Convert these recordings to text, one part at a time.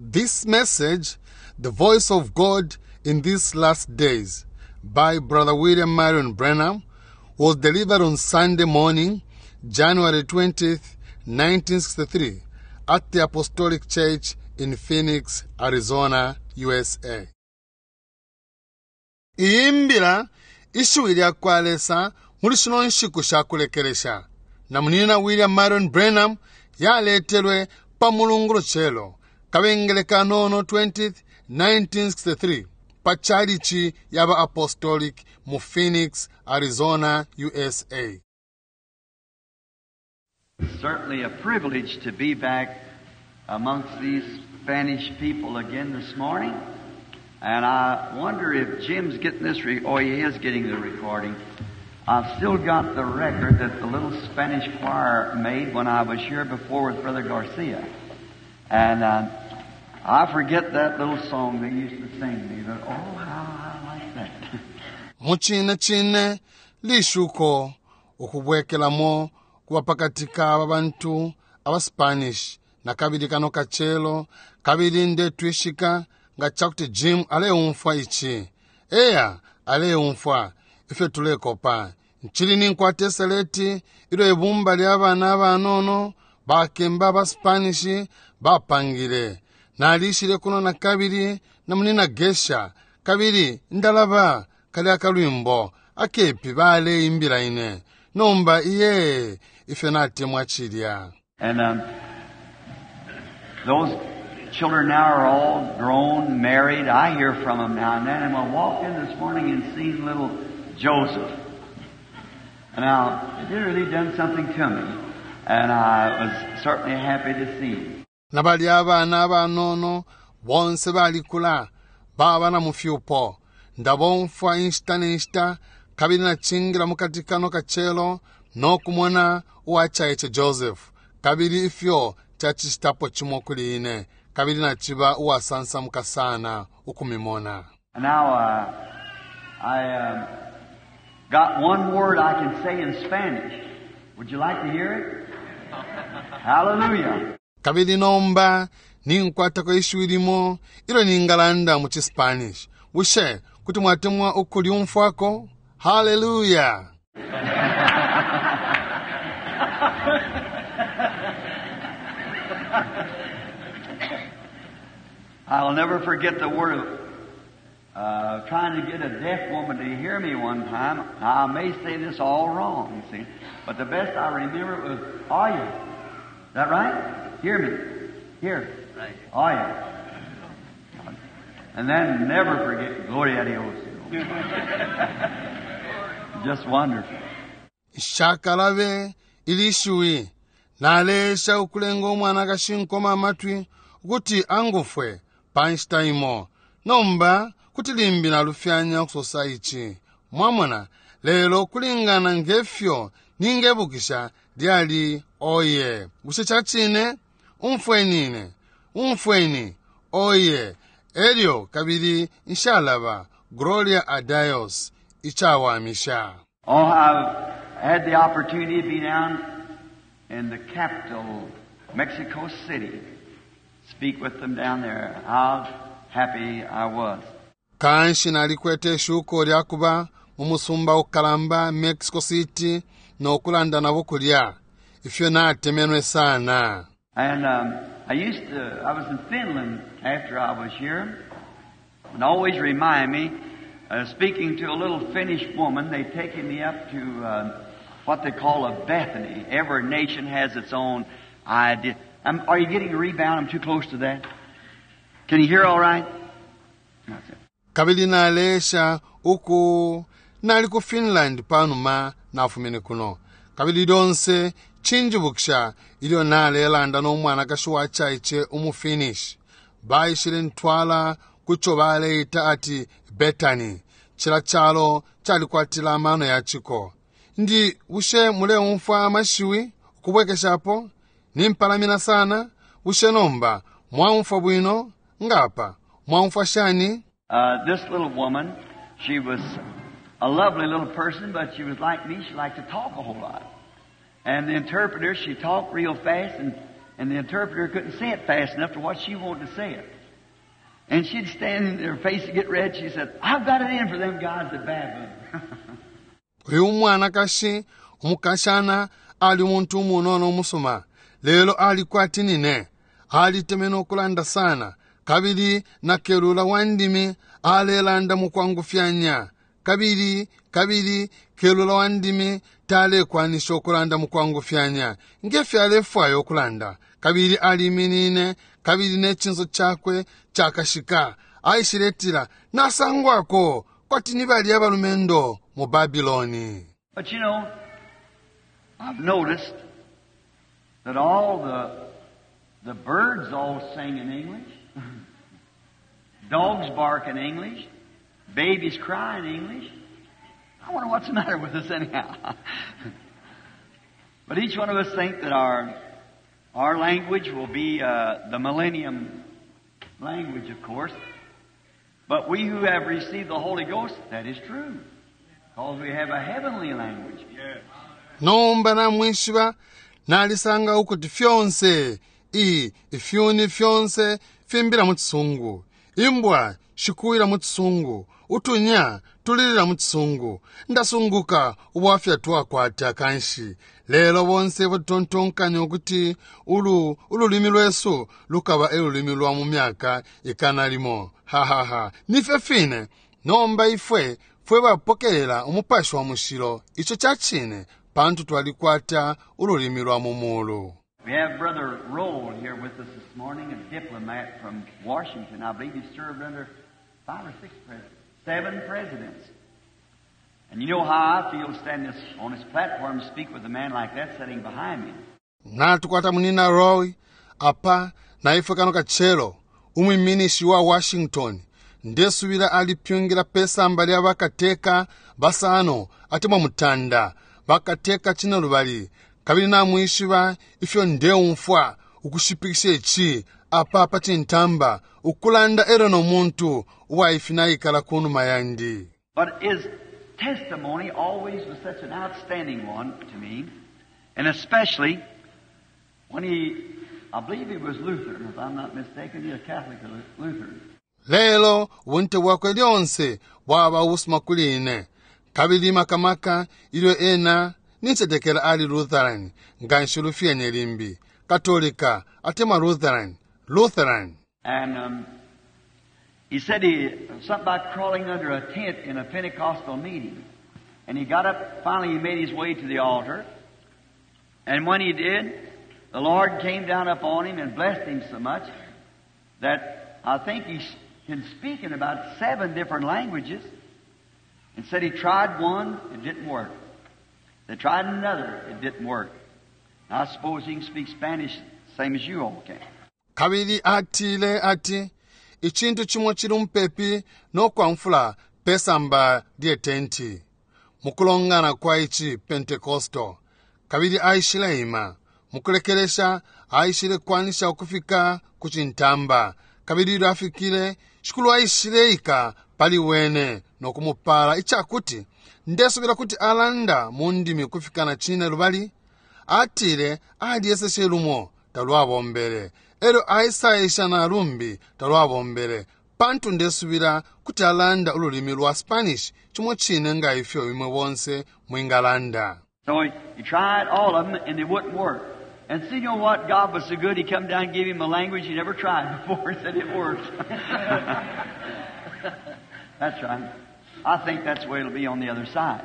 This message, The Voice of God in These Last Days, by Brother William Marion Branham, was delivered on Sunday morning, January 20th, 1963, at the Apostolic Church in Phoenix, Arizona, USA. Iyi mbila ishiwi lya kwa Lesa muli shino nshiku sha kulekelesha na munina William Marion Branham yaletelwe pa Mulungu lucelo Kabengele kanono 20th, 1963 pa chalichi ya ba Apostolic mu Phoenix, Arizona, USA. Certainly a privilege to be back amongst these Spanish people again this morning. And I wonder if Jim's getting this, oh, he is getting the recording. I've still got the record that the little Spanish choir made when I was here before with Brother Garcia. And I forget that little song they used to sing me, but oh, how I like that. Mucine cine lishuko ukubwekelamo kuba pakati ka bantu aba Spanish na kabili kano kacelo kabili ndetwishika nga cakuti Jim aleumfwa ici. Eya, aleumfwa ifyo tulekopa. Ncili ninkwata iseleti ilyo ibumba lya bana abanono bakemba aba Spanish bapangile. Nalishile kuno na kabili na munina Gesha kabili ndalaba kalya kalwimbo akepi baleimbila ine. Nomba iye ifyo natemwa cilya. And those children now are all grown, married. I hear from them now and then. And I walked in this morning and seen little Joseph. Now, it really done something to me. And I was certainly happy to see him. Na balya abana abanono bonse balikula baba na mufyupo. Ndabomfwa inshita ne nshita kabili nacingila mukati kano kacelo no kumona uwacaice Joseph kabili ifyo cacicitapo cimo kuli ine kabili naciba uwasansamuka sana ukumimona. Now, I got one word I can say in Spanish. Would you like to hear it? Hallelujah. Kabili nomba ninkwatako ishiwi limo ilyo ningalanda mu ciSpanish. Bushe kuti mwatemwa ukulyumfwako? Hallelujah! I'll never forget the word of trying to get a deaf woman to hear me one time. Now, I may say this all wrong, see, but the best I remember was, Oye. Is that right? Hear me. Here. Right. Oye. And then never forget, Gloria a Dios. Just wonderful. Nshakalabe ili shiwi naleesha ukulenga umwanakashi nkoma amatwi ukuti angufwe pa nshita imo. Nomba kuti limbi nalufyanya ukusosa ici. Mwamona, lelo kulingana ngefyo ningebukisha lyali oye. Bushe ca cine? Umfweni ine. Umfweni. Oye. Elyo kabili nshalaba. Gloria a Dios. Icawamisha. Oh, I've had the opportunity to be down in the capital, Mexico City, speak with them down there. How happy I was. Kanshi nalikwete ishuko lya kuba mu musumba ukalamba Mexico City no kulanda nabo kulya. Ifyo natemenwe sana. And I was in Finland after I was here, and always remind me, speaking to a little Finnish woman, they taken me up to what they call a Bethany. Every nation has its own idea. Are you getting a rebound? I'm too close to that. Can you hear all right? That's it. Kabili nalesha uku nali ku Finland panuma nafumine kuno. Kabili lyonse cinjibukisha ilyo nalelanda no mwanakashi wa caice umu Finnish. Baishile ntwala kuco baleita ati Bethany. Cila calo calikwatila amano ya ciko. Ndi bushe muleumfwa amashiwi ukubwekeshapo? Nimpalamina sana. Bushe nomba mwaumfwa bwino? Ngapa mwaumfwa shani? This little woman, she was a lovely little person, but she was like me. She liked to talk a whole lot. And the interpreter, she talked real fast, And the interpreter couldn't say it fast enough to what she wanted to say it. And she'd stand and her face would get red. She said, I've got it in for them guys at Babylon. Uyu umwanakashi umukashana ali umuntu umunono umusuma, lelo ali kwati nine. Alitemenwe ukulanda sana, kabili na kelula wa ndimi alelanda mukwangufyanya, kabili, kabili kelula wa ndimi talekwanisha ukulanda mukwangufyanya nge fyo alefwaya ukulanda. Kabili aliminine, kabili ne cinso cakwe cakashika. Aishiletila, Nasangwako kwati ni balya abalumendo mu Babiloni. But you know, I've noticed that all the birds all sing in English. Dogs bark in English. Babies cry in English. I wonder what's the matter with us anyhow. But each one of us think that our language will be the millennium language, of course. But we who have received the Holy Ghost, that is true. Because we have a heavenly language. Nomba namwishiba, nalisanga ukuti fyonse i ifyuni fyonse fimbila mu Cisungu, imbwa shikuwila mu Cisungu, utunya tulilila mu Cisungu. Ndasunguka ubwafya twakwata kanshi. Lelo bonse batontonkanya ukuti ulu ululimi lwesu lukaba e lulimi lwa mu myaka ikana limo. Ha ha ha. Nifyo fine. Nomba ifwe fwe bapokelela Umupashi wa Mushilo, ico ca cine, pantu twalikwata ululimi lwa mu mulu. We have Brother Roll here with us this morning, a diplomat from Washington. I believe he served under 5 or 6 presidents, 7 presidents. And you know how I feel standing on this platform to speak with a man like that sitting behind me. Natukwata Munina Roy apa na ifwe kano kacelo, umwiminishi wa Washington. Ndesubila alipyungila pesamba lya bakateka basano atemwa mutanda, bakateka cine lubali. Kabili namwishiba ifyo ndeumfwa ukushipikisha ici apa pa cintamba, ukulanda elo no muntu uwaifinaikala kunuma yandi. But his testimony always was such an outstanding one to me, and especially when he, I believe he was Lutheran, if I'm not mistaken, he's a Catholic or Lutheran. Lelo ubunte bwakwe lyonse bwaba ubusuma kuli ine, kabili makamaka ilyo ena nincetekela ali Lutheran, nga nshilufyenye limbi, Katolika atemwa Lutheran, Lutheran. And he said he something about crawling under a tent in a Pentecostal meeting. And he got up, finally he made his way to the altar. And when he did, the Lord came down upon him and blessed him so much that I think he can speak in about 7 different languages. And said he tried one, it didn't work. They tried another, it didn't work. I suppose he can speak Spanish same as you all can. Kabili atile ati icintu cimo cili mupepi no kwamfula pesamba lye tenti mukulongana kwa ici Pentecostal. Kabili aishile ima mukulekelesha, aishile kwanisha ukufika ku cintamba. Kabili ilyo afikile, Shikulu aishile ika pali wene no kumupala icakuti ndesubila kuti alanda mu ndimi kufika na cine lubali. Atile alyeseshe lumo talwabombele, elyo aisaisha na lumbi talwabombele, pantu ndesubila kuti alanda ululimi lwa Spanish cimo cine nga ifyo imwe bonse mwingalanda. So he tried all of them and they wouldn't work. And see, you know what? God was so good, He come down and gave him a language he never tried before and said it worked. That's right. I think that's the way it'll be on the other side.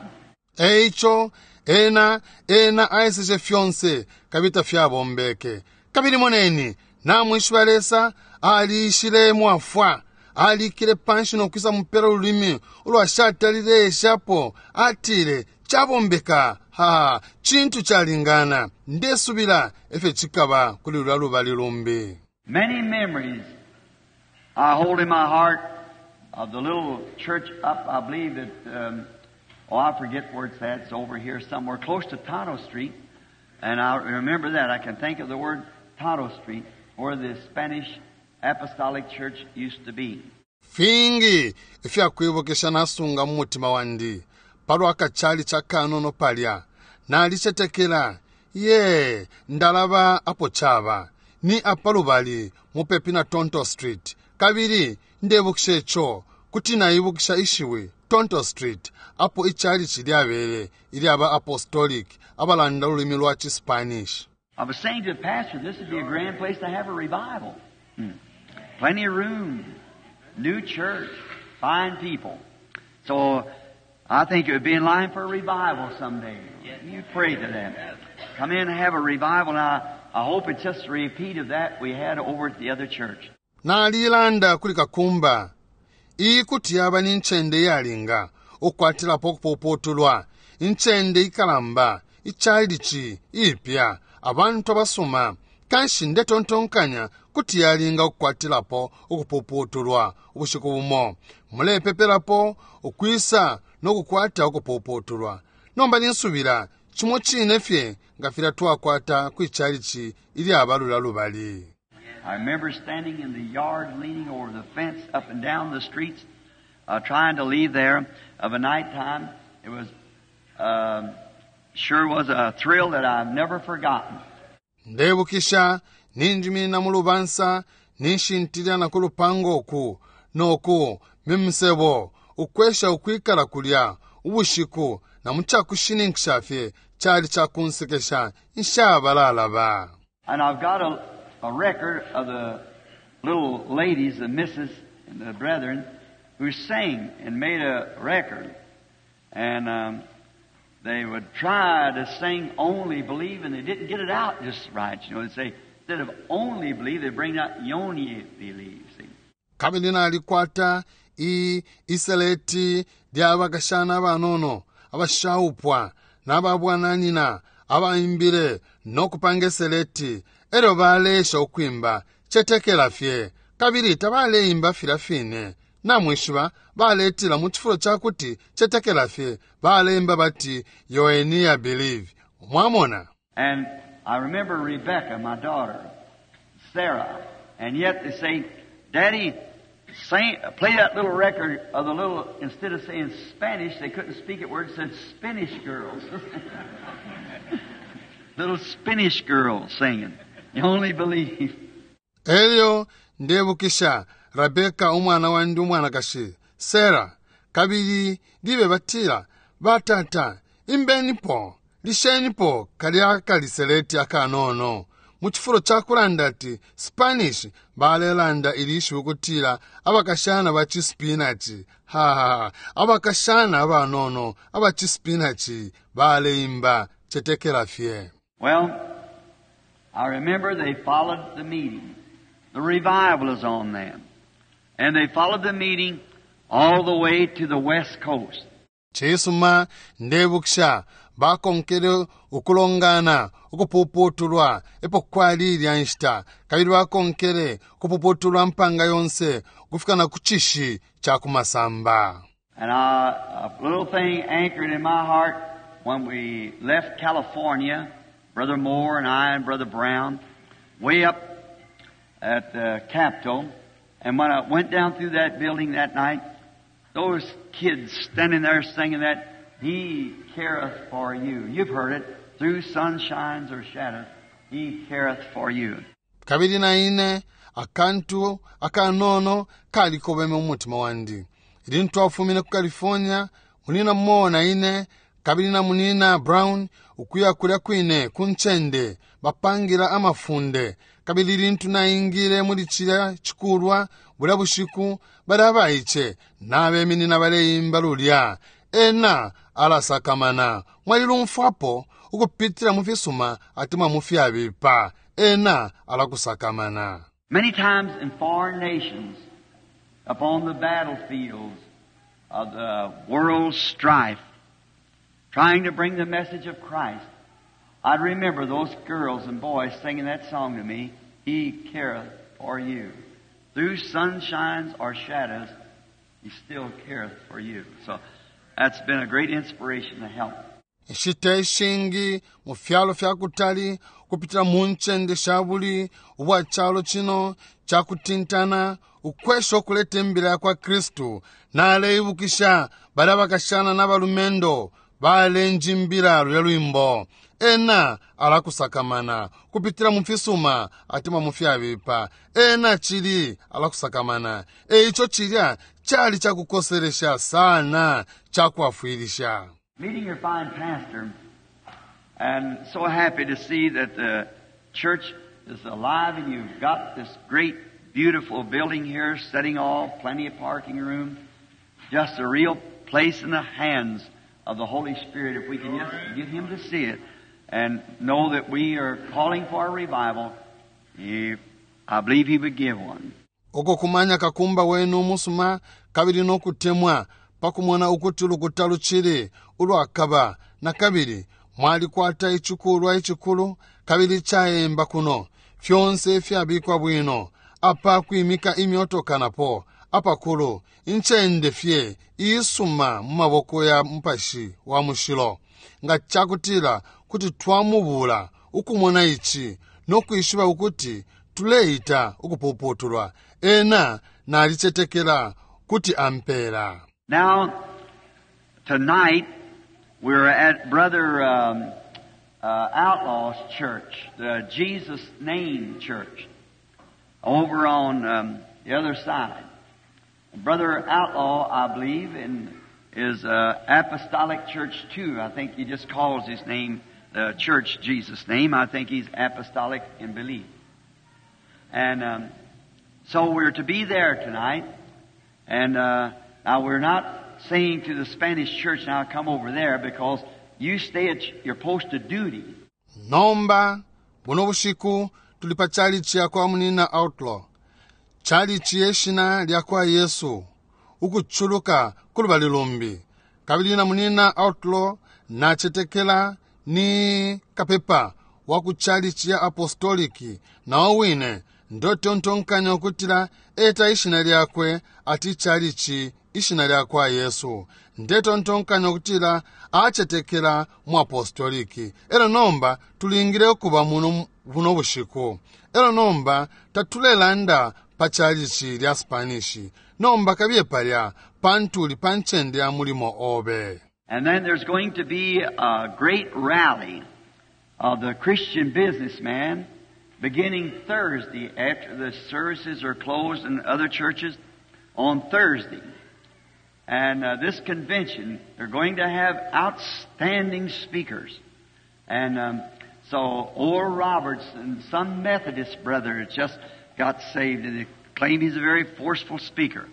Eico, ena, ena aeseshe fyonse, kabili tafyabombeke. Kabili moneni, namwishiba Lesa, aliishile mwafwa. Alikile panshi no kwisa mupela ululimi ulwashatalile eshapo. Atile, cabombeka. Ha, cintu calingana. Ndesubila efyo cikaba kuli lulya lubali lumbi. Many memories I hold in my heart of the little church up, I believe that, oh, I forget where it's at. It's over here somewhere close to Tonto Street. And I remember that. I can think of the word Tonto Street, where the Spanish Apostolic Church used to be. Fingi ifyakwibukisha nasunga mu mutima wandi palwa kachali cha kanono palya. Nalicetekela, ye, ndalaba apo chaba. Ni apa lubali mupepi na Tonto Street. Kabili ndebukisha ico, kuti naibukisha ishiwi Tonto Street, apo ichalichi lyabele ilyaba Apostolic abalanda ululimi lwa ci Spanish. I was saying to the pastor, this would be a grand place to have a revival. Plenty of room, new church, fine people. So I think it would be in line for a revival someday. You pray to them. Come in and have a revival. Now, I hope it's just a repeat of that we had over at the other church. Nalilanda kuli kakumba, iyi kuti yaba ni ncende iyalinga ukukwatilapo ukupuputulwa, incende ikalamba, ichalichi ipya, abantu abasuma. Kanshi ndetontonkanya kuti yalinga ukukwatilapo ukupuputulwa ubushiku bumo. Mulepepelapo ukwisa no kukwata ukupuputulwa. Nomba ninsubila cimo cine fye nga filya twakwata kwi chalichi ilyaba lulya lubali. I remember standing in the yard, leaning over the fence up and down the streets, trying to leave there of a night time. It sure was a thrill that I've never forgotten. Ndebukisha ninjiminina mu lubansa, ninshintilila na ku lupango uku noku mimusebo, ukwesha ukwikala kulya ubushiku, na mu cakushininkisha fye cali cakunsekesha nshabalalaba. And I've got a record of the little ladies, the missus and the brethren, who sang and made a record. And they would try to sing Only Believe, and they didn't get it out just right. They'd say, instead of only believe, they'd bring out yoni believe. See? Kabili nalikwata iseleti lya bakashana abanono abashaupwa n'ababwananyina abaimbile no kupanga iseleti, elyo baleesha ukwimba cetekela fye, kabili tabaleimba filya fine. Namwishiba, baletila mu cifulo ca kuti cetekela fye, baleimba bati yoenia believe. Mwamona? And I remember Rebecca, my daughter, Sarah, and yet they say, Daddy, sing, play that little record of the little, instead of saying Spanish, they couldn't speak it word, said Spanish girls. Little Spanish girls singing. You only believe. Elyo ndebukisha Rebeka umwana wandi umwanakashi Sarah, kabili libe batila, batata, imbenipo, lishenipo kalya kaliseleti akanono. Mu cifulo ca kulanda ati Spanish, balelanda ilishiwi kutila abakashana ba cispinachi. Ha ha ha, abakashana abanono aba cispinachi baleimba cetekela fye. Well, I remember they followed the meeting. The revival is on them. And they followed the meeting all the way to the west coast. Cisuma, ndebukisha bakonkele ukulongana ukupuputulwa epo kwali ilya nshita, kabili bakonkele ukupuputulwa mpanga yonse ukufika na ku cishi ca ku masamba. And a little thing anchored in my heart when we left California, Brother Moore and I and Brother Brown, way up at the Capitol. And when I went down through that building that night, those kids standing there singing that, He careth for you. You've heard it. Through sunshines or shadows, He careth for you. Kabili na ine akantu akanono kalikobeme mu mutima wandi ilintu twafumine ku California, munina Moore na ine kabili na munina Brown, ukuya kulya kwine ku ncende bapangila amafunde. Kabili ilintu naingile muli cilya cikulwa bulya bushiku, balya abaice nabeminina baleimba lulya Ena alasakamana. Mwalilumfwapo ukupitila mu fisuma atemwa mu fyabipa, Ena alakusakamana. Many times in foreign nations, upon the battlefields of the world's strife, trying to bring the message of Christ, I'd remember those girls and boys singing that song to me, He careth for you. Through sunshines or shadows, He still careth for you. So that's been a great inspiration to help. Inshita ishingi mu fyalo fya kutali, ukupitila mu ncende sha buli ubwa calo cino ca kutintana, ukwesha ukuleta imbila ya kwa Kristu, naleibukisha balya bakashana na balumendo. Balenjimbila lulya lwimbo. Ena alakusakamana kupitila mu fisuma atemwa mu fyabipa. Ena cili alakusakamana. E ico cilya cali cakukoselesha sana, cakwafwilisha. Meeting your fine pastor, and so happy to see that the church is alive and you've got this great, beautiful building here, setting off, plenty of parking room. Just a real place in the hands of the Holy Spirit. If we can just get Him to see it and know that we are calling for a revival, I believe He would give one. Uko kumanya kakumba wenu umusuma kabili nokutemwa pakumona ukuti ulukuta lucili ulwakaba na kabili mwalikwata icikulwa icikulu kabili caemba kuno fyonse ifyabikwa bwino apa kwimika imyotoka napo apakulu incende fye iisuma mu maboko ya Mupashi wa Mushilo. Nga cakutila kuti twamubula ukumona ici no kwishiba ukuti tuleita ukupuputulwa, ena nalicetekela kuti ampela. Now, tonight, we're at Brother Outlaw's church, the Jesus Name Church, over on the other side. Brother Outlaw, I believe, is Apostolic Church too. I think he just calls his name, the church, Jesus' name. I think he's apostolic in belief. And so we're to be there tonight. And now we're not saying to the Spanish church, now come over there, because you stay at your post of duty. Nomba, buno bushiku tuli pa chalichi ya kwa Munina Outlaw. Chalichi ye shina lya kwa Yesu, ukuchuluka kulubali lumbi. Kabili na Munina Outlaw nachetekela ni kapepa wa ku chalichi ya apostoliki, na owine ndotontonkanya ukutila eta ishina lyakwe ati chalichi ishina lya kwa Yesu. Ndetontonkanya ukutila achetekela mu apostoliki. Elo nomba tulingile ukuba muno buno bushiku. Elo nomba tatulelanda pa chalichi lya Spanish. Nomba kabiye palya pantuli pa ncende ya mulimo obe. And then there's going to be a great rally of the Christian businessman beginning Thursday after the services are closed in other churches on Thursday. And this convention, they're going to have outstanding speakers. And so Oral Roberts and some Methodist brother just got saved, and they claim he's a very forceful speaker.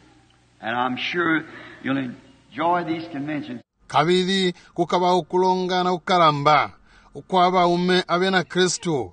And I'm sure you'll enjoy these conventions. Kabili kukaba ukulongana kukalamba ukwa baume abena Kristu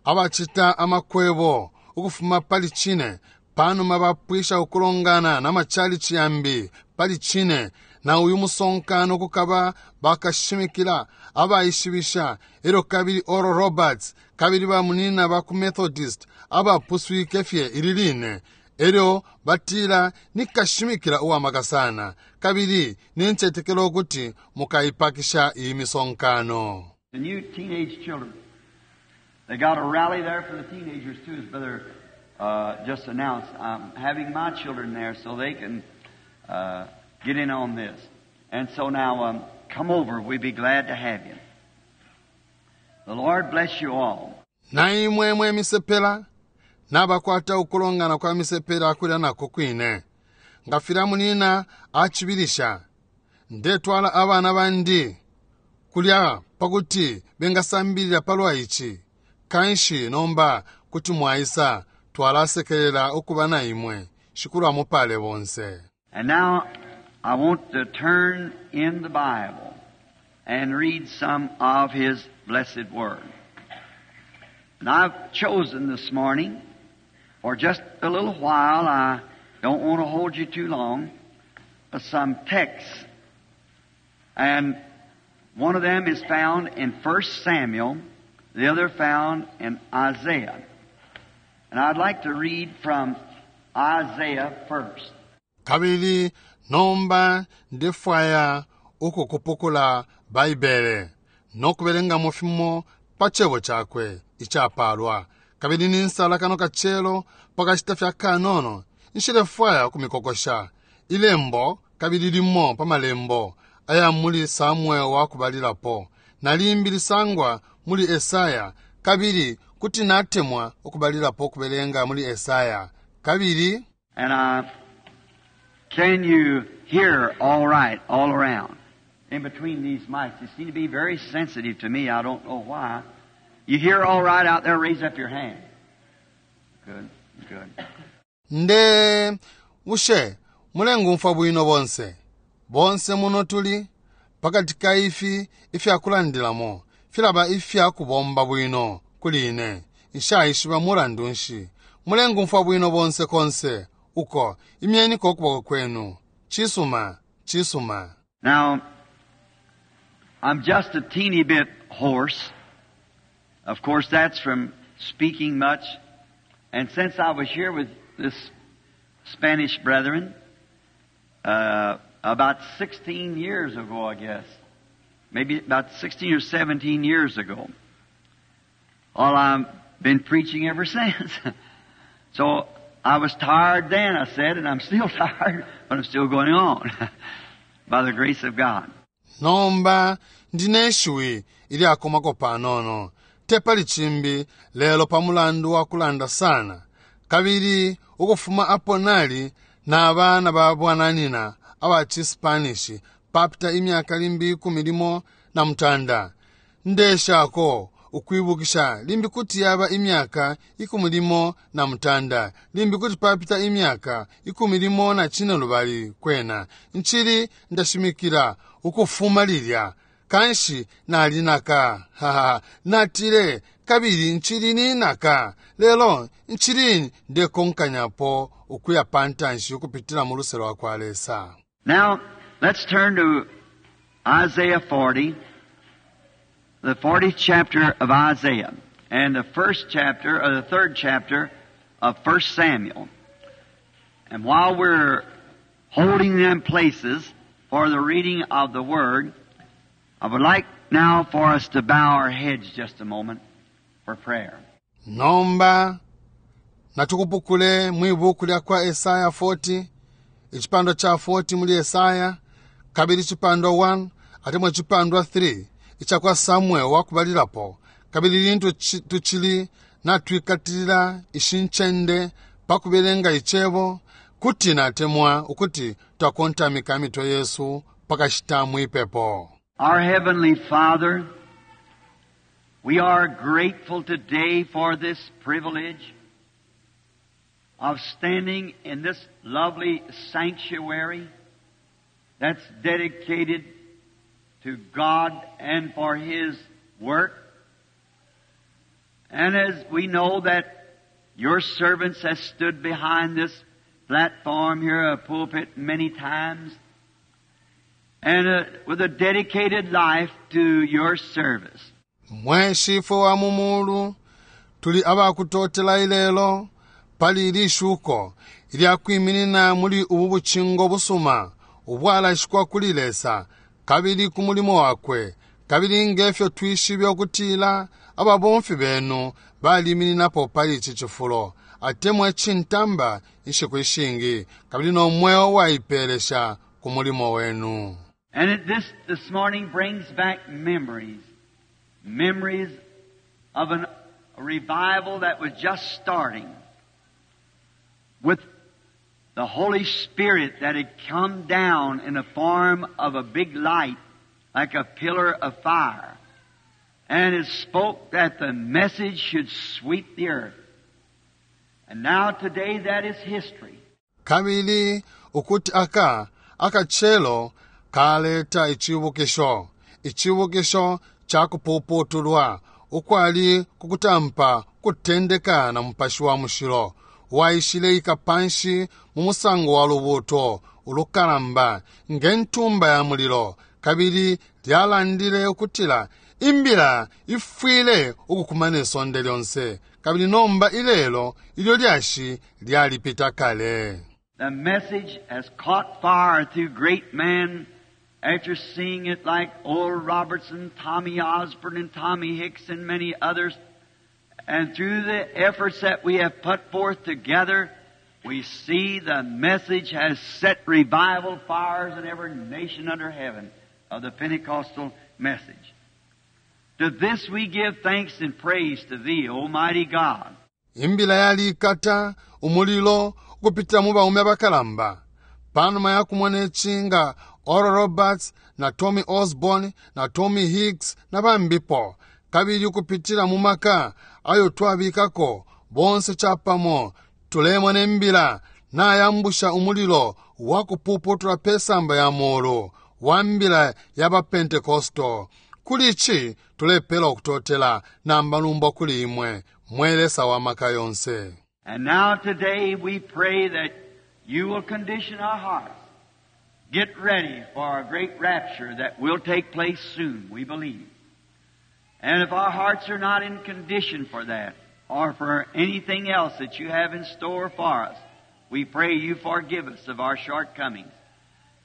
abacita amakwebo ukufuma pali cine panuma bapwisha ukulongana na machalichi yambi pali cine na uyu musonkano kukaba bakashimikila abaishibisha elyo kabili Oral Roberts kabili bamunina ba ku Methodist abapuswike fye ili line elyo batila nikashimikila uwamaka sana kabili nincetekela ukuti mukaipakisha iyi misonkano. The new teenage children. They got a rally there for the teenagers too, as Brother just announced. I'm having my children there so they can get in on this. And so now, come over. We'd be glad to have you. The Lord bless you all. Na imwe mwe misepela nabakwata ukulongana kwa misepela kulya nako kwine nga filya munina acibilisha ndetwala abana bandi kulya pakuti bengasambilila palwa ici kanshi nomba kuti mwaisa twalasekelela ukuba na imwe Shikulu amupale bonse. And now I want to turn in the Bible and read some of His blessed Word. And I've chosen this morning, for just a little while, I don't want to hold you too long, some texts. And one of them is found in 1 Samuel, the other found in Isaiah. And I'd like to read from Isaiah first. Kabili nomba ndefwaya ukukupukula Baibele nokubelengamo fimo pa cebo cakwe icapalwa. Kabili ninsala kano kacelo pakashita fya kanono nshilefwaya ukumikokosha ilembo kabili limo pa malembo. aya muli Samuel wakubalilapo, na limbi lisangwa muli Esaya, kabili kuti natemwa ukubalilapo ukubelenga muli Esaya. Kabili And can you hear all right all around? In between these mics, you seem to be very sensitive to me. I don't know why. You hear all right out there? Raise up your hand. Good, good. Nde bushe mulengumfwa bwino bonse? Bonse muno tuli pakati ka ifi ifyakulandilamo filaba ifya kubomba bwino kuli ine. Nshaishiba mulandu nshi. Mulengumfwa bwino bonse konse uko imyeniko ukuboko kwenu. Cisuma, cisuma. Now, I'm just a teeny bit hoarse. Of course, that's from speaking much. And since I was here with this Spanish brethren, about 16 years ago, I guess, maybe about 16 or 17 years ago, well, I've been preaching ever since. So I was tired then, I said, and I'm still tired, but I'm still going on by the grace of God. Nomba ndine ishiwi ilyakomako panono te pali cimbi lelo pa mulandu wa kulanda sana kabili ukufuma apo nali na bana ba bwananyina aba ciSpanish papita imyaka limbi 16 ndeshako ukwibukisha limbi kuti yaba imyaka 16 limbi kuti papita imyaka 15 kwena nchili ndashimikila ukufuma lilya kanshi nalinaka haha natile kabili nchili ninaka lelo nchili ndekonkanyapo ukuya pantanshi ukupitila mu luse lwa kwa Lesa. Now let's turn to Isaiah 40, the 40th chapter of Isaiah, and the first chapter, or the third chapter of 1 Samuel. And while we're holding them places for the reading of the Word, I would like now for us to bow our heads just a moment for prayer. Nomba natukupukule mwibuku lya kwa Esaya 40, icipandwa cha 40 muli Esaya, kabili icipandwa 1 atemwa icipandwa 3 icakwa Samuel wakubalilapo, kabili lintu tucili natwikatilila ishi ncende pakubelenga icebo, kuti natemwa ukuti twakontamika mitwe yesu pakashita mwipepo. Our Heavenly Father, we are grateful today for this privilege of standing in this lovely sanctuary that's dedicated to God and for His work. And as we know that your servants have stood behind this platform here, a pulpit, many times, and with a dedicated life to your service. Mwe Shifwe wa mu mulu, tuli abakutotela ilelo pali ili shuko ilya kwiminina muli ubu bucingo busuma ubwalashikwa kuli Lesa kabili ku mulimo wakwe, kabili ngefyo twishibe ukutila ababomfi benu balimininapo pali ici cifulo atemwa cintamba inshiku ishingi kabili no mweo waipelesha ku mulimo wenu. And this morning brings back memories, memories of a revival that was just starting with the Holy Spirit that had come down in the form of a big light, like a pillar of fire. And it spoke that the message should sweep the earth. And now today that is history. Kabili ukuti aka akachelo kaleta icibukisho, icibukisho cha kupuputulwa ukwali kukutampa kutendeka na Mupashi wa Mushilo waishile ikapanshi mu musango wa lubuto ulukalamba nge ntumba ya mulilo, kabili lyalandile ukutila imbila ifwile ukukumana isonde lyonse, kabili nomba ilelo ilyo lyashi lyalipita kale. The message has caught fire through great men after seeing it like Oral Robertson, Tommy Osborn, and Tommy Hicks, and many others. And through the efforts that we have put forth together, we see the message has set revival fires in every nation under heaven. of the Pentecostal message. To this we give thanks and praise to Thee, Almighty God. Imbila yalikata umulilo ukupitila mu baume abakalamba. Panuma yakumona ici nga Oral Roberts na Tommy Osborn na Tommy Hicks na bambipo, kabili ukupitila mu maka ayo twabikako bonse capamo, tulemona imbila nayambusha umulilo wa kupuputula pe samba ya mulu wa mbila ya ba Pentecostal. Kuli ici tulepela ukutotela na malumbo kuli imwe, mwe Lesa wa maka yonse. And now today we pray that you will condition our hearts. Get ready for a great rapture that will take place soon, we believe. And if our hearts are not in condition for that, or for anything else that you have in store for us, we pray you forgive us of our shortcomings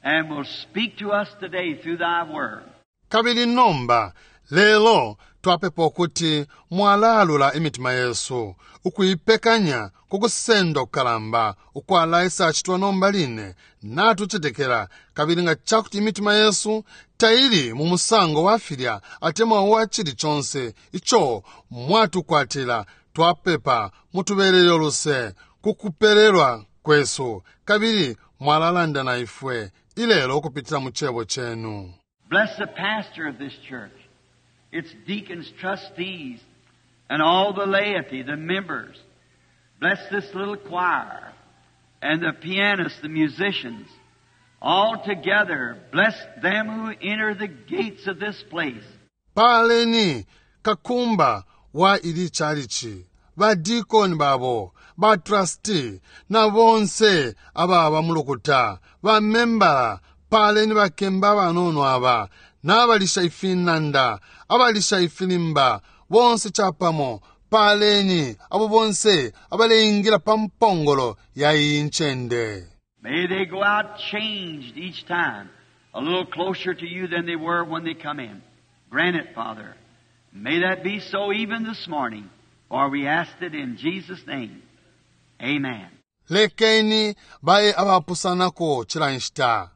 and will speak to us today through thy word. Kabili nomba lelo twapepa ukuti mwalaalula imitima yesu ukuipekanya ku kusendwa kukalamba ukwalaisacitwa nomba line. Natucetekela, kabili nga cakuti imitima yesu taili mu musango wa filya atemwa wa cili conse ico mwatukwatila, twapepa mutubelele uluse ku kupelelwa kwesu, kabili mwalalanda na ifwe ilelo ukupitila mu cebo cenu. Bless the pastor of this church, its deacons, trustees, and all the laity, the members. Bless this little choir and the pianists, the musicians. All together, bless them who enter the gates of this place. Paleni kakumba wa ili chalichi, badikoni babo, batrustee na bonse ababa mulukuta, bamembala. Paleni bakemba abanono aba, n'abalisha ifinanda, abalisha ifilimba, bonse capamo. Paleni abo bonse abaleingila pa mpongolo ya iyi ncende. May they go out changed each time, a little closer to you than they were when they come in. Grant it, Father. May that be so even this morning, for we ask it in Jesus' name. Amen. Lekeni baye abapusanako cila nshita,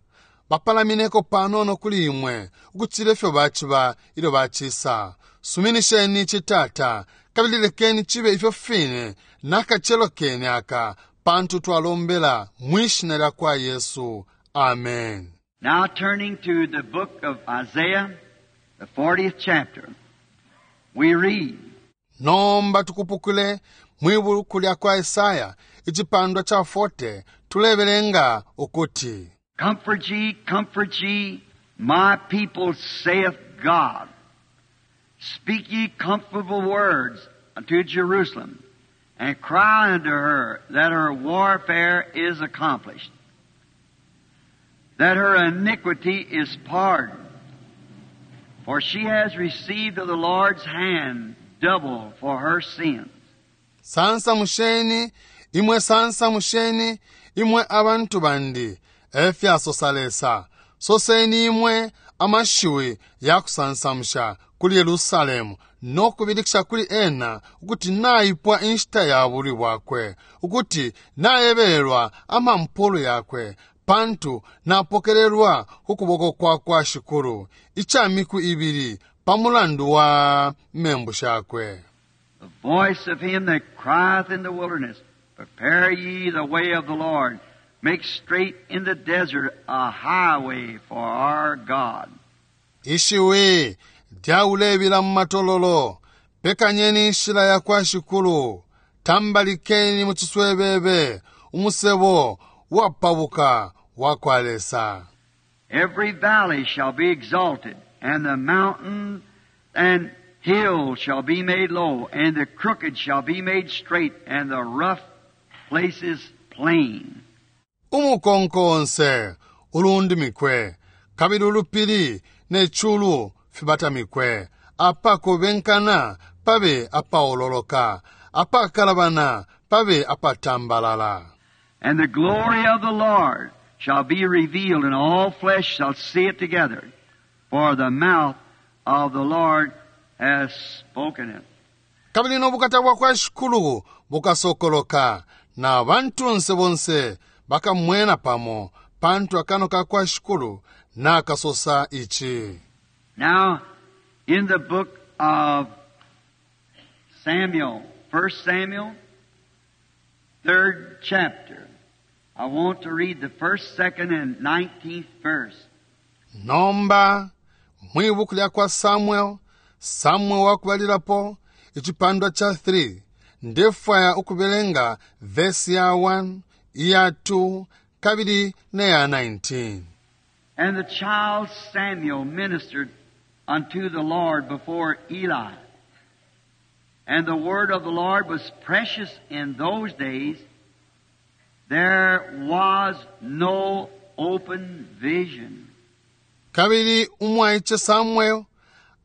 bapalamineko panono kuli imwe ukucila ifyo baciba ilyo bacisa. Suminisheni ici, Tata, kabili lekeni cibe ifyo fine nakacelo kene aka, pantu twalombela mwi shina lya kwa Yesu. Amen. Now turning to the book of Isaiah, the 40th chapter, we read, Nomba tukupukule mwi buku lya kwa Esaya icipandwa ca 40, tulebelenga ukuti, Comfort ye, comfort ye, my people, saith God. Speak ye comfortable words unto Jerusalem, and cry unto her that her warfare is accomplished, that her iniquity is pardoned. For she has received of the Lord's hand double for her sins. Sansamusheni imwe, sansamusheni imwe abantu bandi, efyasosa Lesa. Soseni imwe amashiwi ya kusansamusha kuli Yerusalemu no kubilikisha kuli ena ukuti naipwa inshita ya bulwi bwakwe, ukuti nayebelelwa amampulu yakwe, pantu napokelelwa ku kuboko kwa kwa Shikulu ica miku ibili pa mulandu wa membu shakwe. The voice of him that crieth in the wilderness, Prepare ye the way of the Lord, make straight in the desert a highway for our God. Ishiwi lyaulebila mu matololo, pekanyeni inshila ya kwa Shikulu, tambalikeni mu ciswebebe umusebo wapabuka wa kwa Lesa. Every valley shall be exalted, and the mountain and hill shall be made low, and the crooked shall be made straight, and the rough places plain. Umukonko onse ulundimikwe, kabili ulupili ne culu fibatamikwe, apakobenkana pabe apaololoka, apakalabana pabe apatambalala. And the glory of the Lord shall be revealed, and all flesh shall see it together. For the mouth of the Lord has spoken it. Kabili no bukata bwa kwa Shikulu bukasokoloka, na bantunse bonse bakamwena pamo, Pantu akanwa ka kwa Shikulu nakasosa ici. Now, in the book of Samuel, 1 Samuel, third chapter, I want to read the first, second, and 19th verse. Nomba mwi buku lya kwa Samuel, Samuel wa kubalilapo, icipandwa ca 3, ndefwaya ukubelenga vesi ya 1, iya 2, kabili ne ya 19. And the child Samuel ministered unto the Lord before Eli. And the word of the Lord was precious in those days. There was no open vision. Kabili umwaice Samuel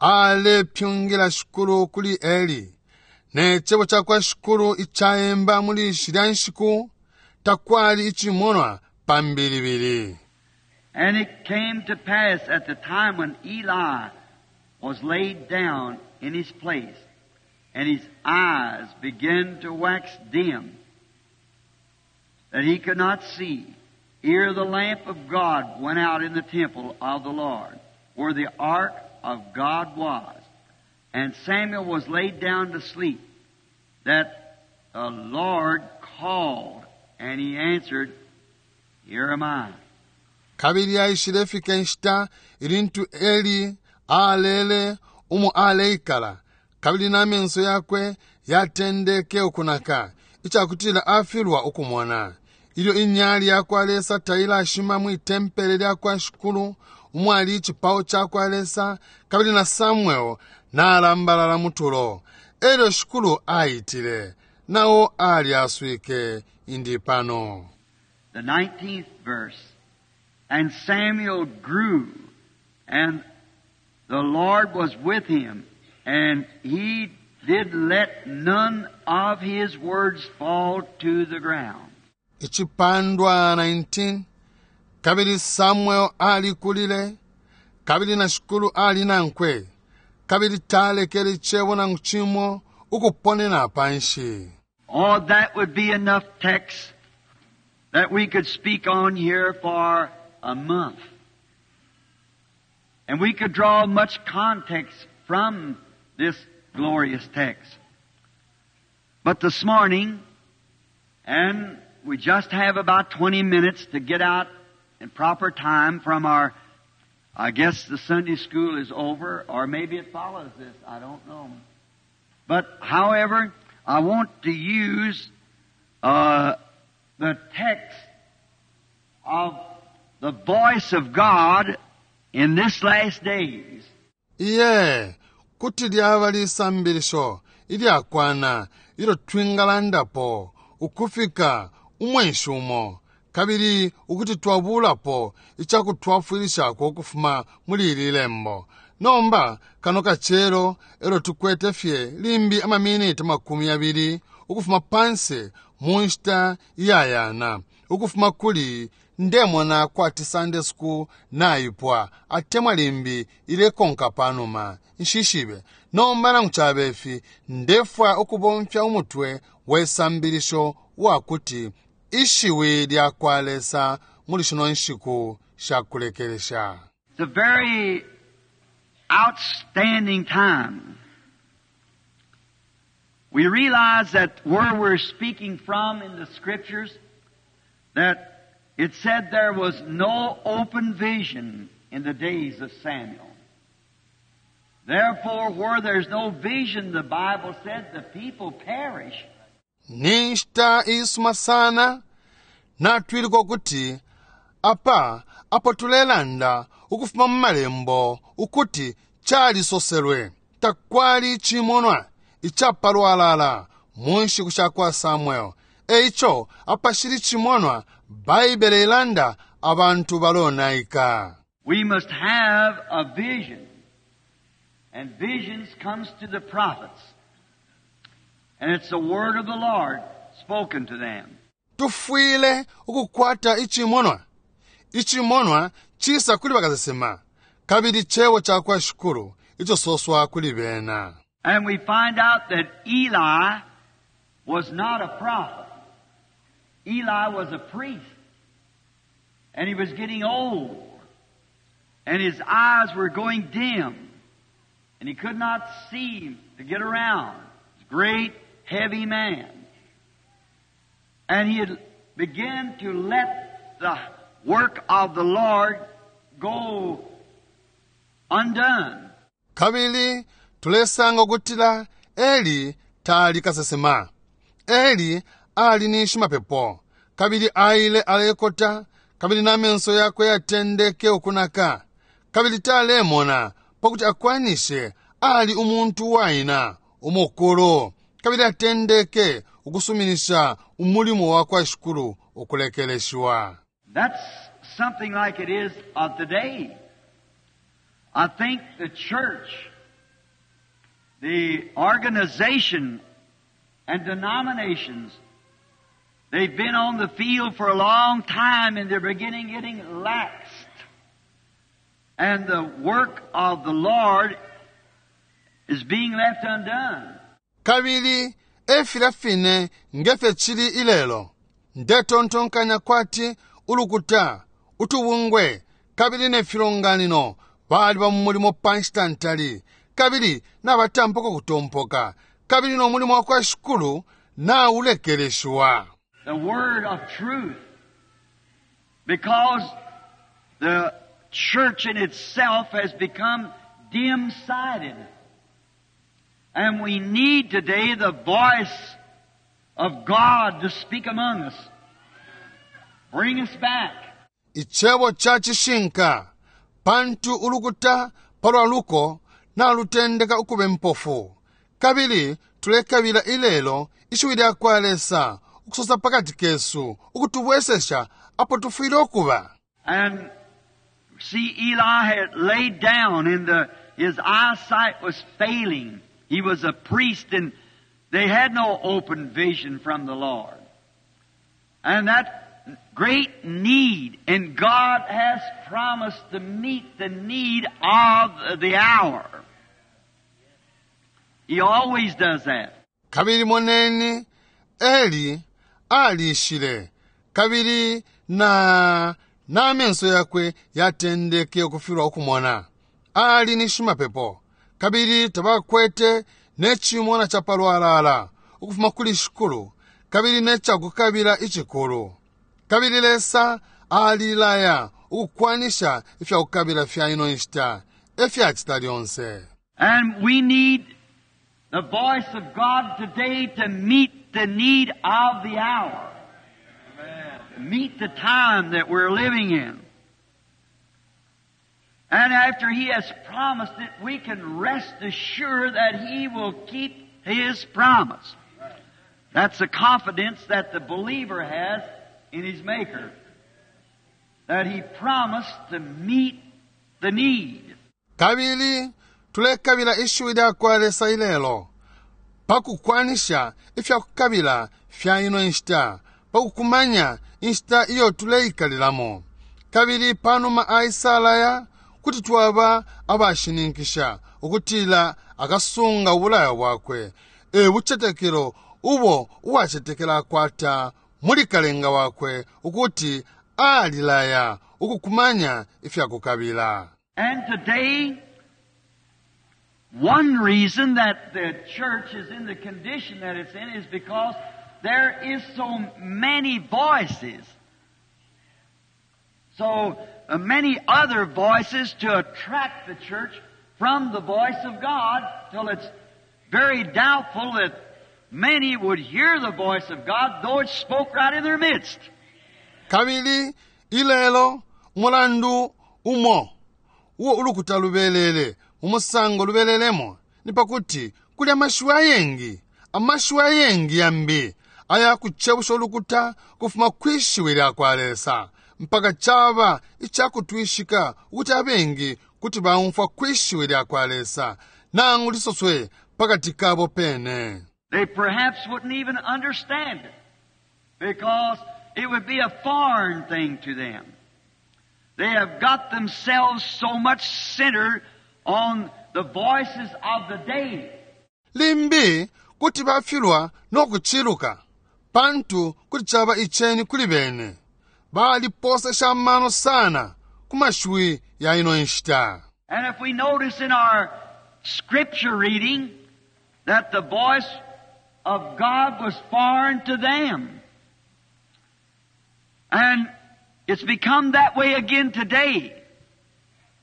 alepyungila Shikulu kuli Eli, ne cebo ca kwa Shikulu icaemba muli shilya nshiku, takwali icimonwa pa mbilibili. And it came to pass at the time when Eli was laid down in his place, and his eyes began to wax dim, that he could not see, ere the lamp of God went out in the temple of the Lord, where the ark of God was. And Samuel was laid down to sleep, that the Lord called, and he answered, Here am I. Kabili aishilefika inshita ilintu Eli alele umo aleikala, kabili na menso yakwe yatendeke ukunaka, icakutila afilwa ukumona. Ilyo inyali ya kwa Lesa tailashima mwi tempele lya kwa Shikulu, umwali icipao ca kwa Lesa, kabili na Samuel nalambalala mutulo. Elyo Shikulu aitile, nao alyaswike, Indi pano. The 19th verse. And Samuel grew, and the Lord was with him, and he did let none of his words fall to the ground. Icipandwa 19. Kabili Samuel alikulile, kabili na Shikulu ali nankwe, kabili talekele icebo nangu cimo ukuponena panshi. Oh, that would be enough text that we could speak on here for a month. And we could draw much context from this glorious text. But this morning, and we just have about 20 minutes to get out in proper time from our, I guess the Sunday school is over, or maybe it follows this, I don't know. But however, I want to use the text of the voice of God in this last days. Iye, kuti lyaba lisambilisho ilyakwana ilyo twingalandapo ukufika umwenshi umo, kabili ukuti twabulapo icakutwafwilishako ukufuma muli ili lembo. Nomba kano kacelo elyo tukwete fye limbi amaminiti 20 ukufuma panse mu nshita iyayana, ukufuma kuli ndemona kwati Sunday school naipwa, atemwa limbi ilekonka panuma, nshishibe. Nomba nangu cabe ifi, ndefwaya ukubomfya umutwe we sambilisho wakuti ishiwi lya kwa Lesa muli shino nshiku sha kulekelesha. It's a very outstanding time. We realize that where we're speaking from in the Scriptures, that it said there was no open vision in the days of Samuel. Therefore, where there's no vision, the Bible said the people perish. Ni nshita iisuma sana natwiluka ukuti apa apo tulelanda ukufuma mu malembo ukuti calisoselwe takwali icimonwa icapalwalala mu nshiku sha kwa Samuel. Eico apashili icimonwa, Baibele ilanda abantu balonaika. We must have a vision. And visions comes to the prophets. And it's the word of the Lord spoken to them. Tufwile ukukwata icimonwa. Icimonwa cisa kuli bakasesema, kabili cebo ca kwa Shikulu ico soswa kuli bena. And we find out that Eli was not a prophet. Eli was a priest. And he was getting old. And his eyes were going dim. And he could not see to get around. He was a great, heavy man. And he had began to let the work of the Lord go undone. Kabili tulesanga ukutila Eli tali kasesema. Eli ali ni shimapepo, kabili aile alekota, kabili na menso yakwe yatendeke ukunaka, kabili talemona pakuti akwanishe. Ali umuntu waina umukulu, kabili atendeke ukusuminisha umulimo wa kwa Shikulu ukulekeleshiwa. That's something like it is of today. I think the church, the organization and denominations, they've been on the field for a long time and they're beginning getting laxed. And the work of the Lord is being left undone. Kabili efilya fine ngefyo cili ilelo. Ndetontonkanya kwati ulukuta, utubungwe kabili ne filonganino baliba mu mulimo pa nshita ntali, kabili nabatampuka kutompoka, kabili no mulimo wa kwa Shikulu naulekeleshiwa. The word of truth. Because the church in itself has become dim-sighted. And we need today the voice of God to speak among us. Bring us back. Icebo ca cishinka, pantu ulukuta palwa luko nalutendeka ukube mpofu, kabili tulekabila ilelo ishiwi lya kwa Lesa ukusosa pakati kesu, ukutubwesesha apo tufwile ukuba. And see, Eli had laid down and his eyesight was failing. He was a priest and they had no open vision from the Lord. And that great need, and God has promised to meet the need of the hour. He always does that. Kabili moneni, Eli alishile, kabili na namenso yakwe yatendeke ukufilwa ukumona. Ali ni shimapepo, kabili tabakwete ne cimona ca palwalala ukufuma kuli Shikulu, kabili ne cakukabila icikulu. Kabili Lesa alilaya ukukwanisha ifyakukabila fya ino nshita, efyacita lyonse. And we need the voice of God today to meet the need of the hour. Meet the time that we're living in. And after He has promised it, we can rest assured that He will keep His promise. That's the confidence that the believer has in his Maker. That He promised to meet the need. Kabili tulekabila ishiwi lya kwa Lesa ilelo pakukwanisha ifyakukabila fya ino nshita, pakukumanya inshita iyo tuleikalilamo. Kabili panuma aisalaya, kuti twaba abashininkisha ukutila akasunga ubulayo bwakwe. E bucetekelo ubo uwacetekela akwata muli Kalenga wakwe, ukuti alilaya ukukumanya ifyakukabila. And today, one reason that the church is in the condition that it's in is because there is so many voices. So many other voices to attract the church from the voice of God, till it's very doubtful that many would hear the voice of God, though it spoke right in their midst. Kabili ilelo umulandu umo uwo ulukuta lubelele mu musango lubelelemo ni pakuti kuli amashiwi ayengi, amashiwi ayengi yambi ayakucebusha ulukuta kufuma kwi shiwi lya kwa Lesa, mpaka caba icakutwishika ukuti abengi kuti baumfwa kwi shiwi lya kwa Lesa nangu lisoswe pakati kabo pene. They perhaps wouldn't even understand it because it would be a foreign thing to them. They have got themselves so much centered on the voices of the day. Limbi kuti bafilwa no kuciluka, pantu kuti caba iceni kuli bene. Baliposesha amano sana ku mashiwi ya ino nshita. And if we notice in our scripture reading that the voice of God was foreign to them. And it's become that way again today.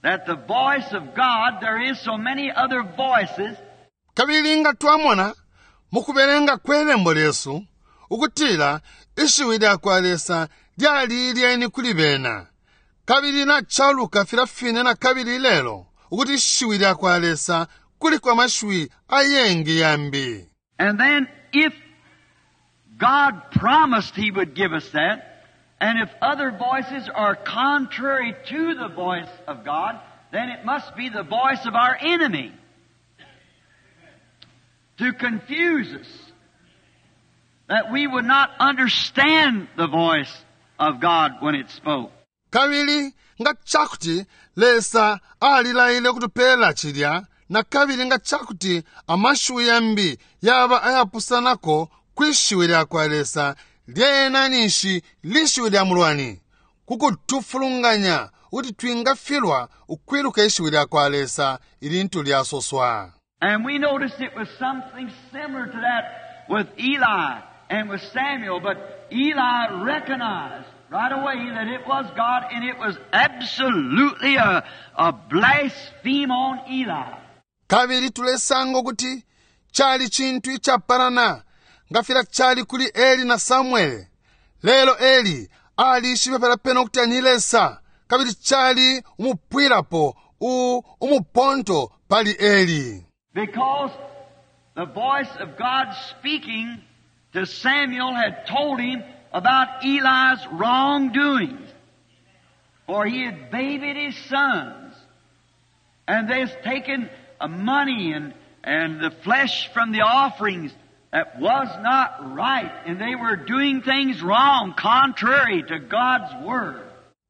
That the voice of God, there is so many other voices. Kabili nga twamona mukubelenga kwe lembo lyesu ukutila ishiwi lya kwa Lesa lyali ilyeni kuli bena. Kabili nacaluka filya fine na kabili ilelo ukuti ishiwi lya kwa Lesa kuliko amashiwi ayengi yambi. And then if God promised He would give us that, and if other voices are contrary to the voice of God, then it must be the voice of our enemy to confuse us, that we would not understand the voice of God when it spoke. Kabili nga cakuti Lesa alilaile ukutupela cilya, na kabili nga cakuti amashiwi yambi yaba ayapusanako kwi shiwi lya kwa Lesa, lyena ninshi lishiwi lya mulwani, ku kutufulunganya ukuti twingafilwa ukwiluka ishiwi lya kwa Lesa ilintu lyasoswa. And we noticed it was something similar to that with Eli and with Samuel, but Eli recognized right away that it was God, and it was absolutely a blaspheme on Eli. Kabili tulesanga ukuti cali cintu icapalana nga filya cali kuli Eli na Samwele. Lelo Eli alishibe palya pene ukuti ni Lesa, kabili cali umupwilapo umuponto pali Eli. Because the voice of God speaking to Samuel had told him about Eli's wrongdoings. For he had babied his sons. And they had taken money and the flesh from the offerings that was not right. And they were doing things wrong, contrary to God's word.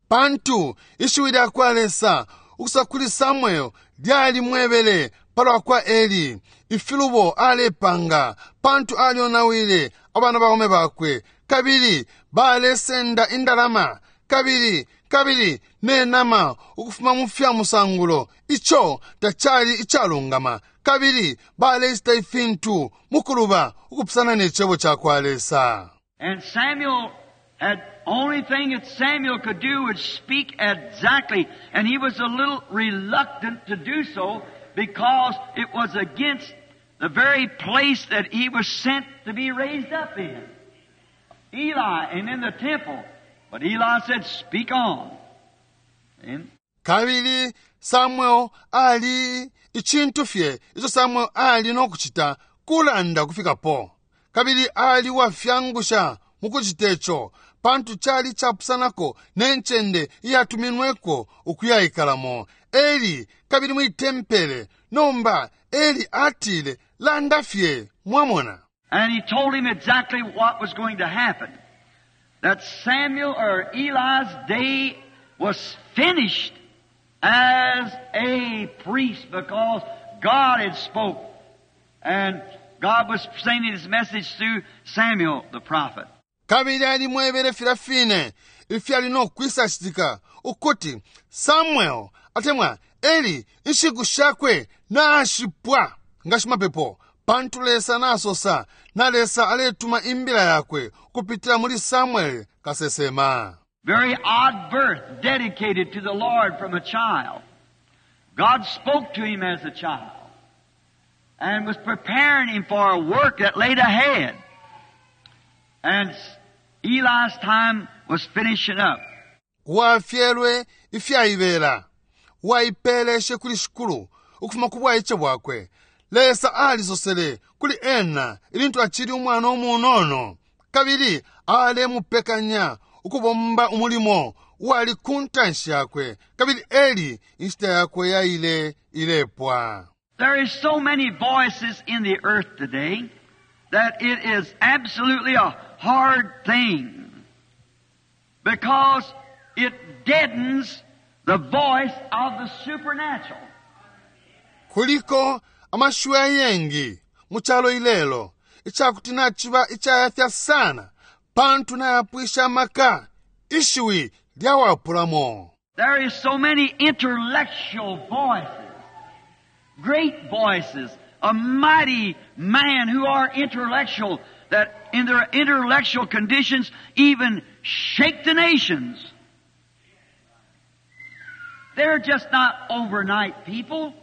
Pantu ishiwi lya kwa Lesa ukusosa kuli Samuel lyalimwebele palwa kwa Eli, ifilubo alepanga, pantu alyonawile abana baume bakwe, kabili balesenda indalama, kabili, kabili ne nama ukufuma mu fya musangulo, ico tacali icalungama, kabili balecita ifintu mukuluba ukupusana ne cebo ca kwa Lesa. And Samuel had only thing that Samuel could do was speak exactly, and he was a little reluctant to do so because it was against the very place that he was sent to be raised up in. Eli, and in the temple. But Eli said, speak on. And Kabili Samuel ali icintu fye ico Samuel ali no kucita kulanda kufikapo. Kabili ali wafyangusha mukucita ico, pantu cali capusanako ne ncende iyatuminweko ukuyaikalamo. Eli kabili mwi tempele. Nomba Eli atile, landa fye, mwamona. And he told him exactly what was going to happen. That Samuel or Eli's day was finished as a priest because God had spoke. And God was sending his message through Samuel the prophet. Kabili alimwebele filya fine ifyali no kwisacitika, ukuti Samuel atemwa Eli inshiku shakwe nashipwa nga shimapepo, pantu Lesa nasosa, na Lesa aletuma imbila yakwe ukupitila muli Samuel kasesema. Very odd birth, dedicated to the Lord from a child. God spoke to him as a child and was preparing him for a work that laid ahead. And Eli's time was finishing up. Wafyelwe ifyaibela, waipeleshe kuli Shikulu ukufuma ku bwaice bwakwe. Lesa alisosele kuli ena ilintu acili umwana umunono, kabili alemupekanya ukubomba umulimo uwali ku ntanshi yakwe, kabili Eli inshita yakwe yaile ilepwa. There is so many voices in the earth today that it is absolutely a hard thing because it deadens the voice of the supernatural. Kuliko amashiwi ayengi mu calo ilelo icakuti naciba icayafya sana pantu nayapwisha amaka Ishiwi lyawapulamo. There is so many intellectual voices, great voices, a mighty man who are intellectual that in their intellectual conditions even shake the nations. They're just not overnight people,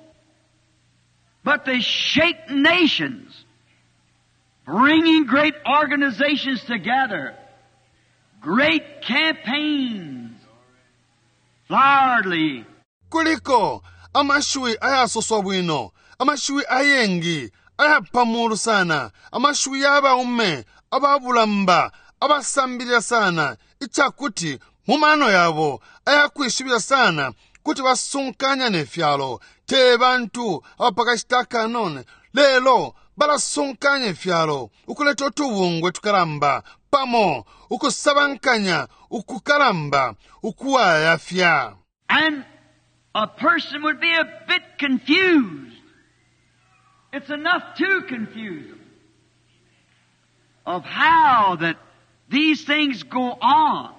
but they shake nations, bringing great organizations together, great campaigns, floweredly. Kuliko amashiwi ayasoswa bwino, amashiwi ayengi ayapamulu sana, amashiwi yabaume ababulamba abasambilila sana, icakuti mu mano yabo ayakwishibila sana kuti basunkanya ne fyalo. Te bantu abapakashita akanono, lelo balasunkanya ifyalo ukuleta utubungwe tukalamba pamo, ukusabankanya ukukalamba ukuwayafya. And a person would be a bit confused. It's enough to confuse them of how that these things go on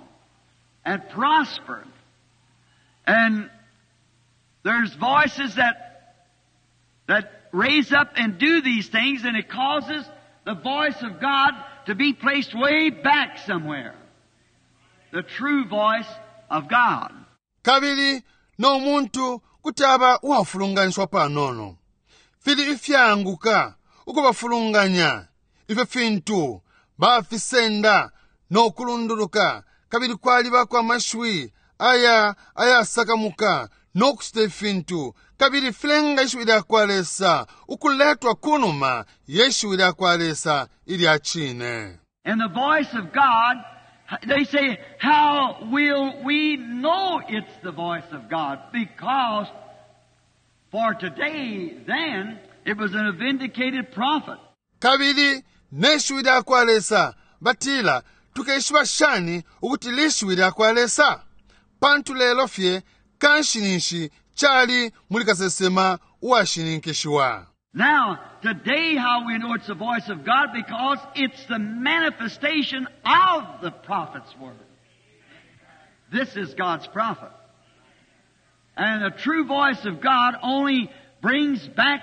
and prosper. And there's voices that raise up and do these things, and it causes the voice of God to be placed way back somewhere. The true voice of God. Kabili no muntu kuti aba uwafulunganiswa panono. Fili ifyanguka ukubafulunganya ifyo fintu bafisenda no kulunduluka, kabili kwalibako amashiwi aya ayasakamuka no kucita ifintu, kabili filenga ishiwi lya kwa Lesa ukuletwa kunuma ye shiwi lya kwa Lesa ilya cine. And the voice of God, they say, how will we know it's the voice of God? Because for today, then, it was a vindicated prophet. Kabili ne shiwi lya kwa Lesa, batila, tukeshiba shani ukuti lishiwi lya kwa Lesa? Pantu lelo fye kanshi ninshi cali muli kasesema uwashininkishiwa. Now, today how we know it's the voice of God, because it's the manifestation of the prophet's word. This is God's prophet. And the true voice of God only brings back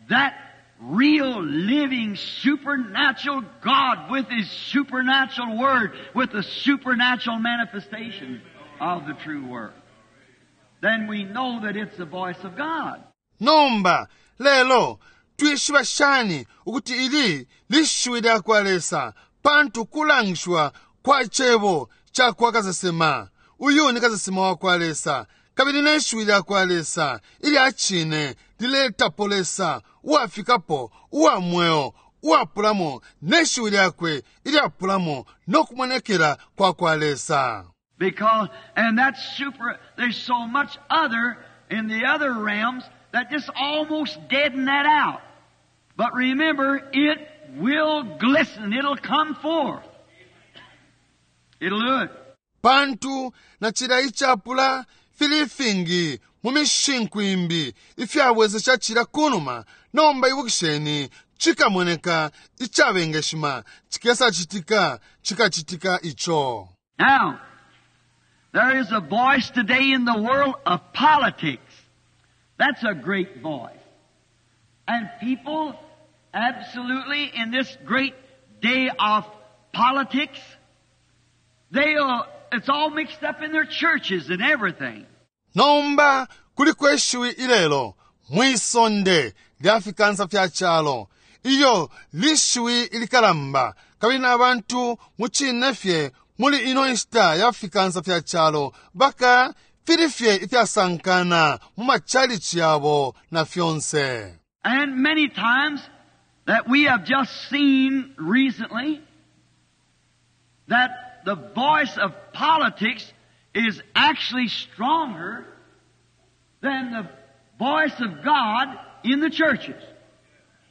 that real, living, supernatural God with His supernatural word, with the supernatural manifestation of the true word. Then we know that it's the voice of God. Nomba lelo twishiba shani ukuti ili lishiwi lya kwa Lesa? Pantu kulangishwa kwa cebo ca kwa kasesema. Uyu ni kasesema wa kwa Lesa, kabili ne shiwi lya kwa Lesa ilya cine liletapo Lesa uwafikapo, uwa mweo, uwapulamo, ne shiwi lyakwe ilyapulamo no kumonekela kwa kwa Lesa. Because, and that's super, there's so much other in the other realms that just almost deaden that out. But remember, it will glisten. It'll come forth. It'll do it. Pantu na cila icapula fili ifingi mu mishinku imbi ifyabwesesha cila kunuma. Nomba ibukisheni, cikamoneka icabengeshima, cikesa citika, cikacitika ico. Now, there is a voice today in the world of politics. That's a great voice. And people absolutely in this great day of politics, it's all mixed up in their churches and everything. Nomba kuliko ishiwi ilelo mwisonde lya fikansa fya calo, iyo lishiwi ilikalamba, kabili na bantu mucine fye muli ino nshita ya fikansa fya calo baka fili fye ifyasankana mu machalichi yabo na fyonse. And many times that we have just seen recently that the voice of politics is actually stronger than the voice of God in the churches.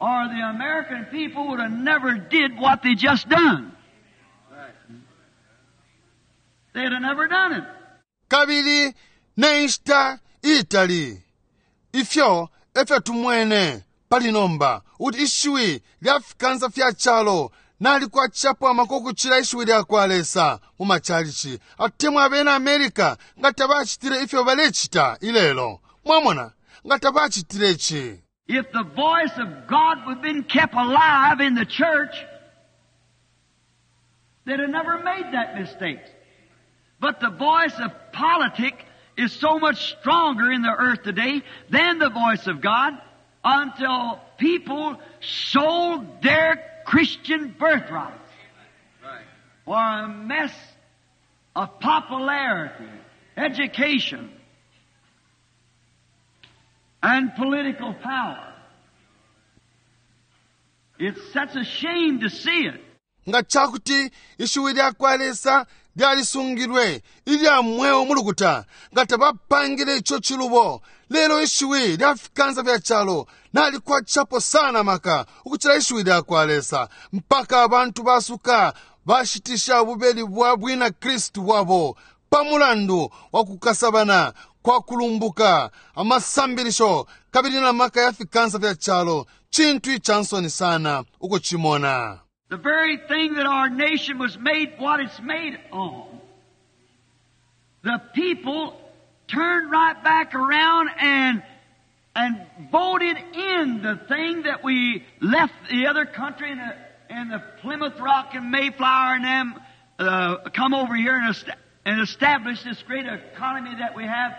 Or the American people would have never did what they just done. They'd have never done it. Kabili ne nshita itali ifyo efyo tumwene pali nomba ukuti ishiwi lya fikansa fya calo Nalikwatishapo amaka ukucila ishiwi lyakwa Lesa mu machalichi, atemwa abena America nga tabacitile ifyo balecita ilelo. Mwamona, nga tabacitile ici. If the voice of God would have been kept alive in the church, they'd have never made that mistake. But the voice of politics is so much stronger in the earth today than the voice of God until people sold their Christian birthrights for a mess of popularity, education, and political power. It's such a shame to see it. Nga cakuti ishiwi lyakwa Lesa lyalisungilwe ilya mweo mu lukuta, nga tabapangile ico cilubo. Lelo ishiwi lya fikansa fya calo nalikwatishapo sana maka ukucila ishiwi lyakwa Lesa, mpaka abantu basuka bashitisha ububeli bwa bwina Kristu bwabo pa mulandu wa kukasabana kwa kulumbuka, amasambilisho, kabili na maka ya fikansa fya calo. Cintu ica nsoni sana ukucimona. The very thing that our nation was made what it's made on. The people turned right back around and voted in the thing that we left the other country and the Plymouth Rock and Mayflower and them come over here and establish this great economy that we have.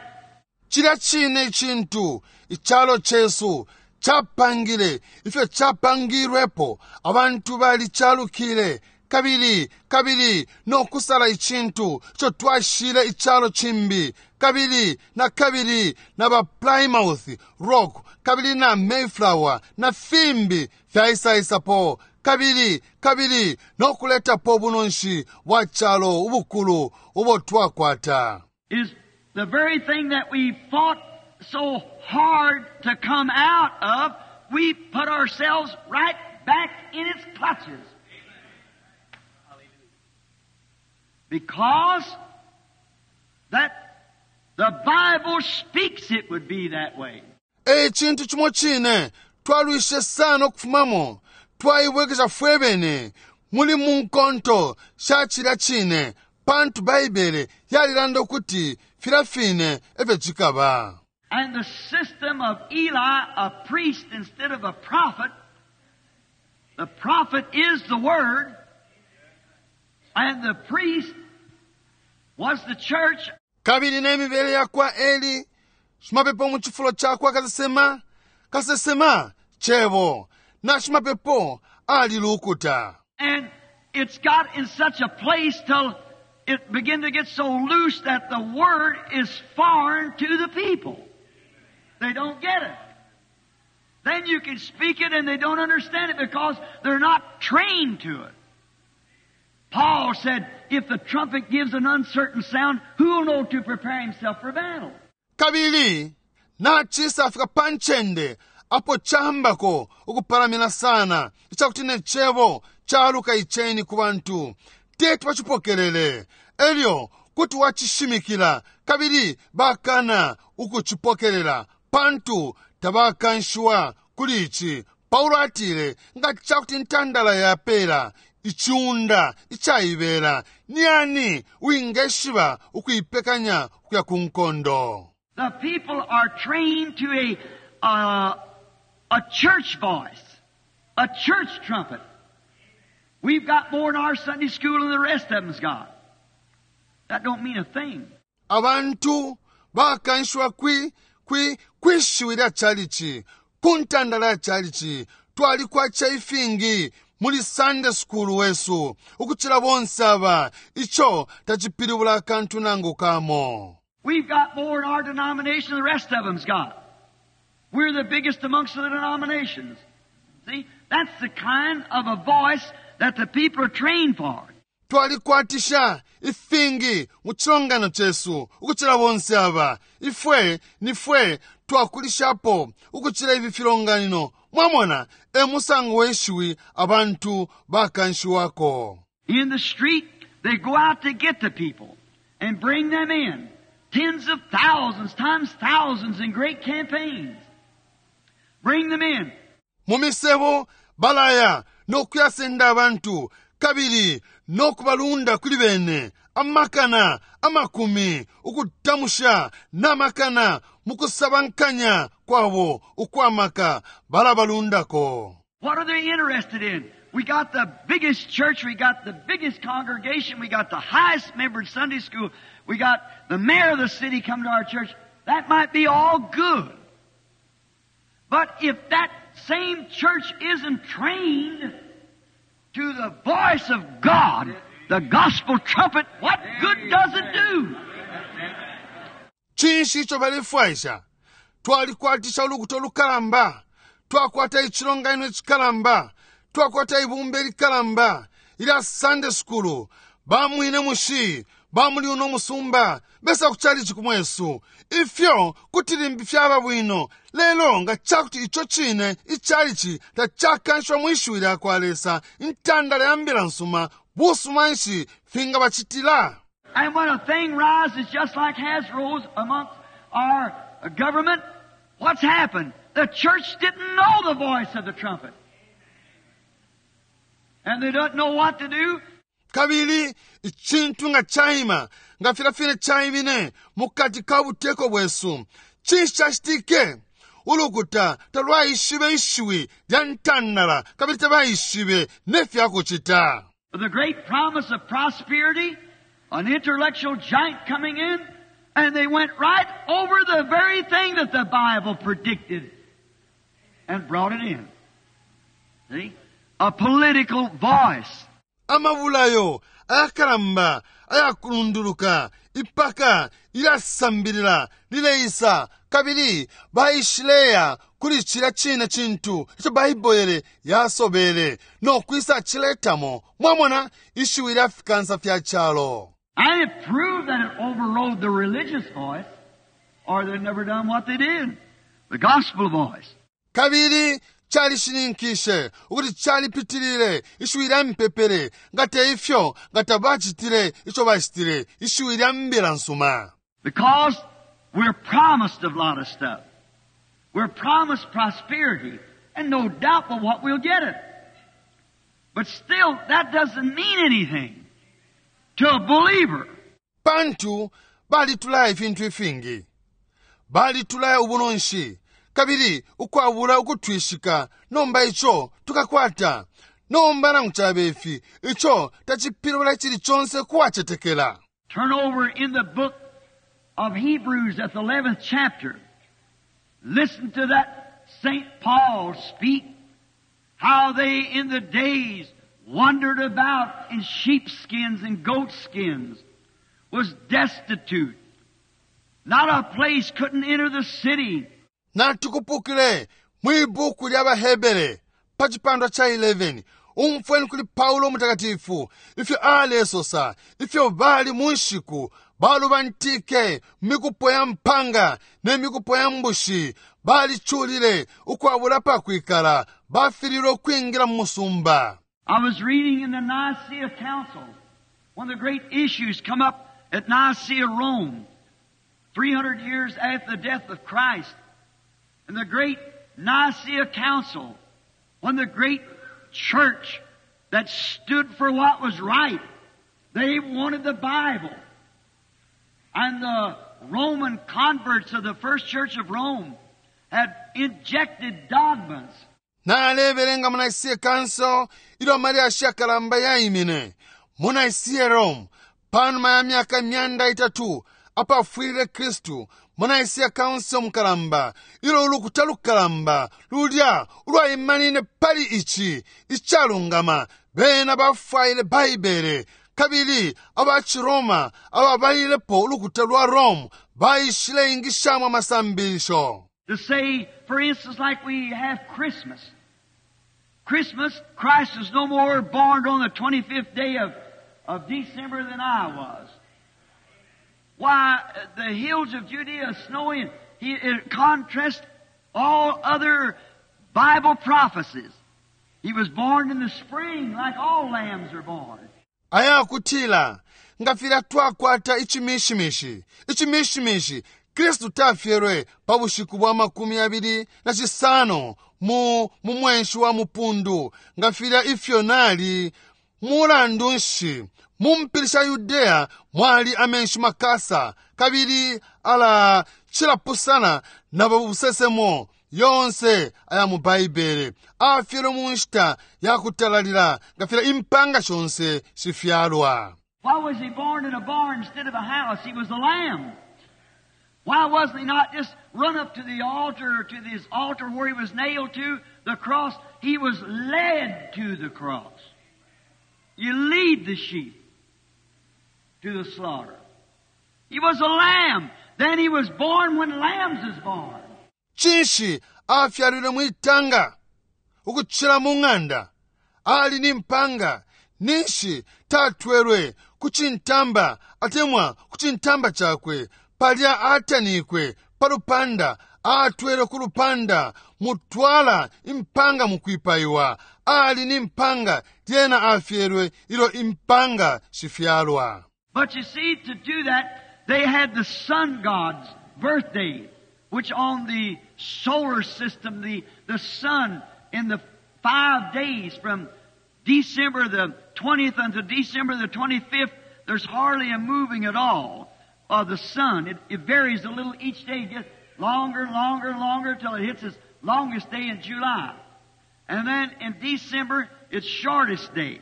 Cilya cine icintu icalo cesu capangile ifyo capangilwepo, abantu balicalukile kabili kabili no kusala icintu ico twashile icalo cimbi, kabili na kabili na ba Plymouth Rock kabili na Mayflower na fimbi fyaisaisapo kabili kabili no kuletapo bunonshi bwa calo ubukulu ubo twakwata. Is the very thing that we fought so hard to come out of, we put ourselves right back in its clutches. Because that the Bible speaks it would be that way. E cintu cimo cine twalwishe sana ukufumamo, twaibwekesha fwebene muli mu nkonto sha cilya cine, pantu Baibele yalilanda ukuti filya fine efyo cikaba. And the system of Eli, a priest instead of a prophet, the prophet is the Word, and the priest was the church. Kabili ne mibele ya kwa Eli, shimapepo mu cifulo ca kwa kasesema, kasesema cebo, na shimapepo ali lukuta. And it's got in such a place till it began to get so loose that the Word is foreign to the people. They don't get it. Then you can speak it and they don't understand it because they're not trained to it. Paul said, if the trumpet gives an uncertain sound, who will know to prepare himself for battle? Kabili, nacisa afika pa ncende apo cambako ukupalamina sana, icakuti ne cebo caluka iceni ku bantu. Teti bacipokelele. Elyo kuti wacishimikila, kabili bakana ukucipokelela, pantu tabakanshiwa kuli ici. Paulo atile, nga cakuti intandala yapela iciunda icaibela, ni ani wingeshiba ukuipekanya ukuya ku nkondo? The people are trained to a church voice, a church trumpet. We've got more in our Sunday school than the rest of them's got. That don't mean a thing. Abantu bakanshiwa kwi kwishiwi lya chalichi, ku ntandala ya chalichi. Twalikwacha ifingi muli Sunday school wesu ukucila bonse aba. Ico tacipilibula akantu nangu kamo. We've got more in our denomination than the rest of them's got. We're the biggest amongst the denominations. See, that's the kind of a voice that the people are trained for. Twalikwatisha ifingi mu cilongano cesu ukucila bonse aba. Ifwe nifwe twakulishapo ukucila ifi filonganino. Mwamona, e musango weshiwi abantu bakanshiwako. In the street, they go out to get the people and bring them in. Tens of thousands times thousands in great campaigns. Bring them in. Mu misebo balaya no kuyasenda abantu kabili no kubalunda kuli bene amakana amakumi ukutamusha namakana mukusabankanya kwabo ukwamaka balabalundako. What are they interested in? We got the biggest church, we got the biggest congregation, we got the highest membered Sunday school, we got the mayor of the city come to our church. That might be all good. But if that same church isn't trained to the voice of God, the gospel trumpet, what good does it do? Cinshi ico balefwaisha? Twalikwatisha ulukuta ulukalamba, twakwata icilonganino icikalamba, twakwata ibumba ilikalamba ilya Sunday school, bamwine mushi bamuli uno musumba besa kuchalichi kumwesu. Ifyo kuti limbi fyaba bwino, lelo nga cakuti ico cine ichalichi tacakanshwa mwishiwi lya kwa Lesa, intandala ya mbila nsuma, busuma nshi fingabacitila? And when a thing rises just like has rose amongst our government, what's happened? The church didn't know the voice of the trumpet. And they don't know what to do. Kabili icintu nga caima nga filya fine caimine mukati ka buteko bwesu, cinshi cacitike? Ulukuta talwaishibe ishiwi lya ntandala kabili tabaishibe ne fya kucita. The great promise of prosperity, an intellectual giant coming in, and they went right over the very thing that the Bible predicted and brought it in. See? A political voice. Amabulayo ayakalamba ayakulunduluka ipaka ilyasambilila lileisa kabili baishileya kuli cilya cine cintu ico Baibele yasobele no kwisa ciletamo. Mwamona, ishiwi lya fikansa fya calo. And it proved that it overrode the religious voice, or they'd never done what they did. The gospel voice. Kabili calishininkishe ukuti calipitilile ishiwi lya mpepele, nga te ifyo nga tabacitile ico bacitile, ishiwi lya mbila nsuma. Because we're promised a lot of stuff. We're promised prosperity, and no doubt but what we'll get it. But still, that doesn't mean anything to a believer. Pantu balitulaya ifintu ifingi, balitulaya ubunonshi, kabili ukwabula ukutwishika nomba ico tukakwata. Nomba nangu cabe ifi, ico tacipilibula icili conse kuwacetekela. Turn over in the book of Hebrews at the 11th chapter. Listen to that St. Paul speak, how they in the days wandered about in sheepskins and goatskins, was destitute. Not a place, couldn't enter the city. Natukupukile mwi buku lya baHebere pa cipandwa ca 11. Umfweni kuli Paulo Mutakatifu ifyo alesosa, ifyo bali mu nshiku balubantike mikupo ya mpanga ne mikupo ya mbushi, baliculile ukwabula pa kwikala, bafililwe ukwingila mu musumba. I was reading in the Nicaea Council, one of the great issues come up at Nicaea, Rome, 300 years after the death of Christ. And the great Nicaea Council, when the great church that stood for what was right, they wanted the Bible. And the Roman converts of the first church of Rome had injected dogmas. Nalebelenga mu Nicaea Council ilyo amalyashi yakalamba yaimine mu Nicaea, Rome, panuma ya myaka 300 apafwilile Kristu, mu Nicaea Council mukalamba ilyo ulukuta lukalamba lulya ulwaimanine pali ici icalungama, bena bafwaile Baibele, kabili aba Ciroma ababalilepo ulukuta lwa Rome baishile ingishamo amasambilisho. To say, for instance, like we have Christmas. Christmas, Christ was no more born on the 25th day of December than I was. Why, the hills of Judea are snowing. It contrasts all other Bible prophecies. He was born in the spring like all lambs are born. Ayakutila nga filya twakwata icimishimishi, icimishimishi. Kristu tafyelwe pa bushiku bwa 25 mu mu mwenshi wa mupundu nga filya ifyo nali mulandu nshi mu mpili sha Yudea mwali amenshi makasa kabili ala cilapusana na babusesemo yonse aya mu Baibele. Afyelwe mu nshita ya kutalalila nga filya impanga shonse shifyalwa. Why was he born in a barn instead of a house? He was a lamb. Why wasn't he not just run up to the altar, to this altar where he was nailed to the cross? He was led to the cross. You lead the sheep to the slaughter. He was a lamb. Then he was born when lambs is born. Cinshi afyalilwe mwitanga ukucila mu ng'anda? Ali ni mpanga. Ninshi tatwelwe ku cintamba atemwa ku cintamba cakwe palya atanikwe pa lupanda atwelwe ku lupanda mutwala impanga mukwipaiwa. Ali ni mpanga lyena afyelwe ilyo impanga shifyalwa. But you see, to do that, they had the sun god's birthday, which on the solar system, the sun in the 5 days from December the 20th until December the 25th, there's hardly a moving at all of the sun. It varies a little each day. It gets longer and longer and longer till it hits its longest day in July. And then in December, its shortest day.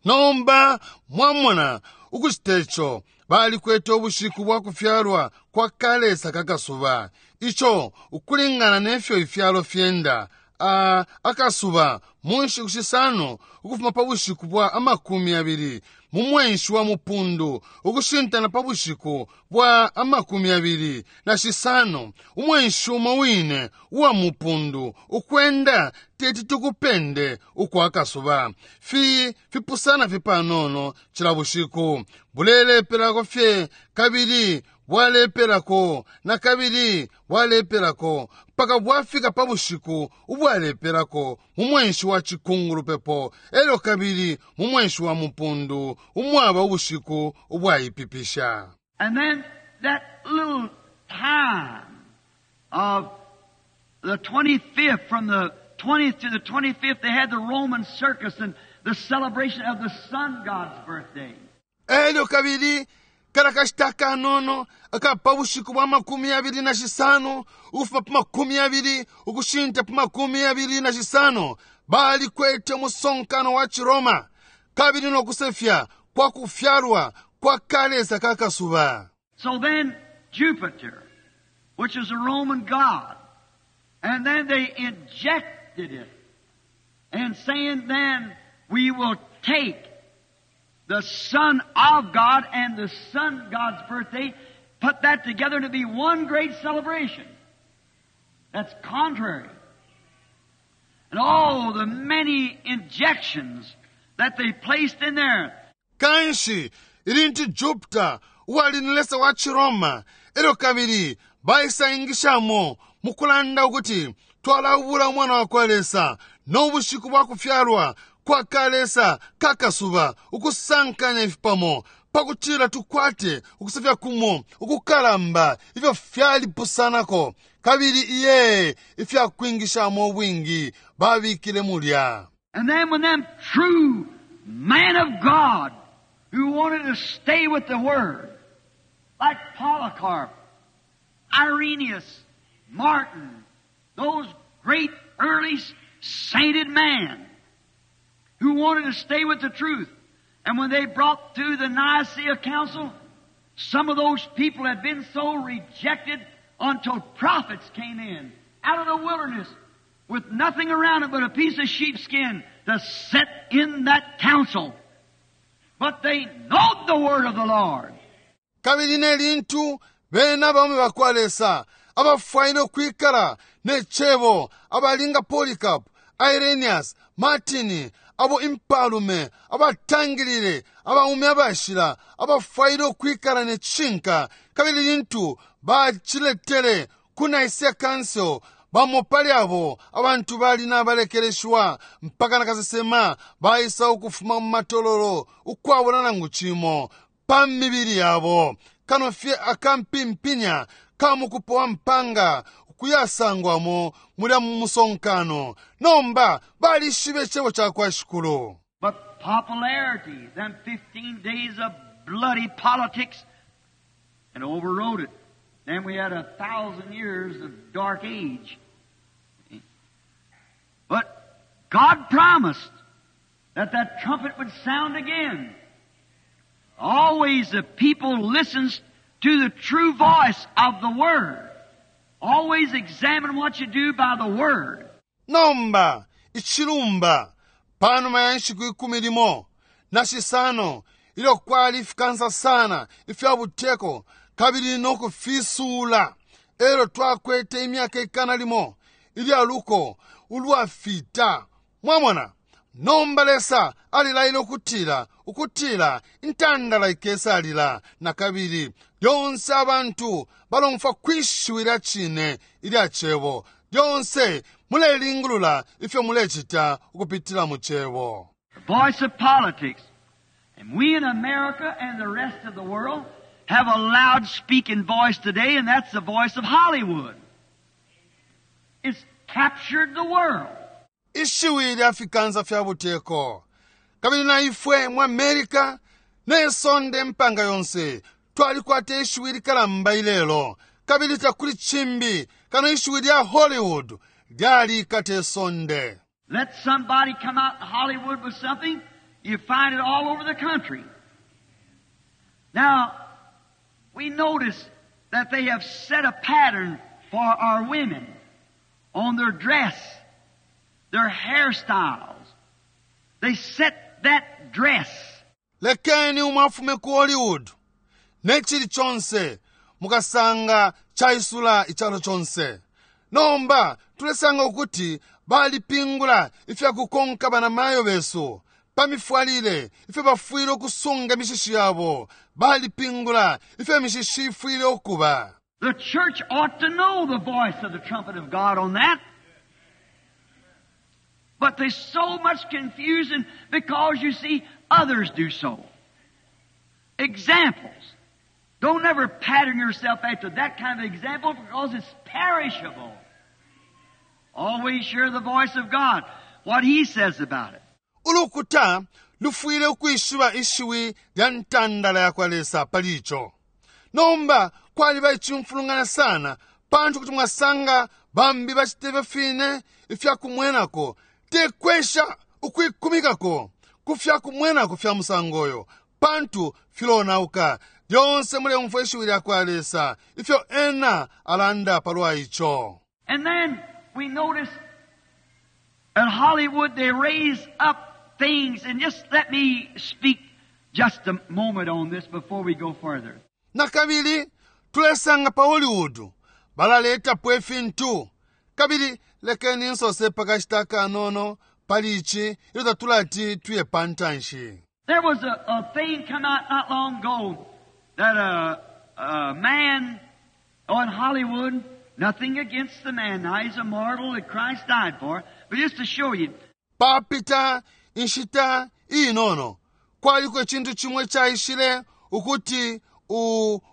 Nomba mwamona ukucita ico balikwete ubushiku bwa kufyalwa kwa kalesa kakasuba ico ukulingana nefyo ifyalo fyenda akasuba mu nshiku shisano ukufuma pa bushiku bwa 20 mu mwenshi wa mupundu ukushintana pa bushiku bwa 25 umwenshi umo wine uwa mupundu ukwenda teti tukupende ukwa kasuba fi fipusana fipanono cila bushiku bulelepelako fye kabili bwalepelako na kabili bwalepelako mpaka bwafika pa bushiku ubwalepelako mu mwenshi wa cikungulupepo elyo kabili mu mwenshi wa mupundu umwaba ubushiku ubwaipipisha. And then that little time of the 25th, from the 20th to the 25th, they had the Roman circus and the celebration of the sun god's birthday. Elyo kabili kala kashita kanono akapa bushiku bwa 25 ukufuma pa 20 ukushinta pa 25 balikwete umusonkano wa Chiroma kabili nokusefya kwa kufyalwa kwa kalesa kakasuba. So then Jupiter, which is a Roman god, and then they injected it and saying then we will take the Son of God and the Sun God's birthday, put that together to be one great celebration. That's contrary. And all the many injections that they placed in there. Kanshi ilintu Jupiter uwali ni lesa wa Chiroma elyo kabili baisaingishamo mukulanda ukuti twalabula umwana wa kwa Lesa no bushiku bwa kufyalwa kwa kalesa kakasuba ukusankanya ifipamo pakutila tukwate ukusefya kumo ukukalamba ifyo fyalipusanako kabili iye ifyakwingishamo ubwingi babikile mulya. And then when them true man of God who wanted to stay with the Word, like Polycarp, Irenaeus, Martin, those great early sainted men who wanted to stay with the truth. And when they brought through the Nicaea Council, some of those people had been so rejected until prophets came in out of the wilderness with nothing around it but a piece of sheepskin to sit in that council. But they knowed the word of the Lord. Kabili ne lintu bena abaume bakwa Lesa abafwaile ukwikala ne cebo abalinga Polycarp, Irenaeus, Martin, abo impalume abatangilile abaume abashila abafwaile ukwikala ne cishinka kabili lintu baciletele ku Nicaea Council bamo pali abo abantu bali nabalekeleshwa mpaka nakasesema baisa ukufuma mu matololo ukwabula nangu cimo pa mibili yabo kano fye akampimpinya ka mukupo wa mpanga ukuyasangwamo mulya mu musonkano. Nomba balishibe icebo ca kwa Shikulu. But popularity, them 15 days of bloody politics, and overrode it. Then we had 1,000 years of dark age. But God promised that that trumpet would sound again. Always the people listens to the true voice of the Word. Always examine what you do by the Word. Nomba icilumba panuma ya nshiku 15 ilyo kwali ifikansa sana ifya buteko kabili no kufisuula, elyo twakwete imyaka 100 ilya luko ulwafita. Mwamona, nomba Lesa alilaile ukutila intandala ikesalila na kabili. Lyonse abantu balomfwa kwishiwi lya cine ilya cebo. Lyonse mulelingulula ifyo mulecita ukupitila mu cebo. The voice of politics. And we in America and the rest of the world have a loud speaking voice today, and that's the voice of Hollywood. It's captured the world. Ishiwi lya fikansa fya buteko. Kabili na ifwe mu America ne sonde mpanga yonse twalikwata ishiwi likalamba ilelo, kabili takuli cimbi kano ishiwi lya Hollywood lyalikata isonde. Let somebody come out in Hollywood with something, you find it all over the country. Now, we notice that they have set a pattern for our women on their dress, their hairstyles. They set that dress. Lekeni umwafume ku Hollywood ne chili chonse mukasanga chaisula ichalo chonse. Nomba tulesanga ukuti balipingula ifya kukonka banamayo besu pamifwalile, ifyo bafwile ukusunga imishishi yabo, balipingula ifyo imishishi ifwile ukuba. The church ought to know the voice of the trumpet of God on that. But there's so much confusion because you see others do so. Examples. Don't ever pattern yourself after that kind of example because it's perishable. Always hear the voice of God, what He says about it. Ulukuta lufwile ukwishiba ishiwi lya ntandala ya kwa Lesa pali ico. Nomba kwaliba icimfulungana sana pantu kuti mwasanga bambi bacite fine ifya kumwenako, tekwesha ukwikumikako ku fya kumwenako fya musango uyo pantu filonauka. Lyonse muleumfwa ishiwi lya kwa Lesa ifyo ena alanda palwa ico. And then we notice at Hollywood they raise up things, and just let me speak just a moment on this before we go further. Na kabili tulesanga pa Hollywood balaletapo ifintu, kabili lekeni nsose pakashita kanono pali ici ilyo tatulati tuye pantanshi. There was a thing come out not long ago that a man on Hollywood, nothing against the man, now he's a mortal that Christ died for, but just to show you. Papita inshita inono kwaliko icintu cimwe caishile ukuti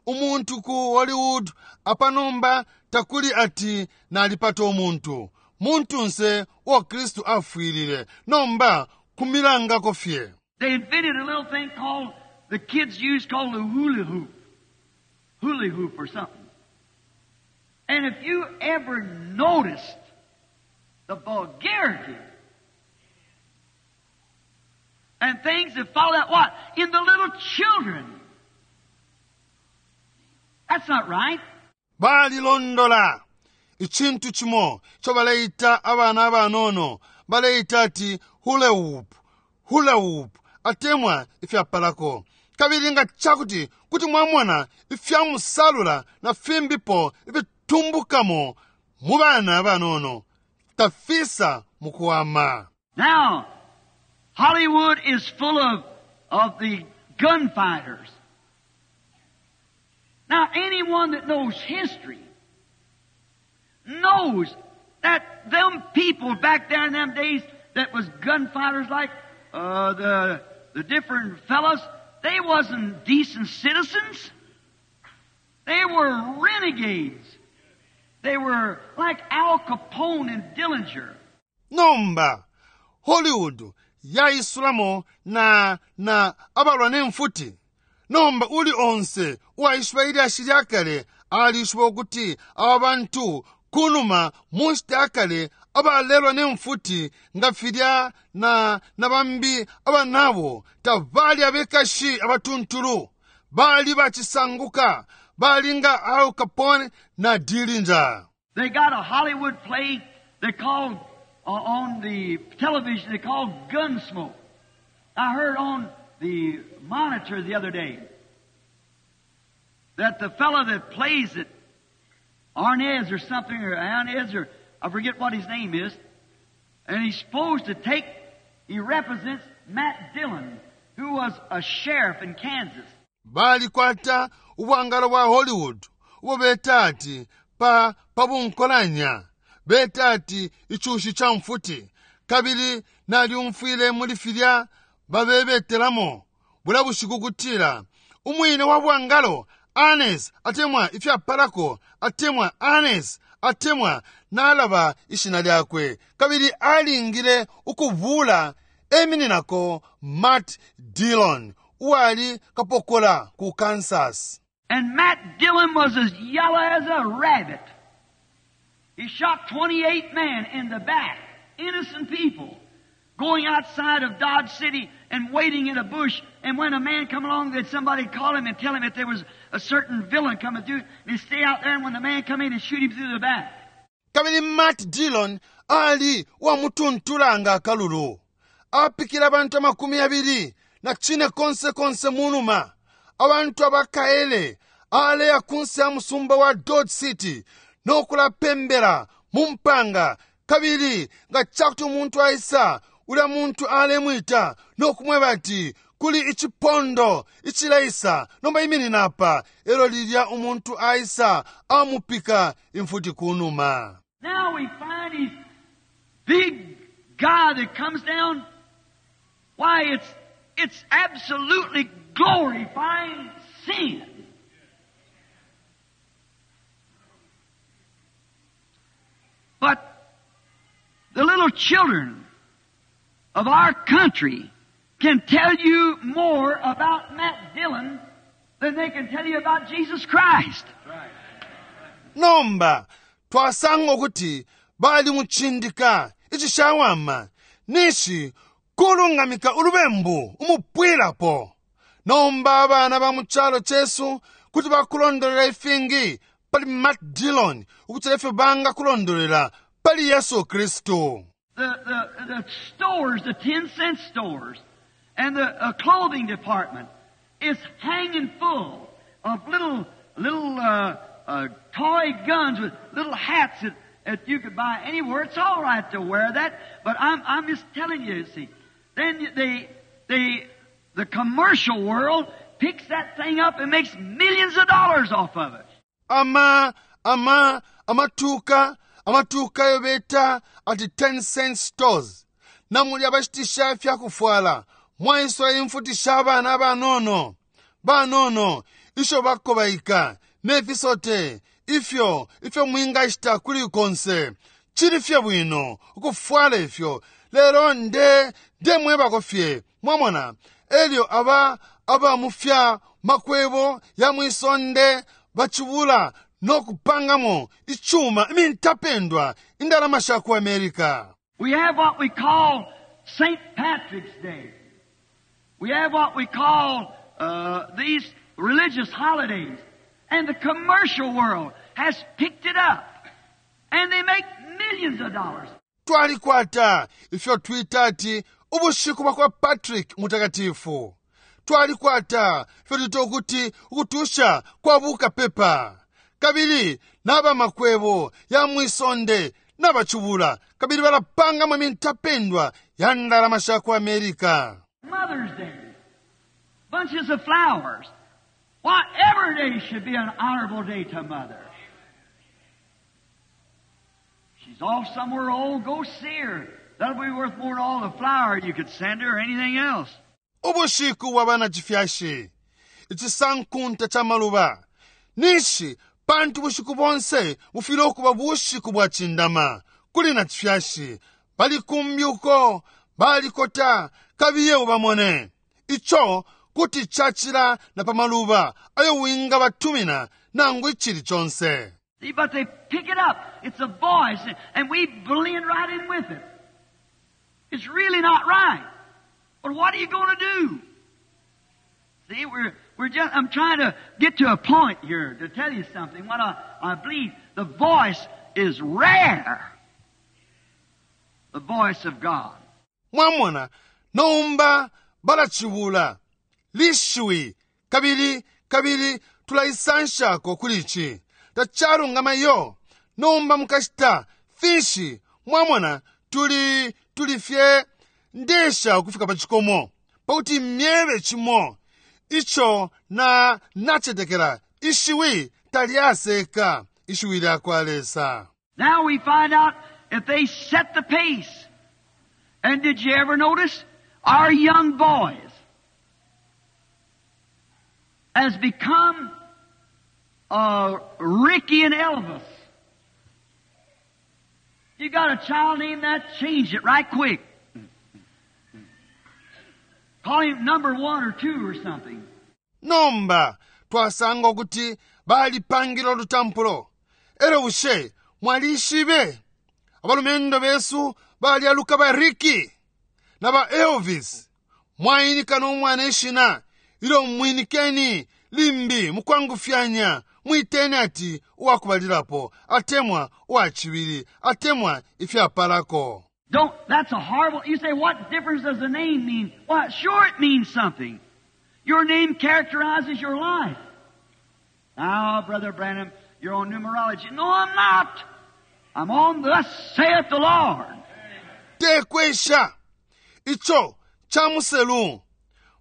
umuntu ku Hollywood apanomba takuli ati nalipata umuntu muntunse uo Kristu afwilile nomba kumilangako fye. They invented a little thing called, the kids use called the hula hoop. Hula hoop or something. And if you ever noticed the vulgarity and things that follow that, what? In the little children. That's not right. Balilondola icintu cimo ico baleita abana abanono, baleita ati hula hoop, hula hoop atemwa ifyapalako. Kabili nga cakuti kuti mwamona ifyamusalula na fimbipo ifitumbukamo mu bana abanono tafisa mukuwama. Now, Hollywood is full of the gunfighters. Now, anyone that knows history knows that them people back there in them days that was gunfighters like the different fellas, they wasn't decent citizens. They were renegades. They were like Al Capone and Dillinger. Nomba Hollywood yaisulamo na na abalwa ne mfuti. Nomba uli onse uwaishiba ilyashi lya kale alishiba ukuti aba bantu kunuma mu nshita ya kale abalelwa ne mfuti nga filya na na bambi abanabo tabali abekashi abatuntulu, bali bacisanguka, bali nga Al Capone na Dillinger. They got a Hollywood play they called on the television, they called Gunsmoke. I heard on the monitor the other day that the fellow that plays it, Arnez or something, or Arnez, or I forget what his name is, and he's supposed to take, he represents Matt Dillon, who was a sheriff in Kansas. Balikwata ubwangalo bwa Hollywood ubo beta ati pa pabunkolanya beta ati icushi ca mfuti, kabili nalyumfwile muli filya babebetelamo bula bushiku kutila umwine wa bwangalo Arnes atemwa ifyapalako atemwa Arnes atemwa nalaba ishina lyakwe, kabili alingile ukubula emininako Matt Dillon uwali kapokola ku Kansas. And Matt Dillon was as yellow as a rabbit. He shot 28 men in the back, innocent people, going outside of Dodge City and waiting in a bush. And when a man come along, that somebody call him and tell him that there was a certain villain coming through. And he'd stay out there, and when the man come in, he'd shoot him through the back. Kabili Matt Dillon ali uwamutuntula nga akalulu. Apikile abantu 24 konse konse munuma. Abantu abakaele aleya kunse ya musumba wa Dodge City nokulapembela mu mpanga, kabili nga cakuti umuntu aisa, ulya muntu alemwita nokumweba ati kuli icipondo icileisa, nomba iminina apa. Elo lilya umuntu aisa, amupika imfuti kunuma. Now we find these big guy that comes down. Why, it's absolutely glorifying sin. But the little children of our country can tell you more about Matt Dillon than they can tell you about Jesus Christ. Nomba twasanga ukuti bali mucindika icishawama nishi kulungamika ulubembu umupwilapo. Nomba abana ba mu calo cesu kuti bakulondolela ifingi pali Matt Dillon ukuti ifyo banga kulondolela pali Yesu Kristu. The stores, the 10-cent stores, and the clothing department is hanging full of little toy guns with little hats that you could buy anywhere. It's all right to wear that, but I'm just telling you, you see. Then the commercial world picks that thing up and makes millions of dollars off of it. Ama, ama, amatuka, amatuka yo beta ati 10-cent stores. Namuli abashitisha ifya kufwala. Mwaiswa imfuti sha abana banono. Banono, isho bakobaika, nefisote, ifyo, ifyo mwingashita kuli konse. Chili fye bwino, ukufwala ifyo. Lero nde, nde mwebako fye. Mwamona, elyo aba, aba mufya makwebo ya mwisonde bachibula nokupangamo ichuma imintapendwa indalama sha ku America. We have what we call St. Patrick's Day. We have what we call these religious holidays. And the commercial world has picked it up. And they make millions of dollars. Twalikwata ifyo twita ati ubushiku bwa kwa Patrick mutakatifu. Twalikwata ifyo twita ukuti ukutusha kwa bukapepa. Kabili n'aba makwebo ya mwisonde n'abacubula kabili balapangamo imintapendwa ya ndalama sha ku America. Mother's Day, bunches of flowers. Why, every day should be an honorable day to mother. She's off somewhere old, go see her. That'll be worth more than all the flower you could send her or anything else. Ubushiku bwa bana chifyashi, ichisankunta cha maluba, Ninshi pantu bushiku bonse bufwile ukuba bushiku bwacindama kuli nacifyashi. Bali kumbi uko balikota, kabiye ubamone. Ico kuti cacila na pa maluba ayo wingabatumina nangu icili conse. See, but they pick it up. It's a voice, and we blend right in with it. It's really not right. But what are you going to do? See, we're just, I'm trying to get to a point here to tell you something. What I believe, the voice is rare. The voice of God. Mwamona, nomba balacibula lishiwi, kabili kabili tulaisanshako kuli ici. Tacalungama iyo. Nomba mukashita finshi? Mwamona, tuli fye ndesha ukufika pa cikomo pakuti myebe cimo ico na nacetekela ishiwi talyaseka, ishiwi lyakwa Lesa. Now we find out if they set the pace. And did you ever notice our young boys has become Ricky and Elvis? You got a child named that, change it right quick. Call him number 1 or 2 or something. Nomba twasanga ukuti balipangile olutampulo. Elo bushe mwalishibe abalumendo besu balyaluka ba Ricky na ba Elvis. Mwainika n'omwana ishina ilyo mwinikeni limbi mukwangufyanya mwiteni ati uwakubalilapo atemwa uwacibili atemwa ifyapalako. Don't, that's a horrible, you say, what difference does the name mean? Well, sure it means something. Your name characterizes your life. Now, Brother Branham, you're on numerology. No, I'm not. I'm on thus saith the Lord. Tekwesha. Icho chamuselu.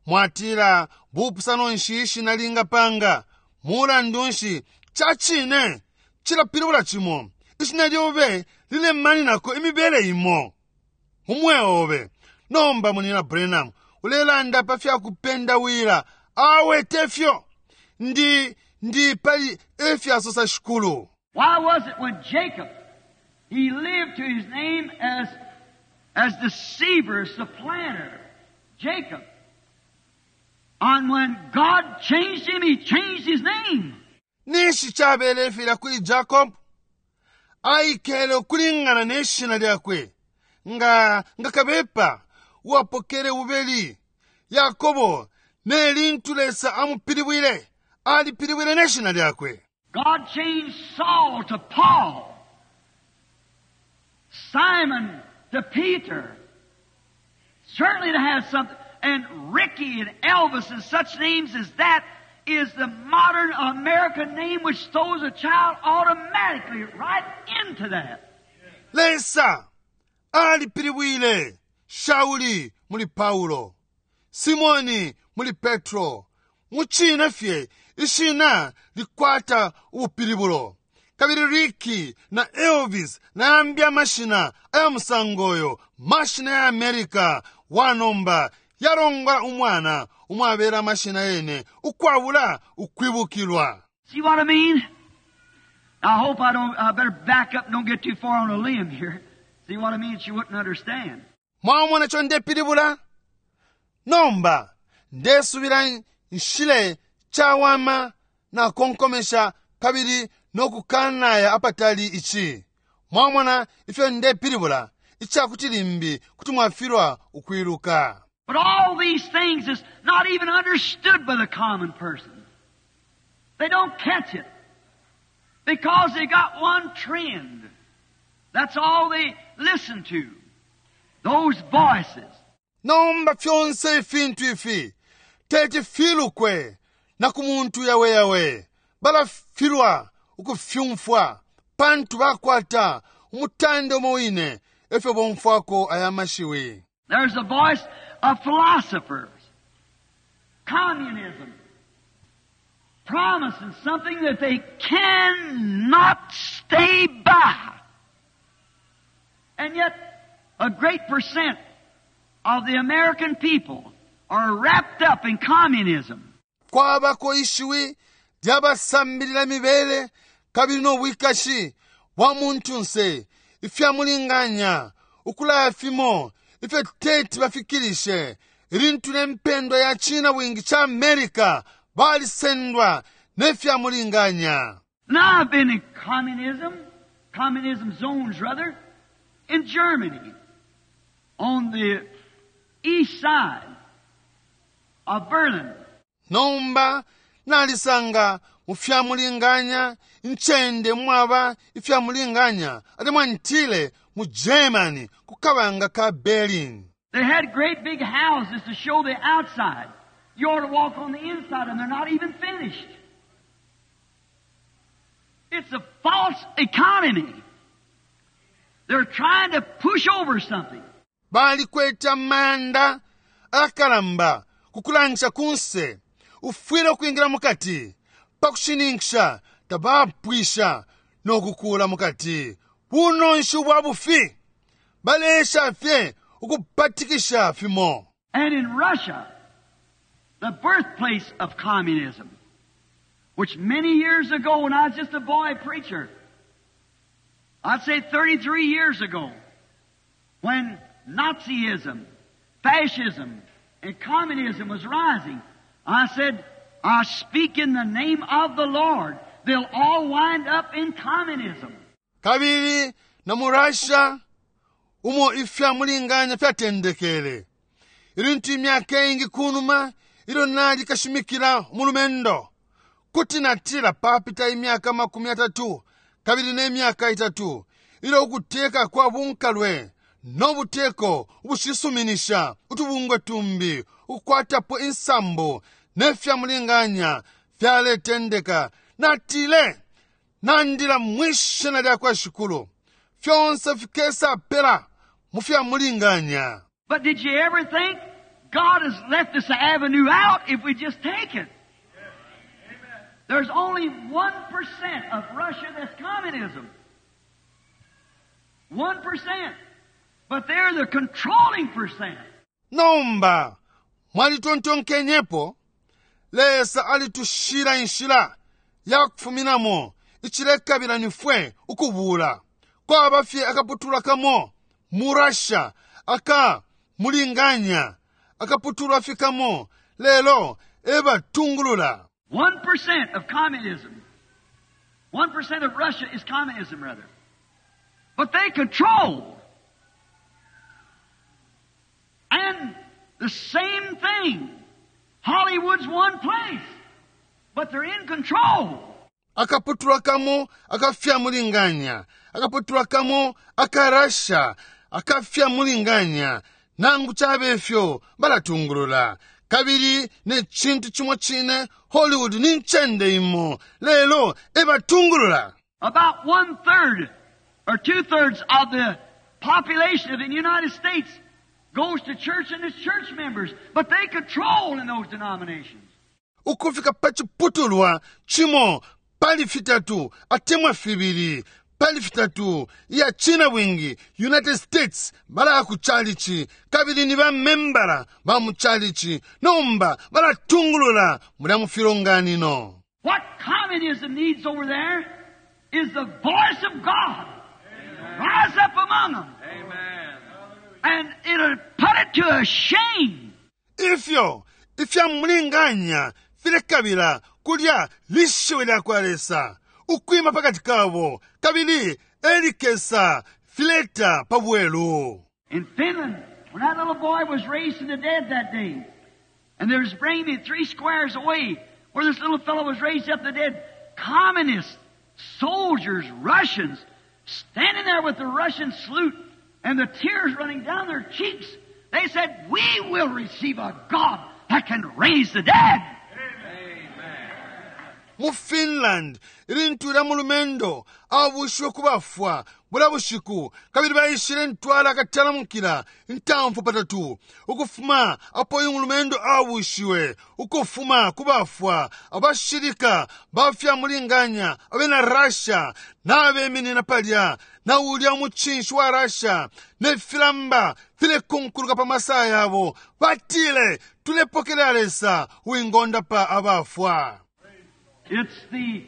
Mwatila bupusano nshi ishina lingapanga. Mulandu nshi chachine chilapilibula chimo. Ishina lyobe lilemanинako imibele imo. Mumwe obe. Nomba munina Branham ulelanda pa fya kupenda wila. Awe tefyo. Ndi pali efya sosa shikulu. Why was it when Jacob, he lived to his name as deceiver, supplanter, Jacob. And when God changed him, he changed his name. Nishi chabele fila kuli Jacob? Aikele kulingana neshina lyakwe. Nga kabepa wapokele ubeli. Yakobo ne lintu Lesa amupilibwile, alipilibwile neshina lyakwe. God changed Saul to Paul, Simon to Peter. Certainly to have something. And Ricky and Elvis and such names as that is the modern American name which throws a child automatically right into that. Lesa alipilibwile Shauli muli Paulo, Simoni muli Petro. Muchina fye ishina likwata ubupilibulo. Kabili Ricky na Elvis na ambia mashina aya musangoyo, mashina ya America wanomba yarongwa umwana umwabera mashina yene ukwabula ukwibukilwa. See what I mean? I hope I don't, I better back up and don't get too far on a limb here. See what I mean? She wouldn't understand. Mwamona cho ndepilibula? Nomba ndesubira nshile chawama na konkomesha kabili nokukanaya apatali ichi. Mwamona ifyo ndepilibula ichakuti limbi kuti mwafilwa ukwiluka. But all these things is not even understood by the common person. They don't catch it because they got one trend. That's all they listen to. Those voices. Nomba fyonse ifintu ifi teti filukwe na ku muntu yawe yawe balafilwa ukufyumfwa pantu bakwata umutande umo wine efyo bomfwako aya mashiwi. There's a voice of philosophers, communism, promising something that they cannot stay by. And yet, a great percent of the American people are wrapped up in communism. Kwabako ishiwi lyabasambilila imibele kabili no bwikashi bwa muntunse ifya mulinganya ukulaya fimo ifyo teti bafikilishe ilintu ne mpendwa ya cina bwingi ca America balisendwa ne fya mulinganya. Now I've been in communism, communism zones rather, in Germany, on the east side of Berlin. Nomba nalisanga mu fya mulinganya incende mwaba ifya mulinganya atemwa ntile mu Germany ku kabanga ka Berlin. They had great big houses to show the outside. You ought to walk on the inside, and they're not even finished. It's a false economy. They're trying to push over something. Balikwete amayanda ayakalamba ku kulangisha kunse. Ufwile ukwingila mukati pa kushininkisha tabapwisha no kukuula mukati. Bunonshi ubwa bufi. Baleesha fye ukupatikisha fimo. And in Russia, the birthplace of communism, which many years ago when I was just a boy preacher, I'd say 33 years ago, when Nazism, fascism, and communism was rising, I said, I speak in the name of the Lord. They'll all wind up in communism. Kabili na mu Russia, umo ifya mulinganya fyatendekele. Ilintu imyaka iingi kunuma, ilyo nali kashimikila umulumendo, kuti natila papita imyaka 30 kabili ne myaka itatu, ilyo ukuteka kwa bunkalwe no buteko ubushisuminisha utubungwe tumbi ukukwatapo insambu ne fya mulinganya fyaletendeka, natile, nandila mwi shina lya kwa Shikulu, fyonse fikesa pela mu fya mulinganya. But did you ever think God has left us an avenue out if we just take it? There's only 1% of Russia that's communism. 1%. But they're the controlling percent. Nomba, mwalitontonkenyepo, Lesa alitushila inshila ya kufuminamo icilekabila nifwe ukubula. Kwaba fye akaputulwa kamo mu Russia aka mulinganya, akaputulwa fye kamo, lelo ebatungulula. 1% of communism. 1% of Russia is communism, rather. But they control. And the same thing. Hollywood's one place. But they're in control. Akaputulwa kamo akafya mulinganya. Akaputulwa kamo aka Russia akafya mulinganya. Nangu cabe fyo balatungulula. Kabili ne cintu cimo cine Hollywood ni ncende imo. Lelo ebatungulula. About one-third or two-thirds of the population of the United States goes to church and is church members, but they control in those denominations. Ukufika pa ciputulwa cimo pali fitatu atemwa fibili pali fitatu iya cina bwingi United States balaya ku chalichi kabili ni ba membala ba mu chalichi nomba balatungulula mulya mu filonganino. What communism needs over there is the voice of God. Amen. Rise up among them. Amen. And it'll put it to a shame. Ifyo ifya mulinganya filekabila kulya lishiwi lya kwa Lesa ukwima pakati kabo kabili elikesa fileta pa bwelu. In Finland, when that little boy was raised from the dead that day, and they was bringing me 3 squares away where this little fellow was raised up the dead, communists, soldiers, Russians, standing there with the Russian salute and the tears running down their cheeks, they said, we will receive a God that can raise the dead. Amen. Mu Finland, ilintu lya mulumendo abushiwe ku bafwa bula bushiku, kabili baishile ntwala akatalamukila intamfu patatu ukufuma apo uyu mulumendo abushiwe ukufuma ku bafwa. Abashilika bafya mulinganya abena Russia nabeminina palya na ulya mucinshi wa Russia ne filamba filekunkuluka pa masaya yabo, batile tulepokelela Lesa uwingondapa abafwa. It's the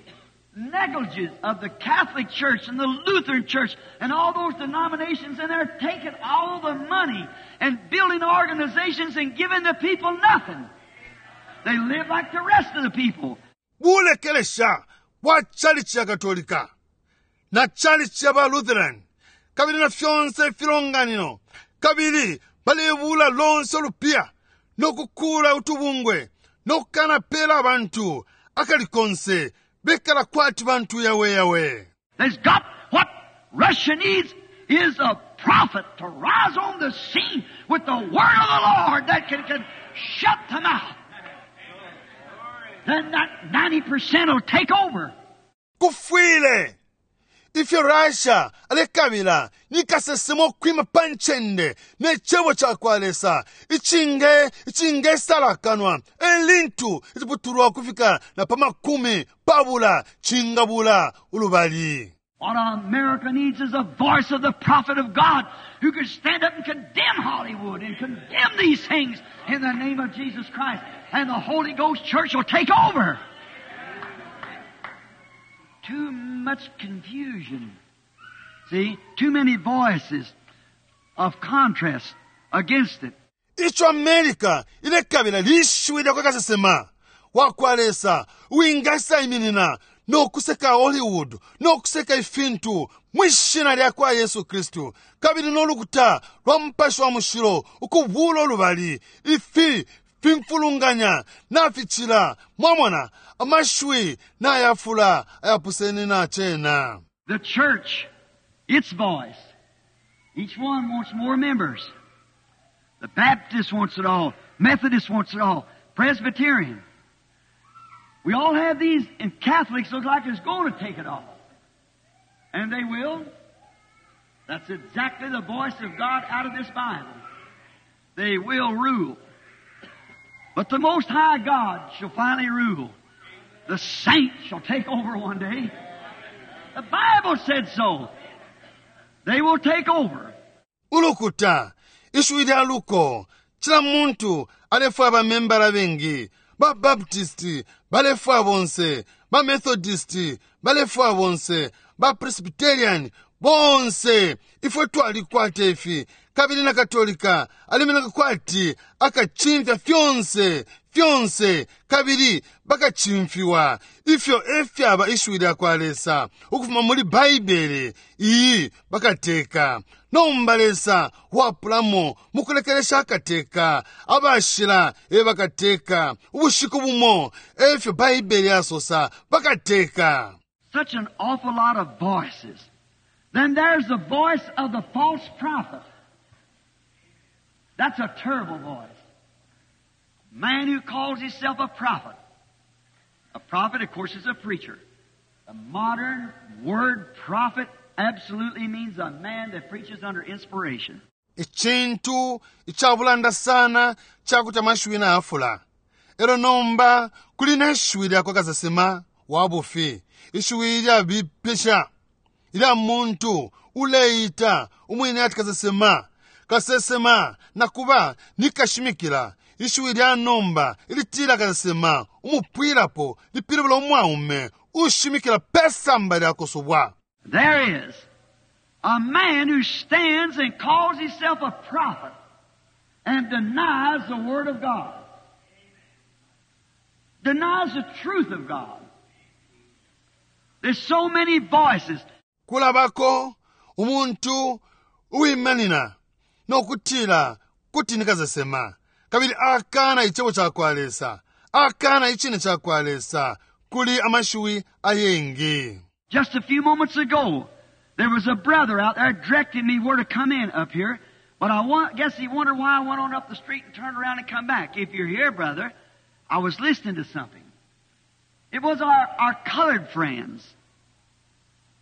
negligence of the Catholic Church and the Lutheran Church and all those denominations, and they're taking all the money and building organizations and giving the people nothing. They live like the rest of the people. Bulekelesha bwa chalichi ya Katolika na chalichi ya ba Lutheran kabili na fyonse ifilonganino, kabili balebula lonse ulupiya nokukula utubungwe nokukanapela abantu akali konse, bekala kwati bantu yawe yawe. There's got what Russia needs is a prophet to rise on the scene with the word of the Lord that can shut them out. Then that 90% will take over. Kufwile ifyo Russia alekabila ni kasesema ukwima pa ncende ne cebo cakwa Lesa icinge icingesalakanwa elintu iciputulwa kufika na pa 20 cingabula ulubali. What America needs is a voice of the prophet of God who could stand up and condemn Hollywood and condemn these things in the name of Jesus Christ. And the Holy Ghost Church will take over. Too much confusion. See? Too many voices of contrast against it. Ico America ilekabila lishiwi lyakwa kasesema wakwa Lesa uwingasaiminina nokuseka Hollywood nokuseka ifintu mwi shina lyakwa Yesu Kristu kabili no lukuta lwa Mupashi wa Mushilo ukubula ulubali. Ifi fimfulunganya naficila, mwamona, amashiwi nayafula ayapusene na cena. The church, its voice. Each one wants more members. The Baptist wants it all. Methodist wants it all. Presbyterian. We all have these, and Catholics look like it's going to take it all. And they will. That's exactly the voice of God out of this Bible. They will rule. But the Most High God shall finally rule. The saints shall take over one day. The Bible said so. They will take over. Ulukuta, ishiwi lya luko, cila muntu alefwaya ba membala abengi. Ba Baptist balefwaya bonse, ba Methodist balefwaya bonse, ba Presbyterian bonse. Ifwe twalikwata ifi, kabili na Katolika alimeneka kwati akacimfya fyonse, fyonse, kabili bakacimfiwa. Ifyo efyaba ishiwi lyakwa Lesa ukufuma muli Baibele iyi, bakateka. Nomba Lesa wapulamo mukulekelesha akateka, abashila e bakateka. Ubushiku bumo, efyo Baibele yasosa, bakateka. Such an awful lot of voices. Then there's the voice of the false prophet. That's a terrible voice. Man who calls himself a prophet. A prophet, of course, is a preacher. The modern word prophet absolutely means a man that preaches under inspiration. Icintu icabulanda sana cakuti amashiwi nayafula. Elo nomba kuli ne shiwi lyakwa kasesema wa bufi, ishiwi ilyabipisha ilya muntu uleita umwine ati kasesema, kasesema nakuba ni kashimikila. Ishiwi lya nomba ilitila kasesema umupwilapo lipilibula umwaume ushimikila pesamba lya kusubwa. There is a man who stands and calls himself a prophet and denies the Word of God. Denies the truth of God. There's so many voices. Kulabako umuntu uwimanina nokutila kuti ni kasesema kabili akana icebo cakwa Lesa, akana icine cakwa Lesa. Kuli amashiwi ayengi. Just a few moments ago, there was a brother out there directing me where to come in up here. But I guess he wondered why I went on up the street and turned around and come back. If you're here, brother, I was listening to something. It was our colored friends,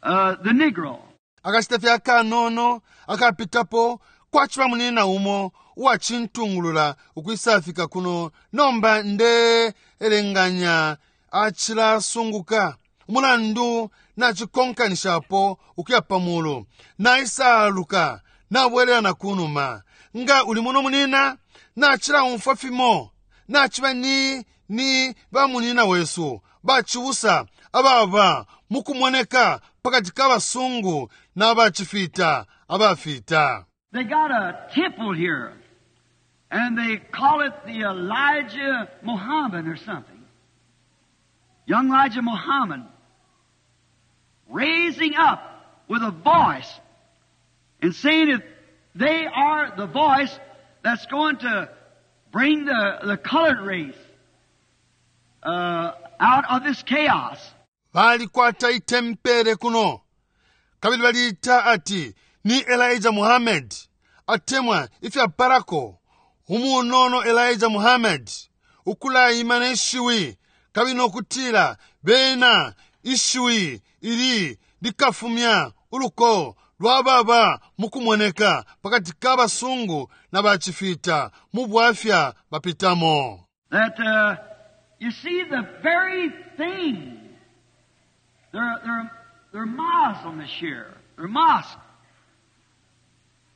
the Negro. Akashita fye akanono akapitapo kwaciba munina umo uwacintungulula ukwisafika kuno. Nomba nde elenganya acilasunguka umulandu nacikonkanishapo ukuya pamulu, naisaluka nabwelela na kunuma. Nga uli muno munina, nacilaumfwa fimo, naciba ni bamunina wesu Bacibusa ababa mukumoneka pakati ka basungu na bacifita abafita. They got a temple here, and they call it the Elijah Muhammad or something. Young Elijah Muhammad raising up with a voice and saying that they are the voice that's going to bring the colored race out of this chaos. Balikwata itempele kuno kabili baliita ati ni Elijah Muhammad atemwa ifyapalako umunono Elijah Muhammad ukulaima ne shiwi kabili nokutila bena ishiwi ili likafumya uluko lwababa mukumoneka pakati ka basungu na bacifita mu bwafya bapitamo. That you see the very thing. They're Muslims here. They're mosque.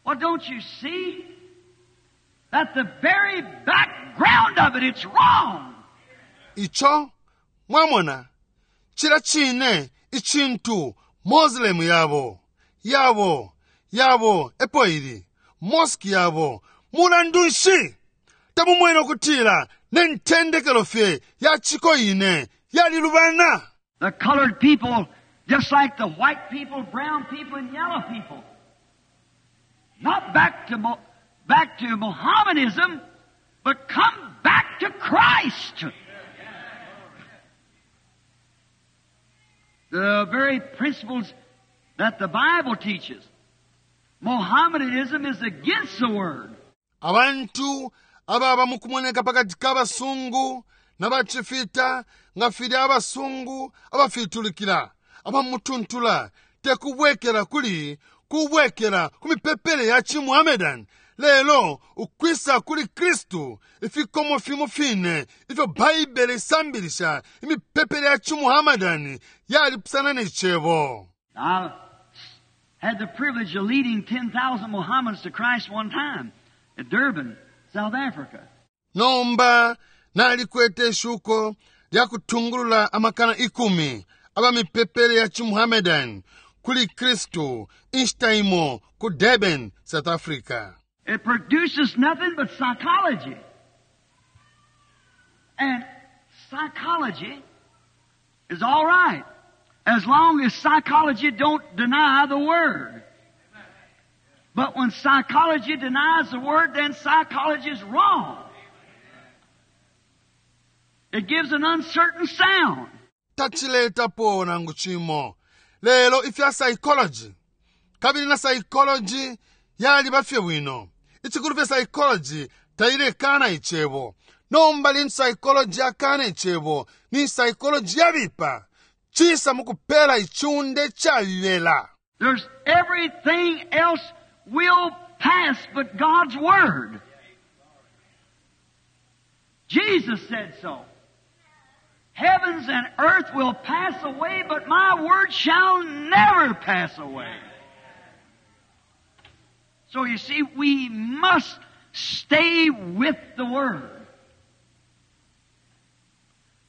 Well, don't you see that the very background of it, it's wrong? Icho mwamona chila chine ichintu Muslim yabo yabo yabo epo ili mosque yabo mulandu nshi tamumwene okutila nentendekelo fye ya chiko ine yalilubana. The colored people, just like the white people, brown people, and yellow people. Not back to Mohammedanism, but come back to Christ. The very principles that the Bible teaches. Mohammedanism is against the Word. Abantu ababa mukumoneka pakati ka basungu na bacifita nga filya abasungu abafitulikila abamutuntula tekubwekela kuli kubwekela ku mipepele ya chimuhammedan lelo ukwisa kuli Kristu ifikomo fimo fine ifyo Baibele isambilisha imipepele ya chimuhammedan yalipusana ne cebo. I had the privilege of leading 10,000 Mohammedans to Christ one time at Durban, South Africa. Nomba nalikwete shuko lya kutungulula amakana 10 aba mipepele ya chimuhammedan kuli Kristu inshita imo ku Durban, South Africa. It produces nothing but psychology. And psychology is all right as long as psychology don't deny the Word. But when psychology denies the Word, then psychology is wrong. It gives an uncertain sound. Tachiletapo nangu chimo. Lelo ifya psychology. Kabili na psychology yali bafye bwino. Ichikulu fye psychology tailekana ichebo. Nomba lin psychology akana ichebo. Ni psychology yabipa. Chisa mukupela ichunde chabibela. There's everything else will pass but God's Word. Jesus said so. Heavens and earth will pass away, but my word shall never pass away. So you see, we must stay with the Word.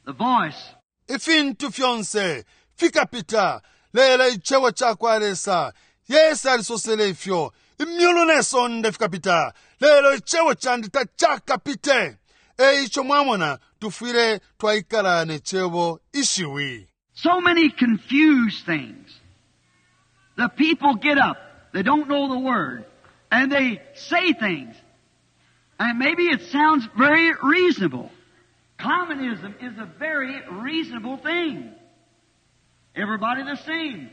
The voice. Ifintu fyonse fikapita lela ichewo chakwa Lesa. Yesu alisosele ifyo. Imyulu ne sonde fikapita lelo ichewo chandi tachakapite. Eicho mwamona tufwile twaikala ne chebo ishiwi. So many confused things. The people get up. They don't know the Word. And they say things. And maybe it sounds very reasonable. Communism is a very reasonable thing. Everybody the same.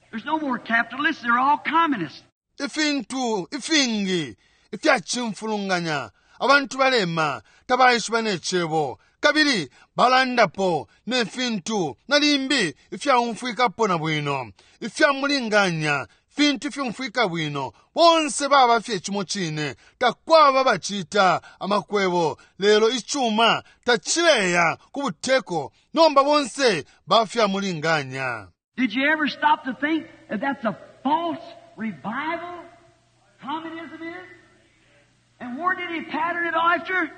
There's no more capitalists. They're all communists. Ifintu, ifingi, ifyachimfulunganya. Abantu balema, tabaishiba ne chebo. Kabili, balandapo, ne fintu, na limbi, ifyaumfwikapo na bwino. Ifyamulinganya, fintu ifyumfwika bwino. Bonse baba fye chimo chine, takwaba bachita amakwebo. Lelo ichuma, tachileya kubuteko. Nomba bonse, bafyamulinganya. Did you ever stop to think that that's a false revival? Communism is? And where did he pattern it after?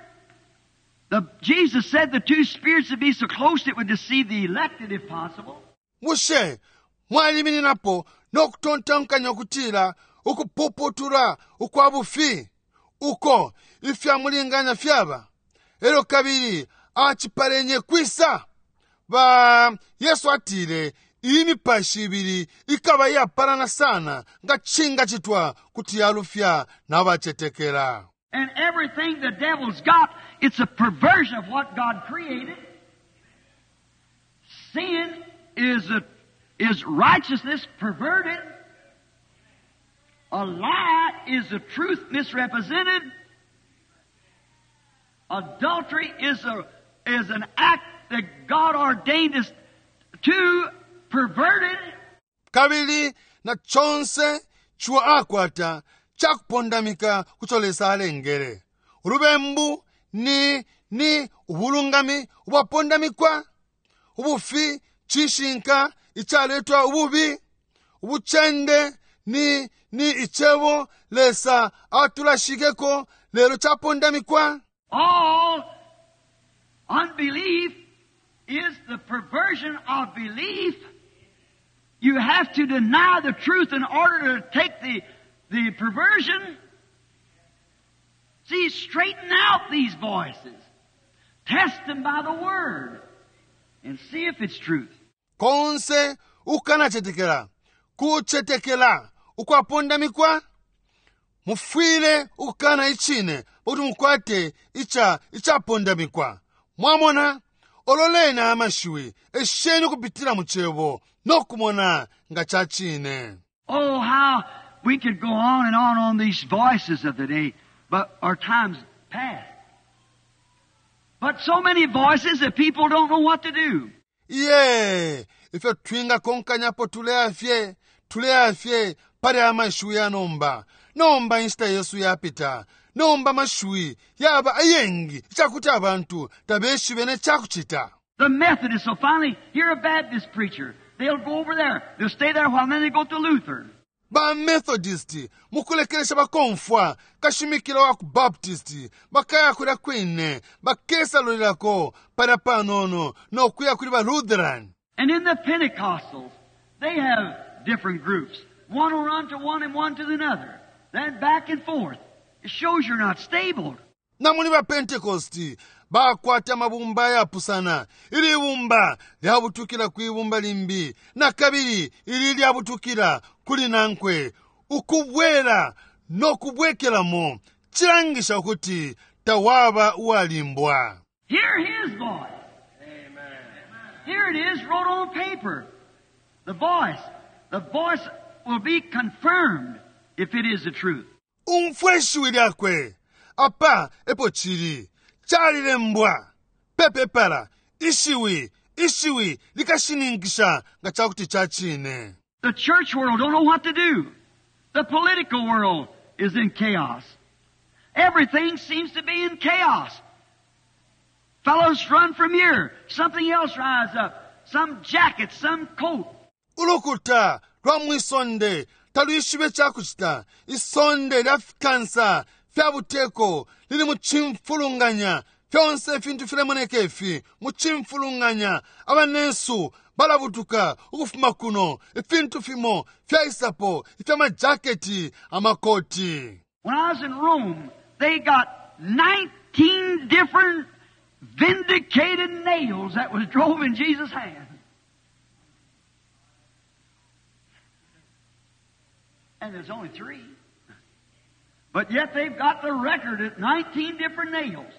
The, Jesus said the two spirits would be so close it would deceive the elected if possible. Bushe mwalimininapo no kutontonkanya ukutila ukupuputula ukwa bufi uko ifya mulinganya fyaba elyo kabili acipalenye kwisa ba Yesu atile iyi mipashi ibili ikaba iyapalana sana nga cingacitwa kuti yalufya nabacetekela. And everything the devil's got, it's a perversion of what God created. Sin is, a, is righteousness perverted. A lie is the truth misrepresented. Adultery is, a, is an act that God ordained us to perverted. Kabili na conse ciwa akwata cakupondamika kuco Lesa alengele. Ulubembu ni, ni ubulungami ubwapondamikwa. Ubufi cishinka icaletwa ububi. Ubucende ni, ni icebo Lesa atulashikeko lelo capondamikwa. All unbelief is the perversion of belief. You have to deny the truth in order to take the, the perversion. See, straighten out these voices. Test them by the Word and see if it's truth. Konse ukanacetekela kucetekela ukwapondamikwa mufwile ukukana icine pakuti mukwate ica icapondamikwa mwamona ololeni aya mashiwi esheni ukupitila mu cebo no kumona nga ca cine. Oh, how we could go on and on on these voices of the day, but our time's past. But so many voices that people don't know what to do. Iye, ifyo twingakonkanyapo tuleya fye, tuleya fye pali aya mashiwi ya nomba. Nomba inshita yesu yapita. Nomba amashiwi yaba ayengi icakuti abantu tabeshibe ne cakucita. The Methodists will finally hear a Baptist preacher. They'll go over there. They'll stay there a while, and then they go to Lutheran. Ba Methodist mukulekelesha bakomfwa kashimikila wa ku Baptist, bakaya kulya kwine, bakesalulilako palya panono no kuya kuli ba Lutheran. And in the Pentecostals, they have different groups. One will run to one and one to another. Then back and forth. It shows you're not stable. Na muli ba Pentecost bakwata amabumba ayapusana. Ili ibumba lyabutukila kwi bumba limbi, na kabili ili lyabutukila kuli nankwe. Ukubwela no kubwekelamo cilangisha ukuti tawaba uwalimbwa. Hear his voice. Here it is wrote on paper. The voice. The voice will be confirmed if it is the truth. Umfwe shiwi lyakwe. Apa epo cili. Calilembwa pe pepala. Ishiwi, ishiwi likashininkisha nga ca kuti ca cine. The church world don't know what to do. The political world is in chaos. Everything seems to be in chaos. Fellows run from here. Something else rise up. Some jacket, some coat. Ulukuta lwa mwi sonde talwishibe ca kucita. Isonde lya fikansa fya buteko lili mu cimfulunganya. Fyonse ifintu filemoneka ifi mu cimfulunganya. Abanensu balabutuka ukufuma kuno. Ifintu fimo fyaisapo ifya majaketi, amakoti. When I was in Rome, they got 19 different vindicated nails that was drove in Jesus' hand. And there's only 3. But yet they've got the record at 19 different nails.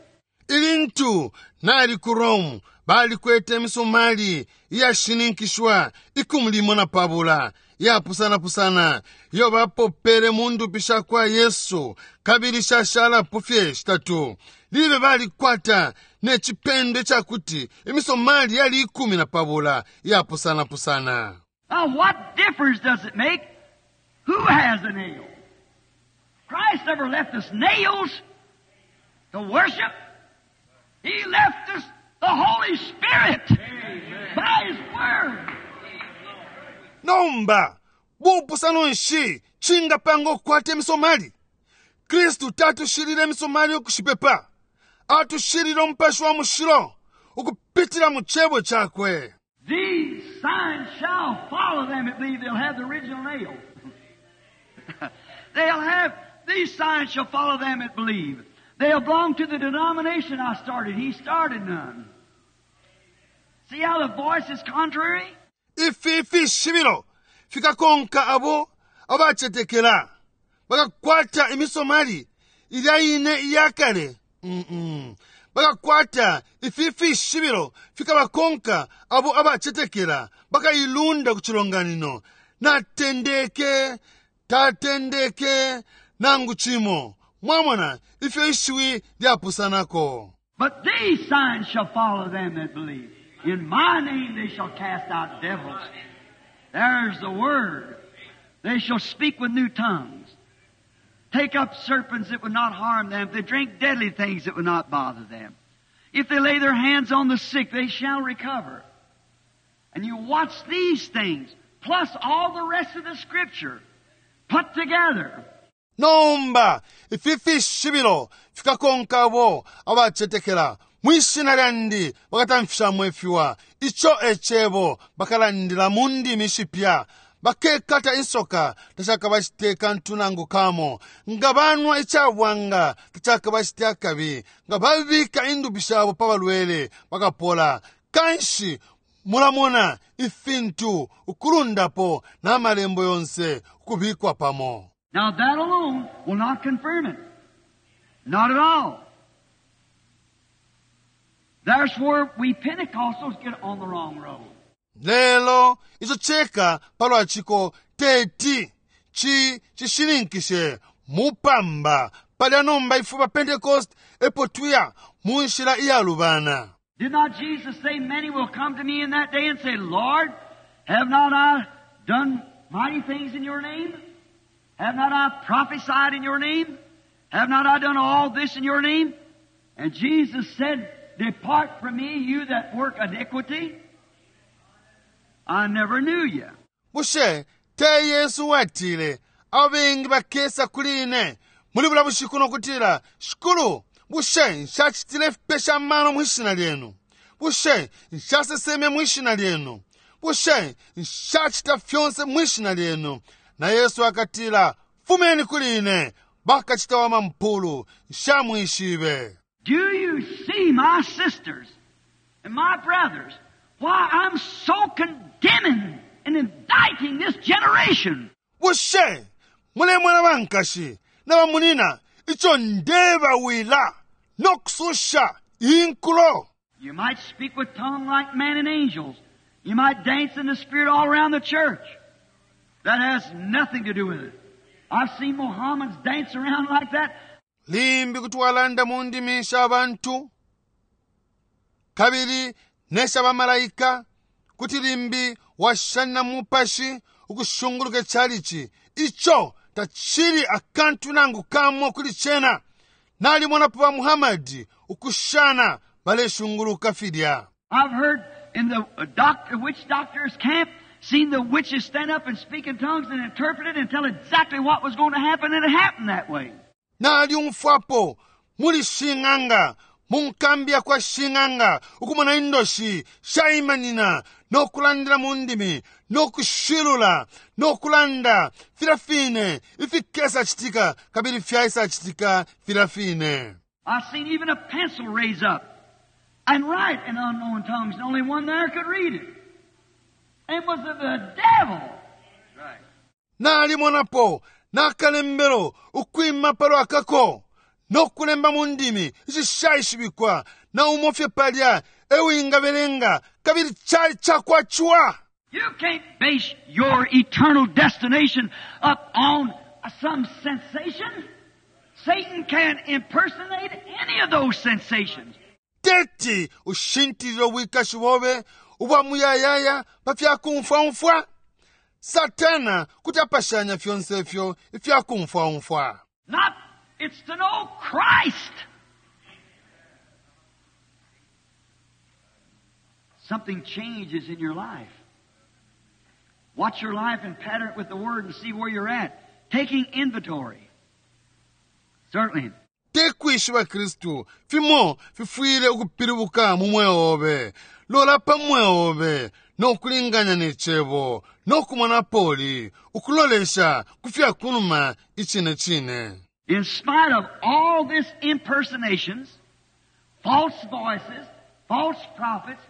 Ilintu nali ku Rome, balikwete imisumali iyashininkishwa 15 iyapusanapusana iyo bapopele mu ndupi sha kwa Yesu, kabili shashalapo fye shitatu. Libe balikwata ne cipendo ica kuti imisomali yali 12 iyapusanapusana. Now what difference does it make who has a nail? Christ never left us nails to worship. He left us the Holy Spirit by His Word. Nomba, bupusano nshi cingapanga ukukwata imisomali? Kristu tatushilile imisomali ukushipepa. Atushilile Umupashi wa Mushilo ukupitila mu Cebo Cakwe. These signs shall follow them that believe. They'll have the original nail. They'll have, these signs shall follow them that believe. They'll belong to the denomination I started. He started none. See how the voice is contrary? Ifi fishibilo fikakonka abo abacetekela bakakwata imisomali ilya ine iyakale. Bakakwata ifi fishibilo fikabakonka abo abacetekela bakailunda ku cilonganino. Natendeke, tatendeke nangu cimo. Mwamona ifyo ishiwi lyapusanako. But these signs shall follow them that believe. In my name they shall cast out devils. There's the word. They shall speak with new tongues. Take up serpents that would not harm them. If they drink deadly things that would not bother them. If they lay their hands on the sick, they shall recover. And you watch these things, plus all the rest of the Scripture, put together. Nomba ifi fishibilo fikakonka abo abacetekela mwi shina lyandi bakatamfishamo ifiwa. Ico e cebo bakalandila mu ndimi shipya. Bakekata insoka tacakabacite kantu nangu kamo. Nga banwa icabwanga tacakabacite akabi. Nga babika indupi shabo pa balwele bakapola. Kanshi mulamona ifintu ukulundapo na malembo yonse ukubikwa pamo. Now that alone will not confirm it. Not at all. That's where we Pentecostals get on the wrong road. Lelo ico ceka palwa ciko teti ci cishininkishe mupamba palya nomba ifwe ba Pentecost epo tuya mu nshila iyalubana. Did not Jesus say, many will come to me in that day and say, Lord, have not I done mighty things in your name? Have not I prophesied in your name? Have not I done all this in your name? And Jesus said, depart from me, you that work iniquity. I never knew you. Bushe te Yesu watile, abengi bakesa kuli ine muli bula bushiku nokutila, Shikulu, bushe nshacitile ifipesha amano mwi shina lyenu? Bushe nshaseseme mwi shina lyenu? Bushe nshacita fyonse mwi shina lyenu? Na Yesu akatila, fumeni kuli ine, bakacita wa mampulu, nshamwishibe. Do you see, my sisters and my brothers, why I'm so condemning and indicting this generation? Bushe mulemona bankashi na bamunina ico ndebawila nokususha inkulo? You might speak with tongue like men and angels. You might dance in the Spirit all around the church. That has nothing to do with it. I've seen Mohammedans dance around like that. Limbi kuti walanda mu ndimi sha bantu kabili nesha bamalaika, kuti limbi washana mupashi ukushunguluka chalichi. Icho tachili akantu nangu kamo kuli chena. Nalimonapo ba Muhammad ukushana baleshunguluka filya. I've heard in the witch doctor's camp, seen the witches stand up and speak in tongues and interpret it and tell exactly what was going to happen, and it happened that way. Naliumfwapo muli shing'anga mu nkambi ya kwa shing'anga ukumona indoshi shaimanina nokulandila mu ndimi nokushilula nokulanda filya fine ifikesa citika kabili fyaisa citika filya fine. I've seen even a pencil raise up and write in unknown tongues, and only one there could read it. And was of the devil. Right. Nalimonapo nakalembelo ukwima palwa kako nokulemba mu ndimi ishishaishibikwa na umofye palya ewingabelenga kabili chali chakwachwa. You can't base your eternal destination up on some sensation. Satan can't impersonate any of those sensations. Teti ushintilile ubwikashi bobe ubwa muyayaya pa fyakumfwaumfwa. Satana kuti apashanya fyonse ifyo ifyakumfwaumfwa. Not, it's to know Christ. Something changes in your life. Watch your life and pattern it with the Word and see where you're at. Taking inventory. Certainly. Te kwishiba Kristu, fimo fifwile ukupilibuka mu mweo obe. Lola pa mweo obe no kulinganya ne cebo no kumona poli ukulolesha ku fya kunuma icine cine. In spite of all this impersonations, false voices, false prophets,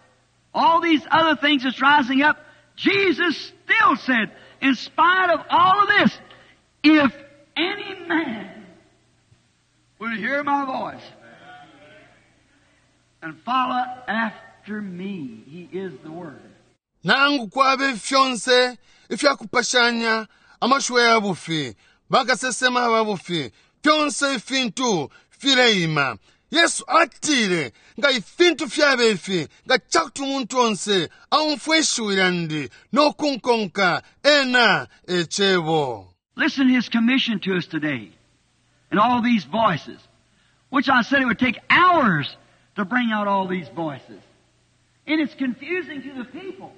all these other things that's rising up, Jesus still said, in spite of all of this, if any man will hear my voice and follow after me, he is the Word. Nangu kwabe fyonse ifyakupashanya amashiwi ya bufi, bakasesema ba bufi, fyonse ifintu fileima. Yesu atile nga ifintu fyabe ifi, nga cakuti umuntu onse aumfwe ishiwi lyandi no kunkonka, ena e cebo. Listen to his commission to us today and all these voices, which I said it would take hours to bring out all these voices. And it's confusing to the people.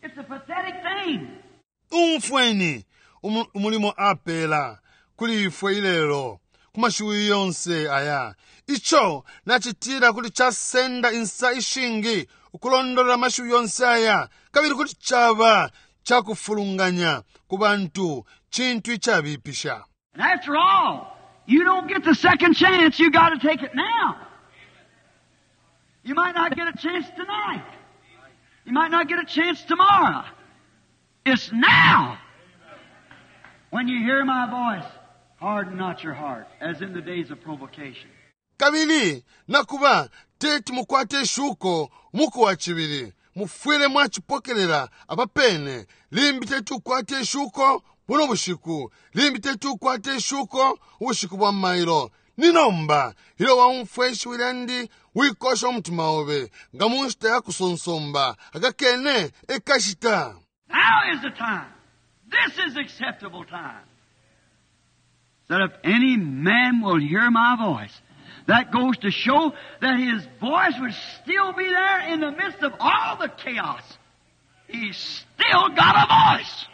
It's a pathetic thing. Umfweni umulimo apela kuli ifwe ilelo ku mashiwi yonse aya. Ico nacitila kuti casenda insa ishingi ukulondolola amashiwi yonse aya, kabili kuti caba cakufulunganya ku bantu, cintu icabipisha. And after all, you don't get the second chance. You got to take it now. You might not get a chance tonight. You might not get a chance tomorrow. It's now. When you hear my voice, harden not your heart, as in the days of provocation. Kabili nakuba teti mukwate ishuko umuku wa cibili, mufwile mwacipokelela apapene. Limbi teti ukwate ishuko buno bushiku, limbi teti ukwate ishuko ubushiku bwa mailo. Ni nomba ilyo waumfwa ishiwi lyandi, wikosha umutima obe nga mu nshita ya kusonsomba, akakene ekashita. Now is the time. This is acceptable time. That if any man will hear my voice, that goes to show that his voice would still be there in the midst of all the chaos. He's still got a voice.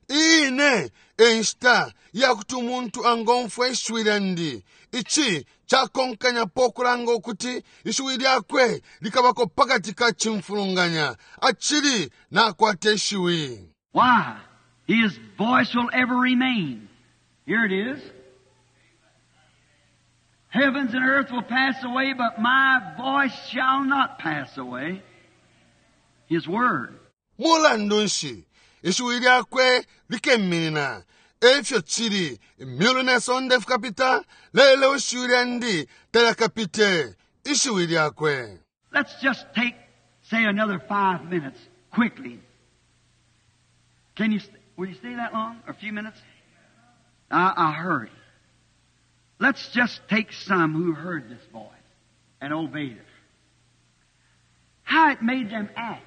Ine enshita yakuti umuntu angomfwa ishiwi lyandi. Ici cakonkanyapo ukulanga ukuti ishiwi lyakwe likabako pakati ka cimfulunganya, acili nakwata ishiwi. Why? His voice will ever remain. Here it is. Heavens and earth will pass away, but my voice shall not pass away. His word. Mulandu nshi ishiwi lyakwe likeminina? Efyo cili, imyulu ne sonde fikapita, lelo ishiwi lyandi talyakapite. Ishiwi lyakwe. Let's just take, say, another 5 minutes quickly. Will you stay that long? A few minutes? I hurry. Let's just take some who heard this voice and obeyed it. How it made them act.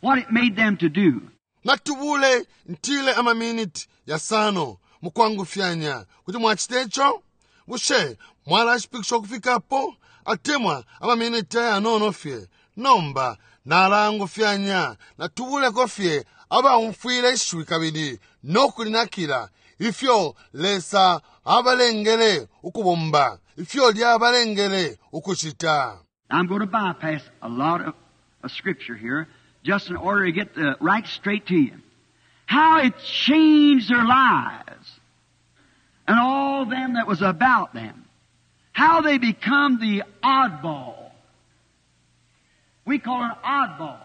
What it made them to do. Natubule ntile amaminiti yasano mukwangufyanya kuti mwachite ico. Bushe mwalashipikisha ukufikapo atemwa amaminiti ayanono fye? Nomba nalangufyanya, natubuleko fye abaumfwile ishiwi kabili nokulinakila ifyo Lesa abalengele ukubomba, ifyo lyabalengele ukucita. I'm going to bypass a lot of scripture here just in order to get the right straight to you. How it changed their lives and all them that was about them. How they become the oddball. We call it oddball.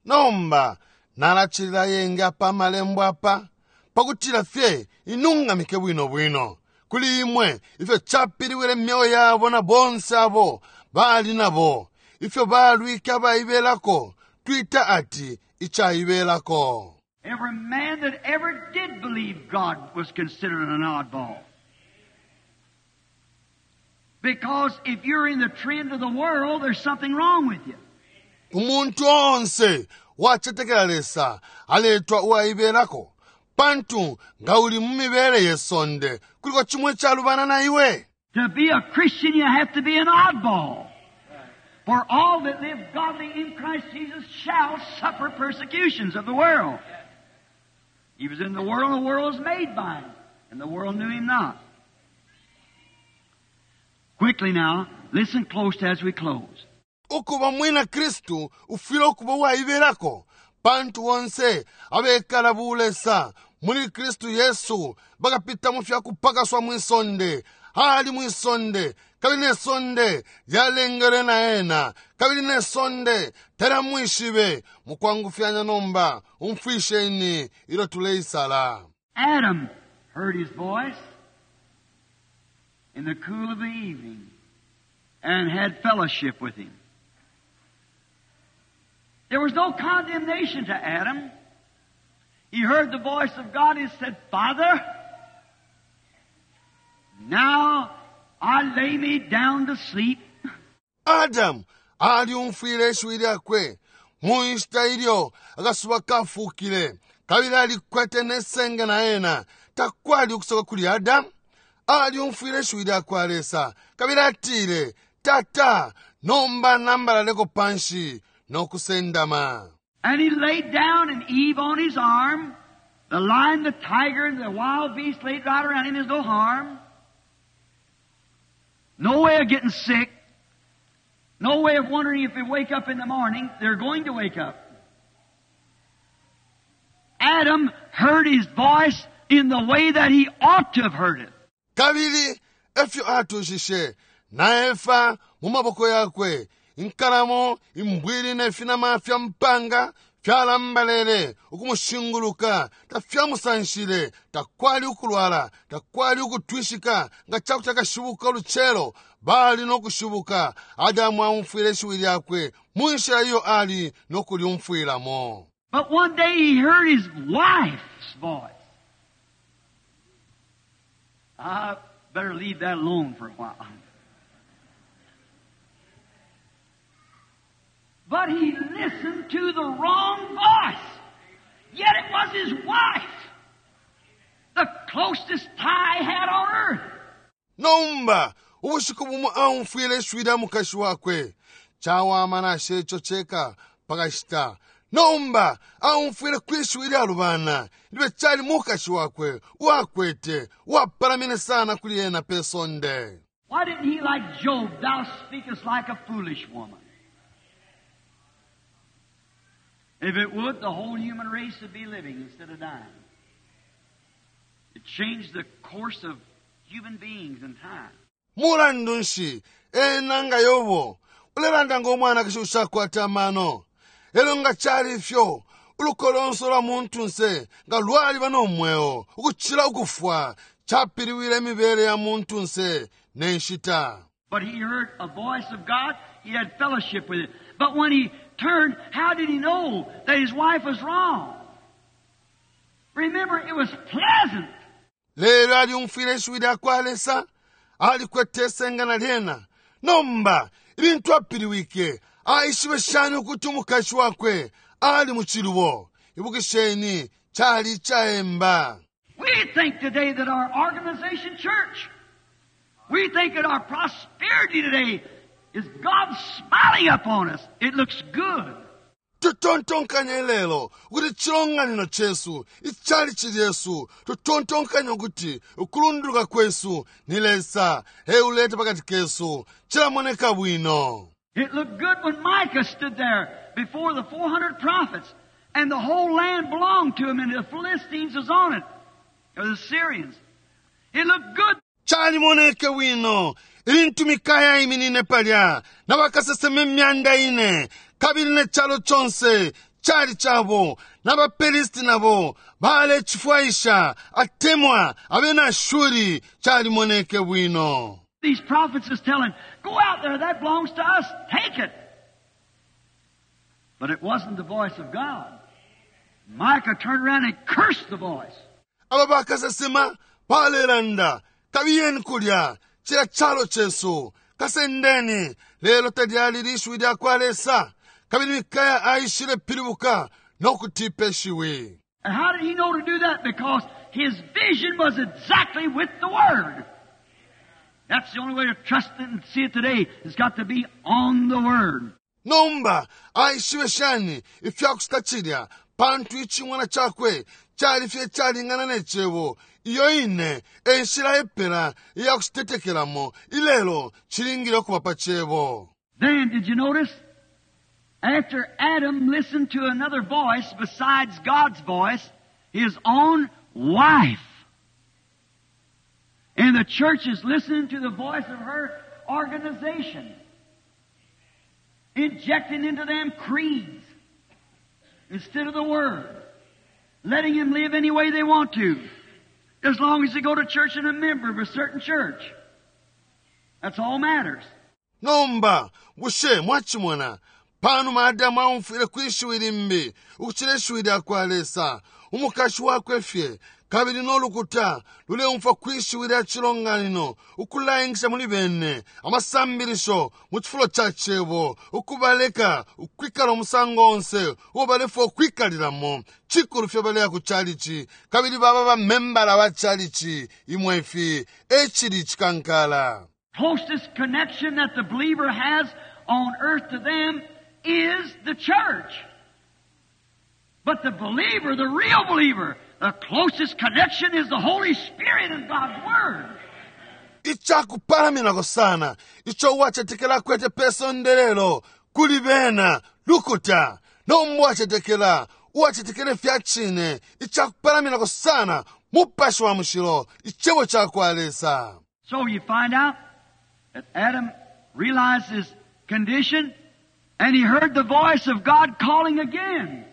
Nomba nalacilila yenge apa amalembo apa pakutila fye inungamike bwino bwino kuli imwe ifyo capiliwile myeo yabo na bonse abo bali nabo, ifyo balwike abaibelako, twita ati icaibelako. Every man that ever did believe God was considered an oddball. Because if you're in the trend of the world, there's something wrong with you. Umuntu onse wacetekela Lesa aletwa uwaibelako, pantu nga uli mu mibele ye sonde kuliko chimwe chalubana na iwe. To be a Christian, you have to be an oddball. For all that live godly in Christ Jesus shall suffer persecutions of the world. He was in the world, and the world was made by him, and the world knew him not. Quickly now, listen close as we close. Ukuba mwina Kristu ufwile ukuba uwaibelako, pantu bonse abekala bulesa muli Kristu Yesu bakapita mu fya kupakaswa mwi sonde. Ali mwi sonde, kabili ne sonde lyalengelwe na ena, kabili ne sonde talyamwishibe. Mukwangufyanya nomba, umfwisheni ilyo tuleisala. Adam heard his voice in the cool of the evening and had fellowship with him. There was no condemnation to Adam. He heard the voice of God and said, Father, now I lay me down to sleep. Adamu alyumfwile ishiwi lyakwe mu nshita ilyo akasuba kafukile, kabili alikwete ne senge na ena. Takwali ukusoka kuli Adamu. Alyumfwile ishiwi lyakwa Lesa, kabili atile, Tata, nomba nambalaleko panshi no kusendama. And he laid down and Eve on his arm. The lion, the tiger, and the wild beast laid right around him. There's no harm. No way of getting sick. No way of wondering if they wake up in the morning. They're going to wake up. Adam heard his voice in the way that he ought to have heard it. Kabili efyo atushishe na Efa mu maboko yakwe, inkalamo, imbwili ne finama fya mpanga fyalambalele ukumushinguluka, tafyamusanshile, takwali ukulwala, takwali ukutwishika nga cakuti akashibuka ulucelo, bali no kushibuka. Adamu aumfwile ishiwi lyakwe mu nshila iyo ali no kulyumfwilamo. But one day he heard his wife's voice. I better leave that alone for a while. But he listened to the wrong voice. Yet it was his wife, the closest tie he had on earth. Nomba ubushiku bumo aumfwile ishiwi lya mukashi wakwe. Cawama nashe ico ceka pakashita. Nomba aumfwile kwi shiwi lyalubana, libe cali mukashi wakwe uwakwete, uwapalamine sana kuli ena pe sonde. Why didn't he, like Job, thou speakest like a foolish woman? If it would, the whole human race would be living instead of dying. It changed the course of human beings in time. Mulandu nshi ena nga Yobo ulelanda ngo mwanakashi ushakwata amano? Elyo nga cali ifyo, uluko lonse ulwa muntunse nga lwaliba no mweo ukucila ukufwa. Capiliwile imibele ya muntunse ne nshita. But he heard a voice of God. He had fellowship with it. But when he turned, how did he know that his wife was wrong? Remember, it was pleasant. Lelo alyumfwile ishiwi lya kwa Lesa, alikwete isenga na lyena. Nomba, ilintu apiliwike, aishibe shani ukuti umukashi wakwe ali mu cilubo? Ibukisheni, cali icaemba. We think today that our organization church, we think that our prosperity today is God smiling upon us. It looks good. Tutontonkanya ilelo ukuti icilonganino cesu, icalici lyesu, tutontonkanya ukuti ukulunduluka kwesu ni Lesa euleta pakati kesu. Cilamoneka bwino. It looked good when Micah stood there before the 400 prophets, and the whole land belonged to him, and the Philistines was on it, or the Syrians. It looked good. Calimoneke bwino ilintu Mikaya aiminine palya na bakasesema 400, kabili ne calo conse cali cabo, na baPelisti nabo balecifwaisha, atemwa abena Ashuri. Calimoneke bwino. These prophets is telling, go out there, that belongs to us, take it. But it wasn't the voice of God. Micah turned around and cursed the voice. Aba bakasesema balelanda, kabiyeni kulya, cilya calo cesu, kasendeni. Lelo talyali lishiwi lya kwa Lesa, kabili Mikaya aishile pilibuka no kutipa ishiwi. And how did he know to do that? Because his vision was exactly with the Word. That's the only way to trust it and see it today. It's got to be on the Word. Nomba aishibe shani ifya kucita cilya? Pantu icing'wana cakwe Cali fye icalingana ne Cebo. Iyo ine e nshila epela iya kucitetekelamo ilelo, cilingile ukuba pa Cebo. Then, did you notice? After Adam listened to another voice besides God's voice, his own wife. And the church is listening to the voice of her organization, injecting into them creeds instead of the Word, letting them live any way they want to, as long as they go to church and a member of a certain church. That's all matters. Nomba, bushe mwacimona? Panuma Adamu aumfwile kwi shiwi limbi ukucila ishiwi lya kwa Lesa, umukashi wakwe fye, kabili no lukuta luleumfwa kwi shiwi lya cilonganino, ukulaingisha muli bene amasambilisho mu cifulo ca Cebo, ukubaleka ukwikala umusango onse uo balefwa ukwikalilamo, cikulu fye baleya ku calici kabili baba bamembala ba calici. Imwe ifi e cili icikankala. Closest connection that the believer has on earth to them is the church. But the believer, the real believer, the closest connection is the Holy Spirit and God's Word. Icakupalaminako sana ico uwacetekela akwete pe sonde lelo kuli bena lukuta. Nomba uwacetekela, uwacetekela ifya cine, icakupalaminako sana Mupashi wa Mushilo, Icebo cakwa Lesa. So you find out that Adam realized his condition and he heard the voice of God calling again.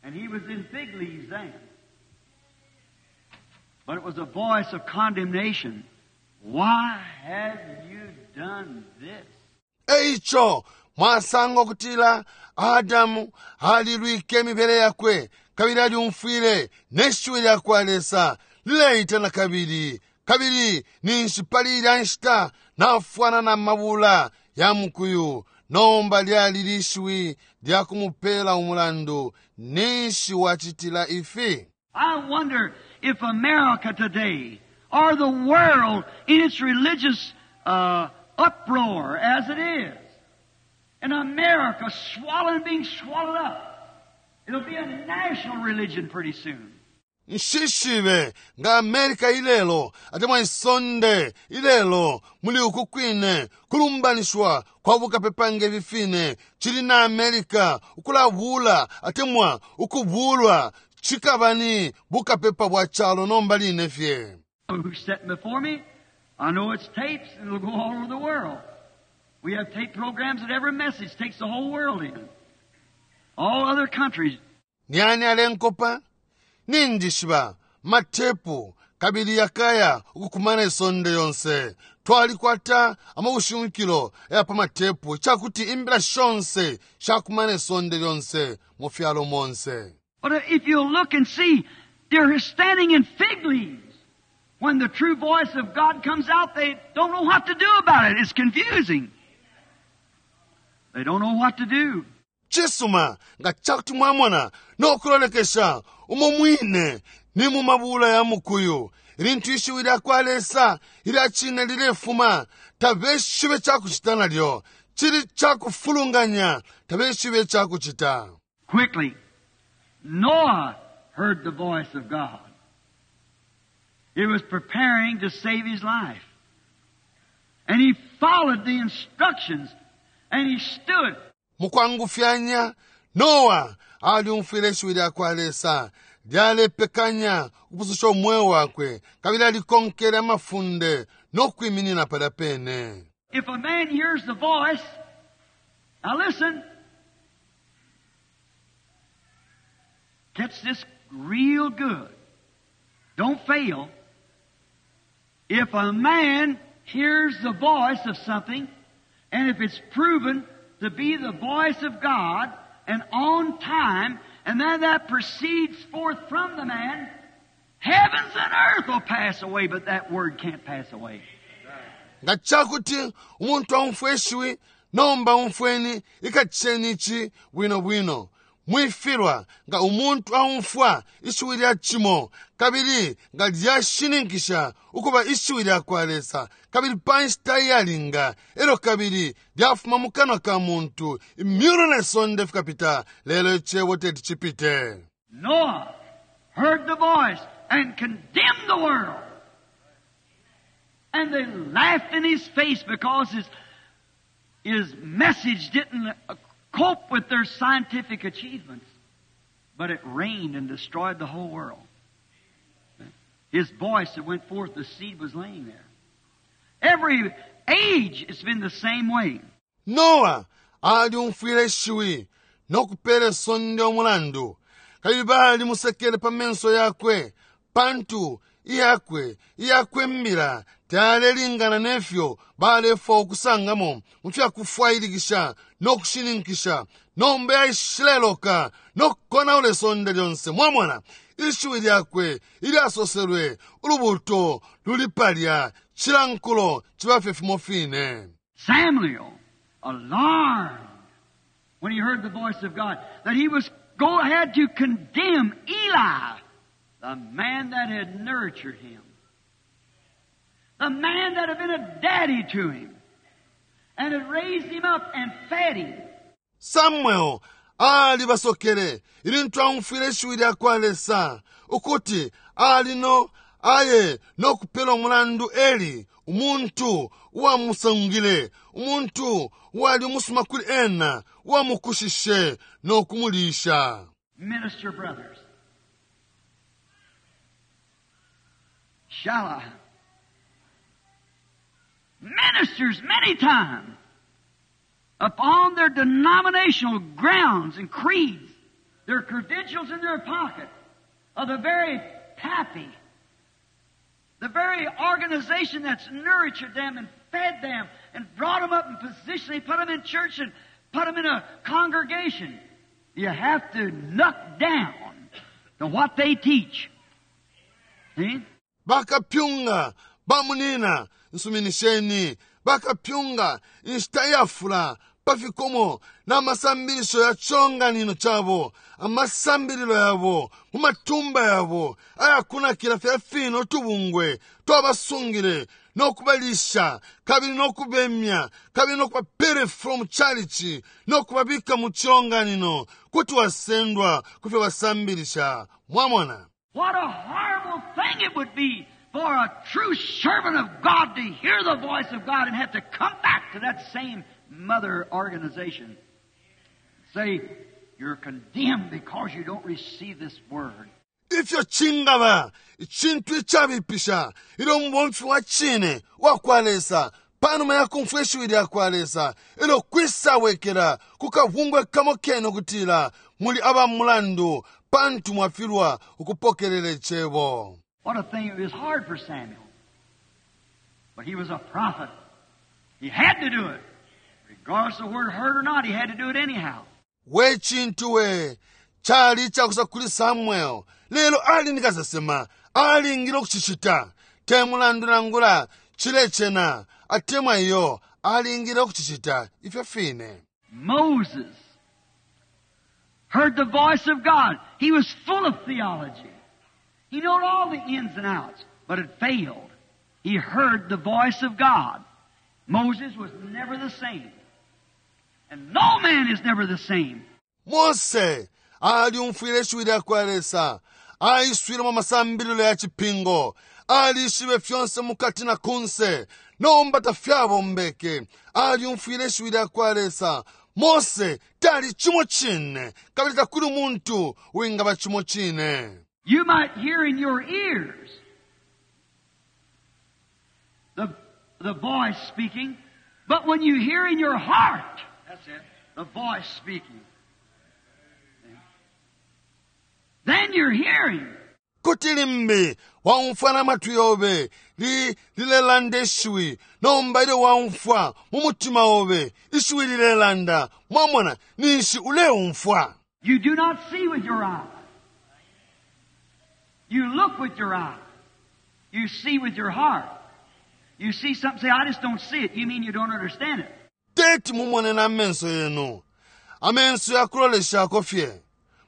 And he was in fig leaves then. But it was a voice of condemnation. Why have you done this? Eico mwasanga ukutila Adamu alilwike imibele yakwe kabili alyumfwile ne shiwi lya kwa Lesa lileita na kabili, kabili ninshi pali ilya nshita nafwana na mabula ya mukuyu. Nomba lyali lishiwi lya kumupela umulandu, Ninshi wacitila ifi? I wonder if America today, or the world in its religious uproar as it is, and America swallowing, being swallowed up, it'll be a national religion pretty soon. Nshishibe nga America ilelo atemwa isonde ilelo muli uku kwine kulumbanishiwa kwa bukapepa nge fi fine cili na America ukulabula atemwa ukubulwa, cikaba ni bukapepa bwa calo nomba line fye. Who's sitting before me? I know it's tapes and it'll go all over the world. We have tape programs that every message takes the whole world in. All other countries. Ni ani alenkopa? Ninjishiba matepu kabili yakaya ukukumana isonde yonse. Twalikwata amabushimikilo aya pa matepu icakuti imbila shonse shakumana isonde lyonse mu fyalo monse. But if you'll look and see, they're standing in fig leaves. When the true voice of God comes out, they don't know what to do about it. It's confusing. They don't know what to do. Cisuma, nga cakuti mwamona no kulolekesha umo mwine ni mu mabula ya mukuyu, ilintu ishiwi lya kwa Lesa ilya cine lilefuma, tabeshibe ca kucita nalyo. Cili ca kufulunganya, tabeshibe ca kucita. Quickly, Noah heard the voice of God. He was preparing to save his life. And he followed the instructions and he stood. Mukwangufyanya, Noa alyumfwile ishiwi lya kwa Lesa lyalepekanya ukupususha umweo wakwe, kabili alikonkele amafunde no kwiminina palya pene. If a man hears the voice, now listen, catch this real good. Don't fail. If a man hears the voice of something, and if it's proven to be the voice of God, and on time, and then that proceeds forth from the man, heavens and earth will pass away, but that word can't pass away. Nga cakuti umuntu aumfwa ishiwi, nomba umfweni, ikatisheni ici bwino bwino. Mwifilwa. Nga umuntu aumfwa ishiwi lya cimo, kabili nga lyashininkisha ukuba ishiwi lya kwa Lesa, kabili pa nshita iyalinga, elyo kabili lyafuma mu kanwa ka muntu, imyulu ne sonde fikapita, lelo Icebo teti cipite. Noah heard voice and condemned the world. And they laughed in his face because his message didn't cope with their scientific achievements. But it rained and destroyed the whole world. His voice that went forth, the seed was laying there. Every age it's been the same way. Noa alyumfwile ishiwi nokupela isonde umulandu kabili balimusekele pa menso yakwe pantu iyakwe iyakwe mbila tayalelingana nefyo balefwa ukusangamo mu fyakufwailikisha nokushininkisha. Nomba yaishileloka nokukonaula isonde lyonse. Mwamona ishiwi lyakwe ilyasoselwe ulubuto luli palya cilankulo cibafye fimo fine. Samuel, alarmed when he heard the voice of God, that he was go ahead to condemn Eli, the man that had nurtured him, the man that had been a daddy to him, and had raised him up and fed him. Samuel alibasokele ilintu aumfwile ishiwi lyakwa Lesa ukuti ali no aye nokupela umulandu Eli, umuntu uwamusungile, umuntu uwali umusuma kuli ena, uwamukushishe nokumulisha. Minister brothers, shall I? Ministers many times upon their denominational grounds and creeds, their credentials in their pocket, of the very pappy, the very organization that's nurtured them and fed them and brought them up in position. They put them in church and put them in a congregation. You have to knock down to what they teach. See? Bakapyunga bamunina nsuminisheni bakapyunga inshita iyafula pafikomo na masambilisho ya chonganino chabo, amasambililo yabo mu matumba yabo ayakunakila fya fino tubungwe twabasungile nokubalisha kabili nokubemya kabili nokubapere from chalichi nokubabika mu chilonganino kuti wasendwa kufyo basambilisha. Mwamona? What a horrible thing it would be for a true servant of God to hear the voice of God and have to come back to that same mother organization. Say, you're condemned because you don't receive this word. Ifyo chingaba ichintu ichabipisha ilyo mubomfi wa chine wa kwa Lesa panuma ya kumfwa ishiwi lya kwa Lesa ilyo kwisawekela kukabungwe kamo kene ukutila muli aba mulandu pantu mwafilwa ukupokelela icebo. What a thing. It was hard for Samuel. But he was a prophet. He had to do it. Regardless of whether it hurt or not, he had to do it anyhow. We chintu we chali chakusa kuli Samuel lelo ali nikasesema alingile ukuchichita te mulandu nangula chilechena atemwa iyo alingile ukuchichita ifyo fine. Moses heard the voice of God. He was full of theology. He knew all the ins and outs, but it failed. He heard the voice of God. Moses was never the same. And no man is never the same. Mose aliumfwile ishiwi lya kwa Lesa, aiswile mu masambililo ya chipingo, alishibe fyonse mukati na kunse, nomba tafyabombeke. Aliumfwile ishiwi lya kwa Lesa. Mose tali chimo chine, kabili takuli muntu wingaba chimo chine. You might hear in your ears the voice speaking, but when you hear in your heart, that's it, the voice speaking, then you're hearing. Kuti limbi waumfwa na matwi yobe lilelanda ishiwi, nomba ilyo waumfwa mu mutima obe ishiwi lilelanda, mwamona ninshi uleumfwa. You do not see with your eyes. You look with your eyes. You see with your heart. You see something, say, I just don't see it. You mean you don't understand it. Teti mumone na amenso yenu. Amenso yakuloleshako fye.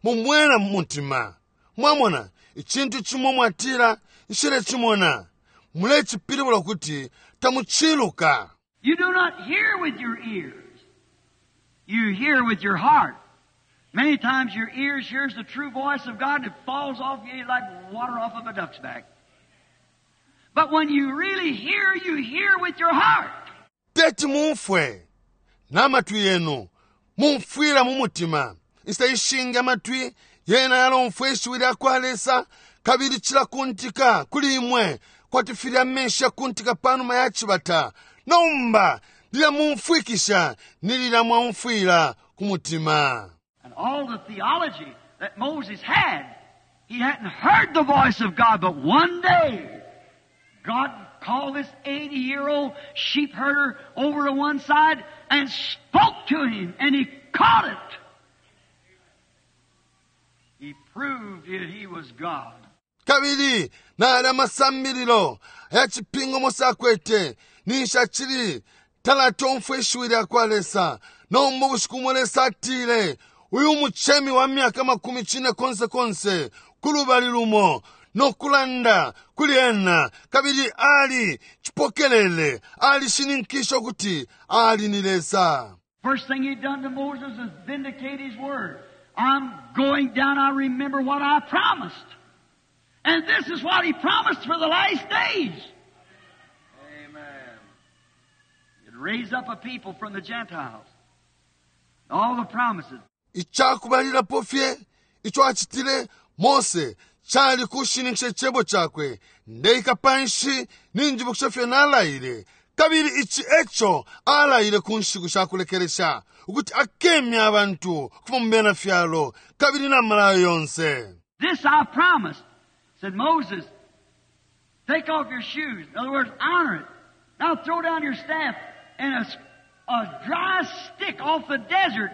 Mumwena mu mutima. Mwamona, ichintu chimwe mwatira, nshile chimona. Mulechipilibula kuti tamuchiluka. You do not hear with your ears. You hear with your heart. Many times your ears hears the true voice of God and it falls off you like water off of a duck's back. But when you really hear, you hear with your heart. Teti mumfwe n'amatwi yenu, mumfwila mu mutima. Inshita ishingi amatwi yena yalomfwa ishiwi lya kwa Lesa kabili cilakuntika kuli imwe kwati filya amenshi yakuntika panuma ya cibata. Nomba lilya mumfwikisha ni lilya mwaumfwila ku mutima. And all the theology that Moses had, he hadn't heard the voice of God, but one day, God called this 80-year-old sheep herder over to one side and spoke to him, and he caught it. He proved that he was God. Kabili nali amasambililo aya cipingo Mose akwete, ninshi acili talatomfwa ishiwi lya kwa Lesa. Nomba ubushiku bumo Lesa atile, uyu mucemi wa myaka makumi cine konse konse kulubali lumo, no kulanda kuli ena, kabili ali cipokelele, alishininkishe ukuti ali ni Lesa. First thing he done to Moses is vindicate his word. I'm going down, I remember what I promised. And this is what he promised for the last days. Amen. He'd raise up a people from the Gentiles. All the promises. Icakubalilapo fye ico acitile Mose cali kushininkisha icebo cakwe. Ndeika panshi ninjibukisha fye nalaile. Kabili ici eco alaile ku nshiku sha kulekelesha, ukuti akemya abantu ukufuma mu bena fyalo kabili na malayo yonse. This I promised, said Moses, take off your shoes. In other words, honor it. Now throw down your staff, and a dry stick off the desert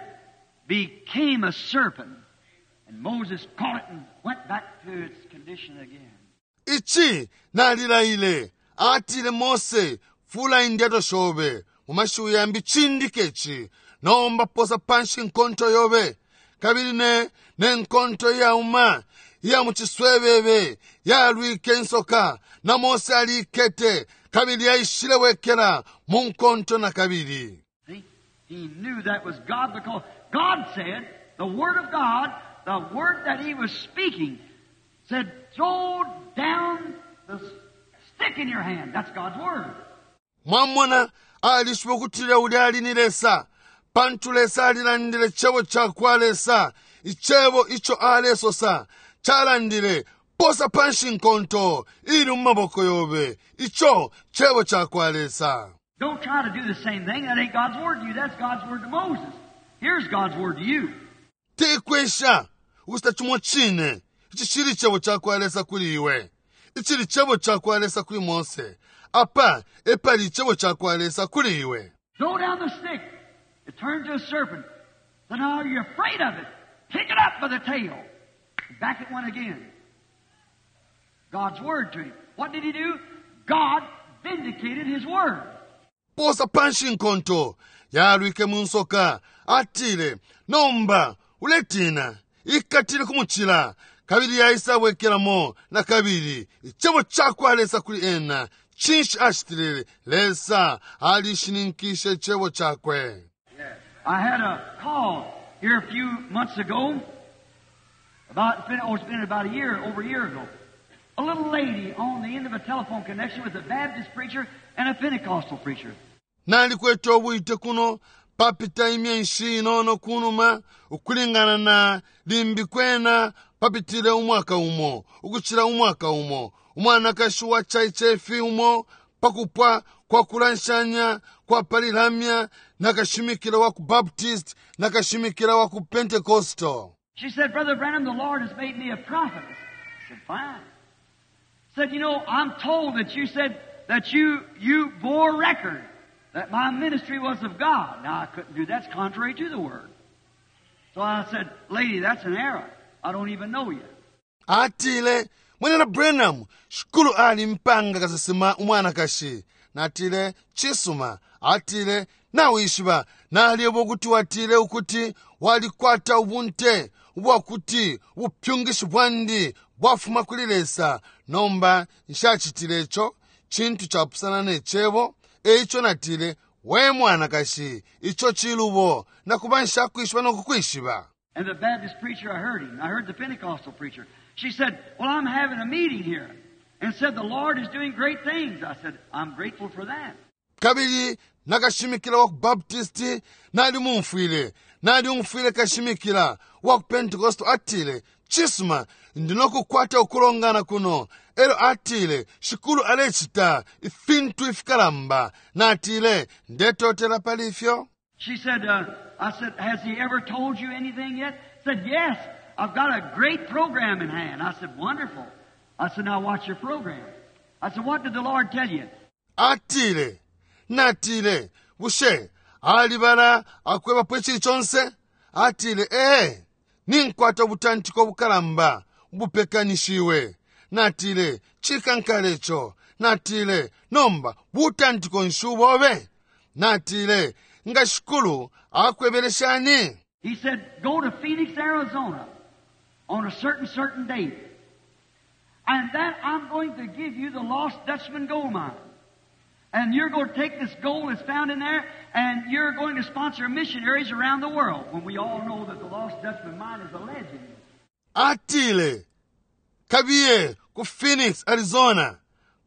became a serpent. And Moses caught it and went back to its condition again. Ici nalilaile, atile Mose, fula indyato shobe. Mu mashiwi yambi, cindike ci. Nomba posa panshi nkonto yobe. Kabili ne nkonto iyauma iya mu ciswebebe yalwike insoka, na Mose aliikete, kabili yaishile wekela mu nkonto na kabili. See? He knew that was God because God said, the Word of God, the Word that He was speaking, said, throw down the stick in your hand. That's God's Word. Mwamona, alishiba ukutila ulya ali ni Lesa, pantu Lesa alilandile cebo cakwa Lesa, icebo ico alesosa, calandile, posa panshi nkonto ili mu maboko yobe, ico cebo cakwa Lesa. Don't try to do the same thing. That ain't God's word to you. That's God's word to Moses. Here's God's word to you. Tekwesha ukucita cimo cine. Ici cili cebo cakwa Lesa kuli iwe. Icili cebo cakwa Lesa kuli Mose. Apa epali icebo cakwa Lesa kuli iwe. Throw down the stick. It turned to a serpent. So now you're afraid of it. Pick it up by the tail. Back it went again. God's word to him. What did he do? God vindicated his word. Posa panshi nkonto. Yalwike mu nsoka. Atile, nomba uletina. Ikatile kumucila. Kabili yaisa bwekelamo na kabili. Icebo cakwa Lesa kuli ena. Cinshi acitile? Lesa alishininkishe icebo cakwe. I had a call here a few months ago. About, it's been, oh, it's been about a year, over a year ago. A little lady on the end of a telephone connection with a Baptist preacher and a Pentecostal preacher. Nalikwete ubwite kuno papita imyeshi inono kunuma, ukulingana na limbi kwena papitile umwaka umo, ukucila umwaka umo. Umwanakashi wa chaichefi umo pakupwa kwa kulanshanya kwa palilamya na kashimikila wa ku Baptist na kashimikila wa ku Pentecostal. She said, Brother Branham, the Lord has made me a prophet. I said, fine. Said, you know, I'm told that you said that you bore record that my ministry was of God. Now, I couldn't do that. It's contrary to the Word. So I said, lady, that's an error. I don't even know you. Atile, Mwenena Branham, shikulu ali mpanga kasesema umwanakashi. Natile, chisuma. Atile, nawishiba. Naliebo kuti watile ukuti walikwata ubunte ubwakuti ubupyungishi bwandi bwafuma kuli Lesa. Nomba nshacitile ico cintu capusana ne cebo. Eico natile, we mwanakashi, ico cilubo, nakuba nshakwishiba no kukwishiba. And the Baptist preacher, I heard him. I heard the Pentecostal preacher. She said, Well, I'm having a meeting here. And said, The Lord is doing great things. I said, I'm grateful for that. Kabili nakashimikila wa ku Baptisti nalimumfwile, nalyumfwile kashimikila wa ku Pentecost atile, Cisuma, ndi nokukwata ukulongana kuno. Elyo atile, Shikulu alecita ifintu ifikalamba. Natile, Ndetotela pali ifyo. She said, I said, Has he ever told you anything yet? Said, Yes, I've got a great program in hand. I said, Wonderful. I said, Now what's your program? I said, What did the Lord tell you? Atile, Natile, Bushe alibala akwebapo icili conse? Atile, Ee, ninkwata ubutantiko bukalamba ubupekanishiwe. Natile, Cikankala ico. Natile, Nomba butantiko nshi ubobe? Natile, Nga Shikulu akwebele shani? He said, Go to Phoenix, Arizona on a certain, certain date. And then I'm going to give you the lost Dutchman gold mine. And you're going to take this gold that's found in there, and you're going to sponsor missionaries around the world. When we all know that the lost Dutchman mine is a legend. Atile, Kabiye ku Phoenix, Arizona,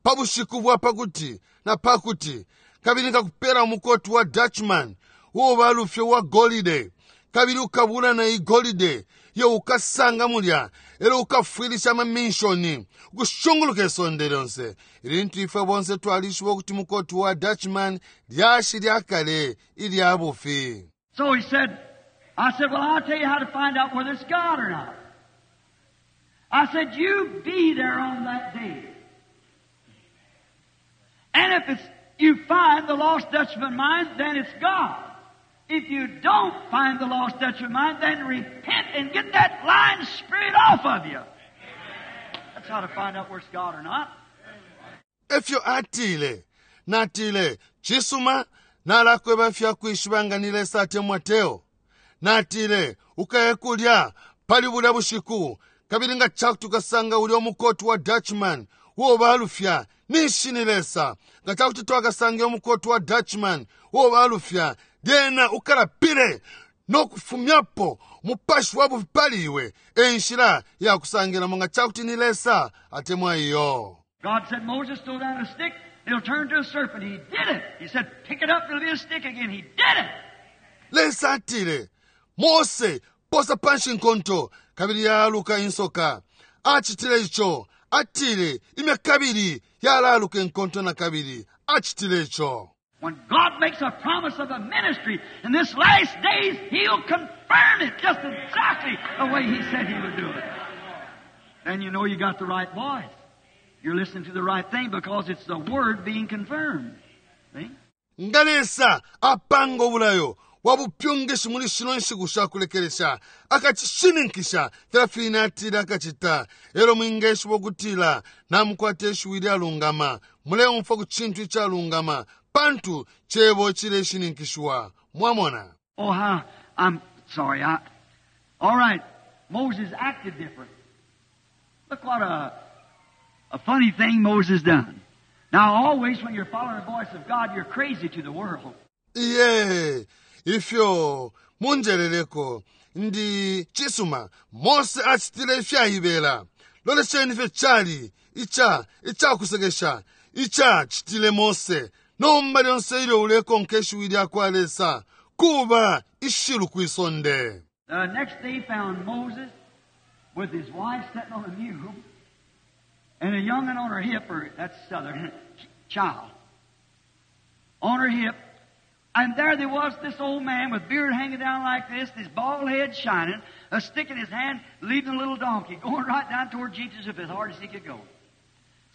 pa bushiku bwa pakuti na pakuti, kabili nkakupela umukoti wa Dutchman uo balufya uwa golide, kabili ukabula na iyi golide iyo ukasanga mulya, elyo ukafwilisha ama minshoni ukushunguluka isonde lyonse. Ilintu ifwe bonse twalishiba ukuti mukoti wa Dutchman lyashi lya kale ilya bufi. So he said, I said, well, I'll tell you how to find out whether it's God or not. I said, you be there on that day. And if you find the lost Dutchman mine, then it's God. If you don't find the lost Dutchman mine, then repent and get that lying spirit off of you. That's how to find out whether it's God or not. Efyo atile. Natile, Cisuma, nalakweba ifya kwishiba nga ni Lesa atemwa teo. Natile, Ukaye kulya pali bulya bushiku, kabili nga cakuti ukasanga ulya umukoti wa Dutchman uo balufya, ninshi ni Lesa. Nga cakuti twakasange umukoti wa Dutchman uo balufya, lyena ukalapile no kufumyapo umupashi wa bufi pali iwe. E nshila ya kusangilamo nga cakuti ni Lesa atemwa iyo. God said, Moses, throw down a stick, it'll turn to a serpent. He did it. He said, pick it up, it'll be a stick again. He did it. Lesa atile, Mose, posa panshi inkonto, kabili yaaluka insoka. Acitile ico. Atile, Imya kabili, yalaaluka inkonto nakabili. Acitile ico. When God makes a promise of a ministry in this last days, He'll confirm it just exactly the way He said He would do it. Then you know you got the right voice. You're listening to the right thing because it's the Word being confirmed. See? Nga Lesa apanga ubulayo bwa bupyungishi muli shino nshiku sha kulekelesha, akacishininkisha filya fine Atile Akacita. Elyo mwingeshiba ukutila namukwata ishiwi ilyalungama, muleumfwa ku cintu icalungama, pantu Cebo cileshininkishiwa. Mwamona? Oh, how, I'm sorry. I, all right. Moses acted different. Look what a funny thing Moses done. Now, always when you're following the voice of God, you're crazy to the world. Iye, ifyo munjeleleko ndi cisuma Mose acitile ifyaibela. Lolesheni ifyo cali ica icakusekesha ica citile Mose. Nomba lyonse ilyo ulekonka ishiwi lyakwa Lesa, kuba ishilu kwi sonde. The next day found Moses with his wife sitting on a mule and a young'un on her hip, or that's southern, child, on her hip. And there there was this old man with beard hanging down like this, his bald head shining, a stick in his hand, leading a little donkey, going right down toward Egypt as hard as he could go.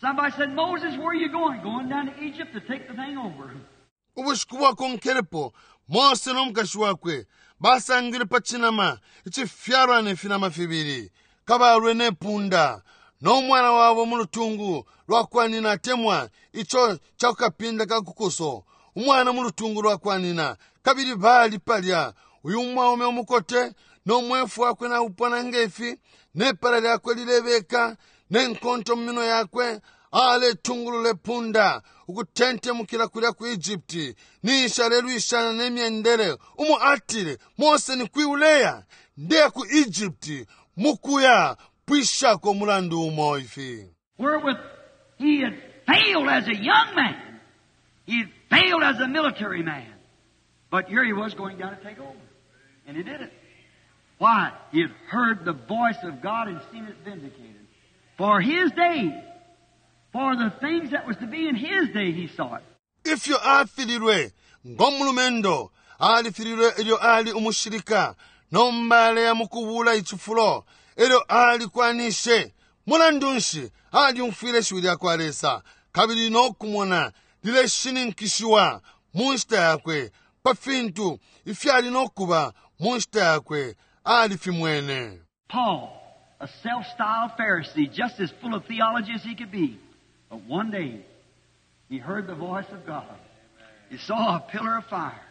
Somebody said, Moses, where are you going? Going down to Egypt to take the thing over. Ubushiku bwakonkelepo, Mose no mukashi wakwe basangilwe pa cinama icifyalwa ne finama fibili, kabalwe ne punda, no mwana wabo mu lutungu lwa kwa nina atemwa ico ca ku kapinda ka ku kuso, umwana mu lutungu lwa kwa nina. Kabili bali palya, uyu umwaume umukote, no mwefu wakwe naupona nge fi, ne pala lyakwe lilebeka, Ne nkonto mu minwe yakwe, aletungulula ipunda ukutentemukila kulya ku Egypt, ninshi alelwishana ne myendele umo atile, Mose ni kwi uleya? Ndeya ku Egypt mukuya pwishako umulandu umo ifi. Wherewith he had failed as a young man. He had failed as a military man. But here he was going down to take over. And he did it. Why? He had heard the voice of God and seen it vindicated. For his day, for the things that was to be in his day, he saw it. Ifyo afililwe ngo mulumendo, alifililwe ilyo ali umushilika, nomba aleya mukubula icifulo, elyo alikwanishe. Mulandu nshi? Alyumfwile ishiwi lyakwa Lesa, kabili no kumona lileshininkishiwa mu nshita yakwe, pa fintu ifyali no kuba mu nshita yakwe, alifimwene. Paul, a self-styled Pharisee, just as full of theology as he could be. But one day, he heard the voice of God. He saw a pillar of fire.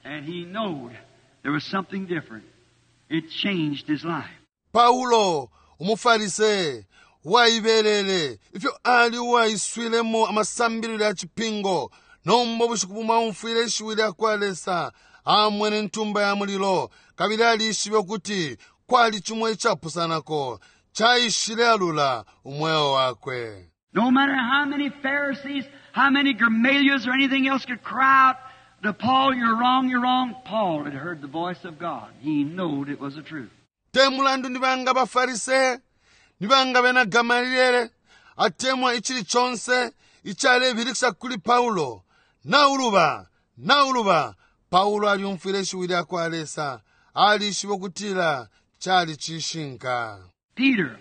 And he knowed there was something different. It changed his life. Paulo, umuFarise waibelele, ifyo ali uwaiswilemo amasambililo ya cipingo, nomba ubushiku bumo aumfwile ishiwi lya kwa Lesa, amwene intumba ya mulilo, kabili alishibe ukuti kwali cimo icapusanako, caishile alula umweo wakwe. No matter how many Pharisees, how many Gamaliels or anything else could cry out to Paul, you're wrong, you're wrong. Paul had heard the voice of God. He knowed it was the truth. Te mulandu ni banga baFarise, ni banga bena Gamaliele, atemwa icili conse icalebilikisha kuli Paulo, nauluba, nauluba, Paulo alyumfwile ishiwi lya kwa Lesa, alishibe ukutila cali cishinka. Peter,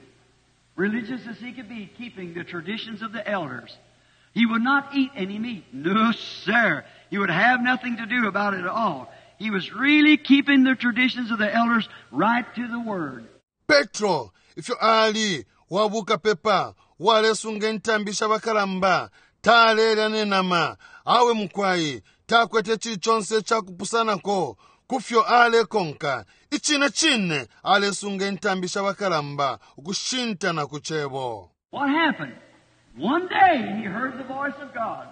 religious as he could be, keeping the traditions of the elders, he would not eat any meat. No, sir. He would have nothing to do about it at all. He was really keeping the traditions of the elders right to the word. Petro, ifyo ali wabukapepa, uwalesunga intambi sha bakalamba, talelya ne nama, awe mukwai, takwete icili conse icakupusanako kufyo alekonka. Icine cine alesunga intambi sha bakalamba ukushinta na ku Cebo. What happened? One day he heard the voice of God.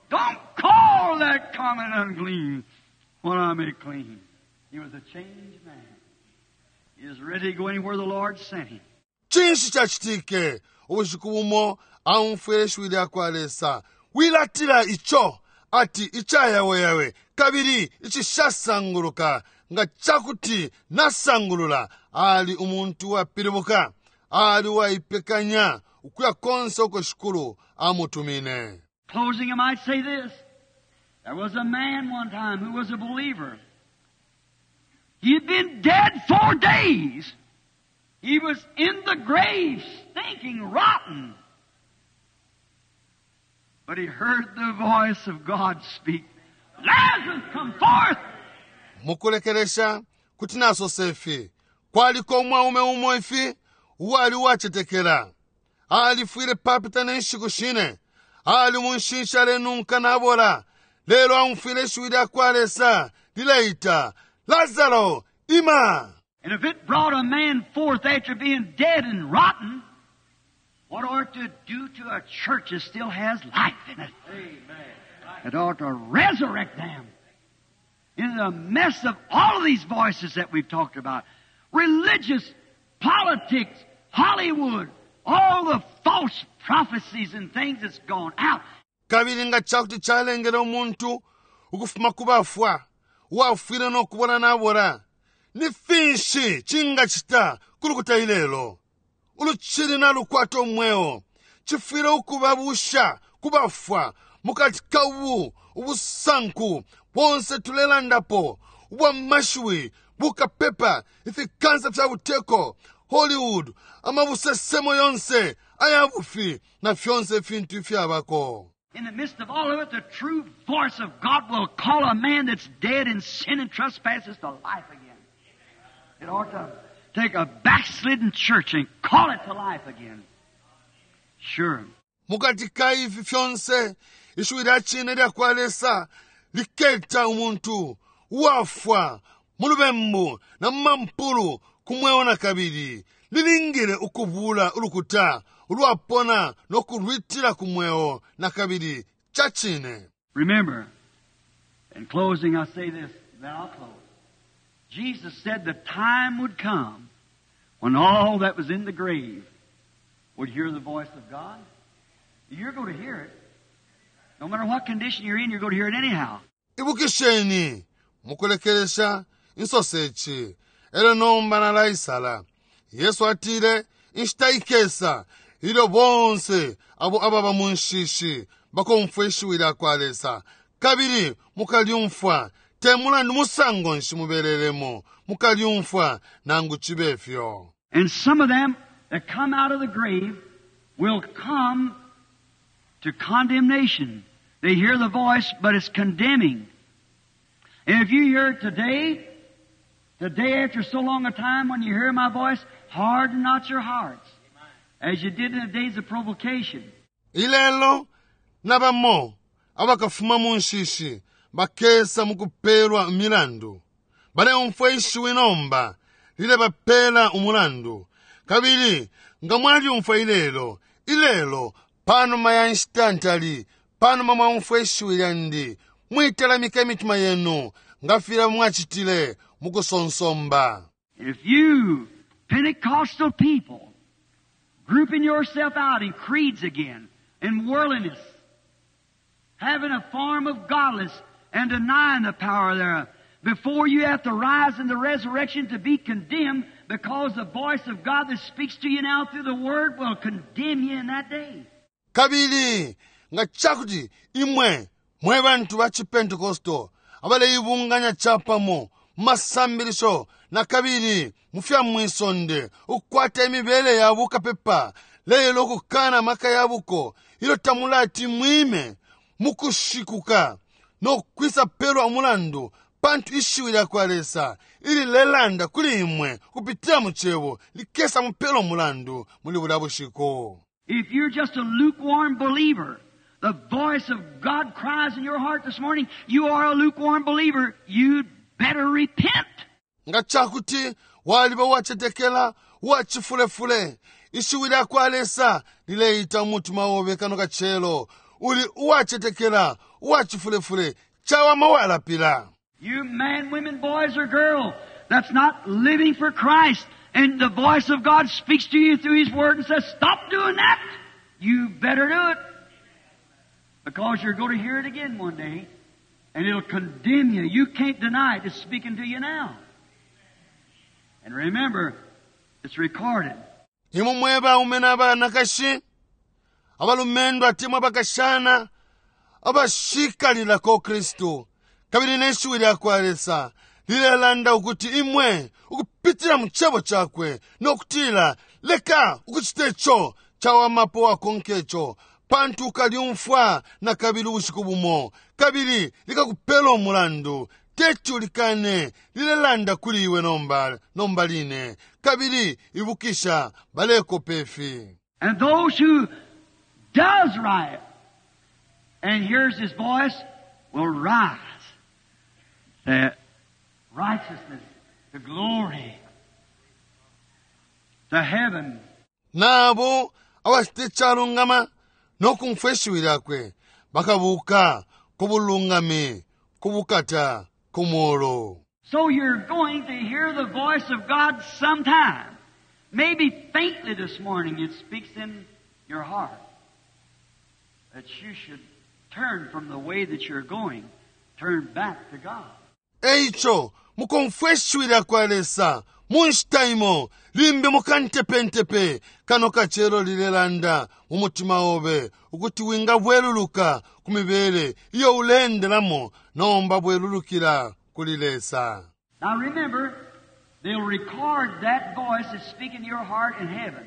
Don't call that common unclean when I make clean. He was a changed man. He was ready to go anywhere the Lord sent him. Cinshi cacitike? Ubushiku bumo aumfwile ishiwi lya kwa Lesa. Wilatila ico ati icayaweyawe kabili icishasanguluka, nga ca kuti nasangulula. Ali umuntu uwapilibuka. Ali uwaipekanya ukuya konse uko Shikulu amutumine. Closing, I might say this. There was a man one time who was a believer. He had been dead 4 days. He was in the grave, stinking, rotten. But he heard the voice of God speak. Lazarus, come forth! Mukulekelesha, kuti nasosa ifi, kwaliko umwaume umo ifi uwali uwacetekela. Alifwile papita ne nshiku shine. Ali mu nshinshi alenunka nabola. Lelo aumfwile ishiwi lya kwa Lesa lileita, Lazaro, ima! And if it brought a man forth after being dead and rotten, what ought to do to a church that still has life in it? Amen. It ought to resurrect them. In the mess of all of these voices that we've talked about, religious, politics, Hollywood, all the false prophecies and things that's gone out. Kabili nga cakuti calengele umuntu ukufuma ku bafwa, uwafwile no kubola nabola, ni finshi cingacita ku lukuta ilelo ulucili nalukwata umweo? Cifwile ukubabusha ku bafwa mukati ka ubu ubusanku bonse tulelandapo ubwa mashiwi, bukapepa, ifikansa fya buteko, Hollywood, amabusesemo yonse aya bufi na fyonse ifintu ifyabako. In the midst of all of it, the true voice of God will call a man that's dead in sin and trespasses to life again. It ought to take a backslidden church and call it to life again. Sure. Mukati ka ifi fyonse, ishiwi lya cine lya kwa Lesa liketa umuntu uwafwa mu lubembu na mu mampulu ku mweo na kabili. Lilingile ukubula ulukuta ulwapona no kulwitila ku mweo na kabili. Ca cine. Remember, in closing I say this, then I'll close. Jesus said the time would come when all that was in the grave would hear the voice of God. You're going to hear it. No matter what condition you're in, you're going to hear it anyhow. Ibukisheni, mukulekelesha insose ici, elyo nomba nalaisala. Yesu atile inshita ikesa ilyo bonse abo ababa mu nshishi bakomfwa ishiwi lya kwa Lesa, kabili mukalyumfwa. Te mulandu musango nshi mubelelemo, mukalyumfwa nangu cibe fyo. And some of them that come out of the grave will come to condemnation. They hear the voice, but it's condemning. And if you hear it today, today after so long a time, when you hear my voice, harden not your hearts, as you did in the days of provocation. Ilelo nabamo abakafuma mu nshishi bakesa mukupelwa imilandu. Baleumfwa ishiwi nomba lilebapela umulandu. Kabili nga mwalyumfwa ilelo, ilelo panuma ya nshita ntali, panuma mwaumfwa ishiwi lyandi, mwitalamika imitima yenu nga filya mwacitile mukusonsomba. If you Pentecostal people grouping yourself out in creeds again, in worldliness, having a form of godliness and denying the power thereof, before you have to rise in the resurrection to be condemned, because the voice of God that speaks to you now through the Word will condemn you in that day. Kabili nga cakuti imwe mwe bantu ba ciPentecostal abaleibunganya capamo mu masambilisho na kabili mu fya mwisonde, ukukwata imibele ya bukapepa, lelo ukukana amaka ya buko, ilyo tamulati mwime mukushikuka no kwisa pelwa umulandu, pantu ishiwi lya kwa Lesa ililelanda kuli imwe kupitila mu cebo likesa mupelwa umulandu muli bulya bushiku. If you're just a lukewarm believer, the voice of God cries in your heart this morning, you are a lukewarm believer, you'd better repent. Nga cakuti waliba uwacetekela uwacifulefule, ishiwi lya kwa Lesa lileita umutima obe kano kacelo, uli uwacetekela uwacifulefule, cawama walapila. You man, women, boys, or girl that's not living for Christ, and the voice of God speaks to you through His Word and says, stop doing that. You better do it. Because you're going to hear it again one day, and it'll condemn you. You can't deny it. It's speaking to you now. And remember, it's recorded. Imwe mwe baume na banakashi, abalumendo atemwa abakashana, abashikalilako Kristu, kabili ne shiwi lya kwa Lesa lilelanda ukuti imwe ukupitila mu cebo cakwe no kutila leka ukucita ico cawamapo wakonka ico, pantu ukalyumfwa na kabili ubushiku bumo, kabili likakupela umulandu. Teti ulikane, lilelanda kuli iwe nomba, nomba line. Kabili ibukisha, balekopa ifi. And those who does right and hears His voice will rise to righteousness, to glory, to heaven. Nabo abacita icalungama no kumfwa ishiwi lyakwe bakabuka ku bulungami, ku bukata, ku mulu. So you're going to hear the voice of God sometime. Maybe faintly this morning it speaks in your heart that you should turn from the way that you're going, turn back to God. Eico mukomfwa ishiwi lya kwa Lesa mu nshita imo, limbi mukantepentepe kano kacelo lilelanda mu mutima obe ukuti wingabweluluka ku mibele iyo uleendelamo, nomba bwelulukila kuli Lesa. Now remember, they'll record that voice that's speaking to your heart in heaven.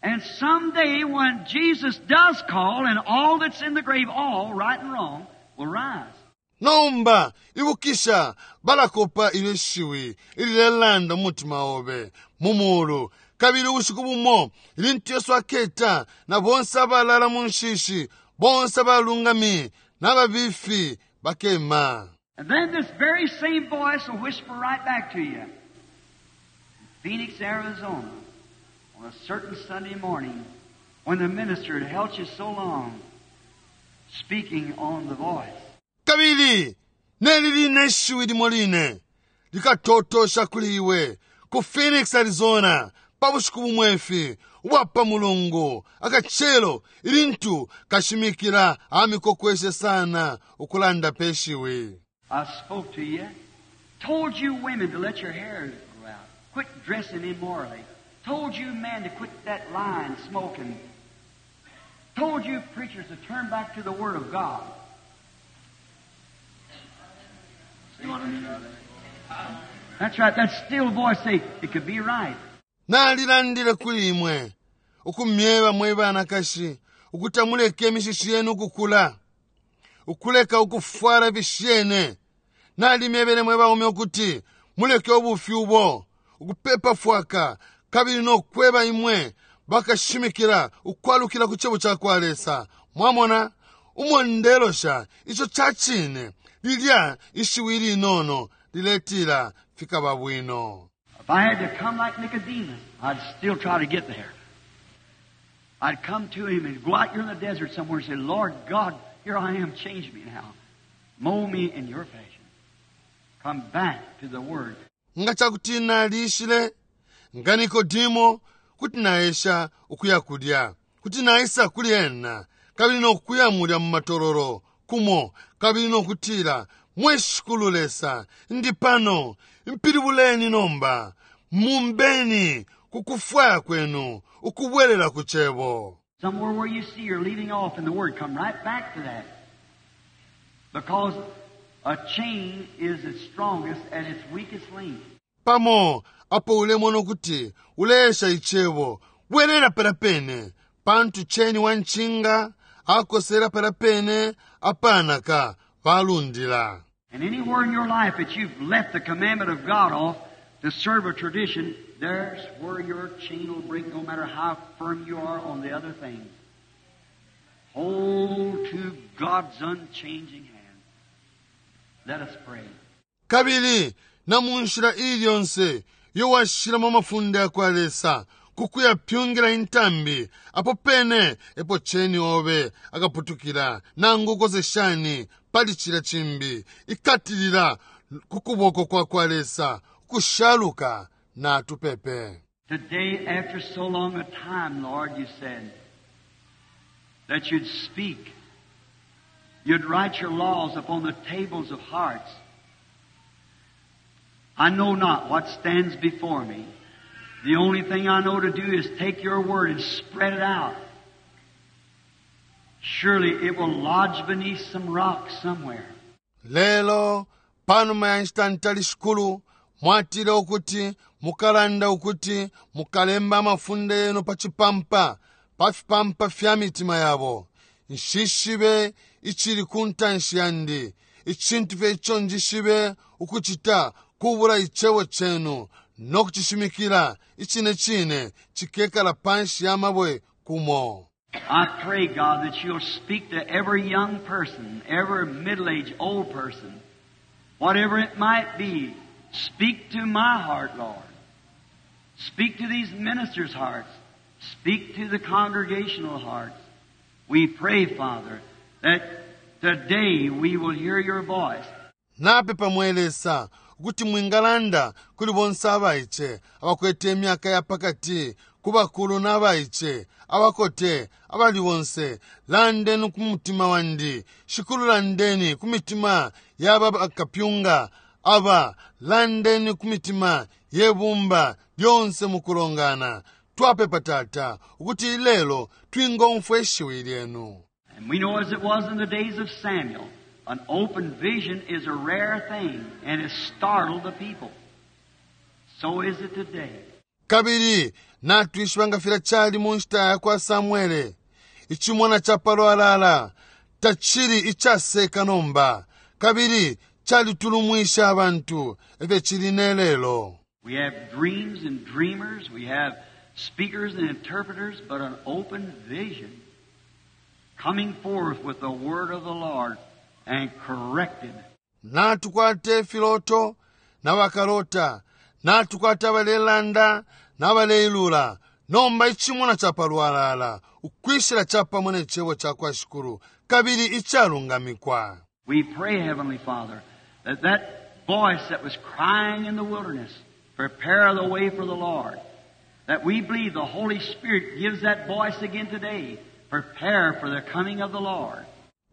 And someday when Jesus does call, and all that's in the grave, all, right and wrong, will rise. Nomba ibukisha, balakopa ilyo shiwi ililelanda mu mutima obe mu mulu, kabili ubushiku bumo ilintu Yesu aketa na bonse abalala mu nshishi, bonse abalungami n'ababifi bakema. And then this very same voice will whisper right back to you. Phoenix, Arizona, on a certain Sunday morning when the minister had held you so long speaking on the voice. Kabili neli line ishiwi limo line likatotosha kuli iwe ku Phoenix, Arizona, pa bushiku bumwefi ubwa pa Mulungu akacelo ilintu kashimikila amikokweshe sana ukulanda pe shiwi. I spoke to you, told you women to let your hair grow out, quit dressing immorally, told you men to quit that lying, smoking, told you preachers to turn back to the Word of God. See what I mean? That's right. That still voice say it could be right. Nalilandile kuli imwe ukumyeba mwe banakashi ukuti amuleke imishishi yenu ukukula, ukuleka ukufwala ifishene. Nalimyebele mwe baume ukuti muleke ubufi ubo, ukupepa fwaka, kabili no kweba imwe bakashimikila ukwalukila ku cebo ca kwa Lesa. Mwamona umo ndelosha, ico ca cine. Lilya ishiwi ilinono liletila fikaba bwino. If I had to come like Nicodemus, I'd still try to get there. I'd come to him and go out here in the desert somewhere and say, Lord God, here I am, change me now. Mold me in your fashion. Come back to the Word. Nga cakuti nalishile nga Nikodimo, kuti naesha ukuya kulya, kuti naisa kuli ena kabili nokuya mulya mu matololo kumo kabili nokutila, Mwe Shikulu Lesa, ndi pano, mpilibuleni nomba, mumbeni ku kufwaya kwenu, ukubwelela ku Cebo. Somewhere where you see you're leaving off in the Word, come right back to that. Because a chain is its strongest at its weakest link. Pamo apo ulemona ukuti uleesha Icebo, bwelela palya pene, pantu ceni wa ncinga akosela palya pene apanaka balundila. And anywhere in your life that you've left the commandment of God off to serve a tradition, there's where your chain will break no matter how firm you are on the other things. Hold to God's unchanging hand. Let us pray. Kabili na mu nshila iili yonse iyo washilamo amafunde ya kwa Lesa ku kuyapyungila intambi, apo pene epo ceni obe akaputukila, nangu ukose shani pali cilya cimbi. Ikatilila ku kuboko kwa kwa Lesa ukushaluka. Natupepe. Today, after so long a time, Lord, you said that you'd speak. You'd write your laws upon the tables of hearts. I know not what stands before me. The only thing I know to do is take your word and spread it out. Surely it will lodge beneath some rock somewhere. Lelo, panuma ya nshita ntali, Shikulu, Mwatile ukuti Mukalanda ukuti Mukalemba amafunde Yenu pa cipampa, pa fipampa fya mitima yabo. Nshishibe icili ku ntanshi yandi. Icintu fye ico njishibe ukucita kubula Icebo Cenu no kucishimikila. Icine cine cikekala panshi ya mabwe kumo. I pray, God, that you'll speak to every young person, every middle-aged, old person, whatever it might be. Speak to my heart, Lord. Speak to these ministers' hearts. Speak to the congregational hearts. We pray, Father, that today we will hear your voice. Napepa, mwe Lesa, ukuti Mwingalanda kuli bonse abaice, abakwete imyaka ya pakati, ku bakulu na baice, abakote, abali bonse. Landeni ku mutima wandi, Shikulu. Landeni ku mitima ya bakapyunga aba. Landeni ku mitima ye bumba lyonse mukulongana. Twapepa, Tata, ukuti ilelo twingomfwa ishiwi lyenu. And we know as it was in the days of Samuel, an open vision is a rare thing and it startled the people. So is it today. Kabili natwishiba nga filya cali mu nshita ya kwa Samwele, icimona ca palwalala tacili icaseka nomba, kabili calitulumwisha abantu, efyo cili ne lelo. We have dreams and dreamers, we have speakers and interpreters, but an open vision coming forth with the word of the Lord and corrected. Natukwata ifiloto na bakalota. Natukwata abalelanda nabaleilula. Nomba icimona capalwalala ukwishila capamo ne cebo cakwa Shikulu kabili icalungamikwa. We pray, Heavenly Father, that that voice that was crying in the wilderness, prepare the way for the Lord, that we believe the Holy Spirit gives that voice again today, prepare for the coming of the Lord.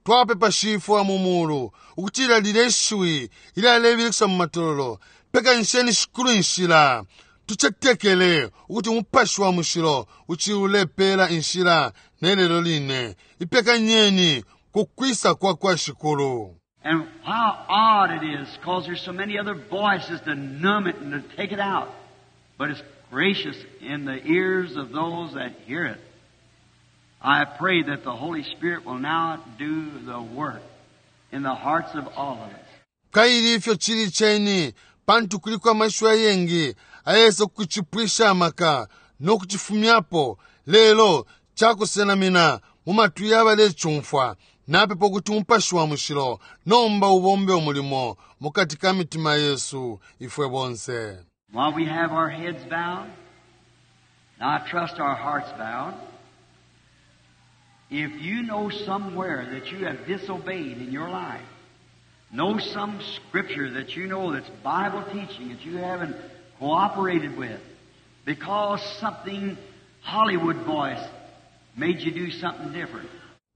Twapepa Shifwe wa mu Mulu ukutila lilye shiwi ilyalebilikisha mu matololo, Pekanisheni Shikulu inshila. Tucetekele ukuti Umupashi wa Mushilo ucili ulepela inshila ne lelo line. Ipekanyeni ku kwisa kwa kwa Shikulu. And how odd it is, because there's so many other voices to numb it and to take it out. But it's gracious in the ears of those that hear it. I pray that the Holy Spirit will now do the work in the hearts of all of us. Kaili ifyo cili ceni, pantu kuliko amashiwi ayengi ayesa kucipwisha amaka no kucifumyapo, lelo cakusenamina mu matwi ya balecumfwa. Napepa ukuti Umupashi wa Mushilo nomba ubombe umulimo mukati ka mitima yesu ifwe bonse. While we have our heads bowed, now I trust our hearts bowed, if you know somewhere that you have disobeyed in your life, know some scripture that you know that's Bible teaching that you haven't cooperated with because something Hollywood voice made you do something different.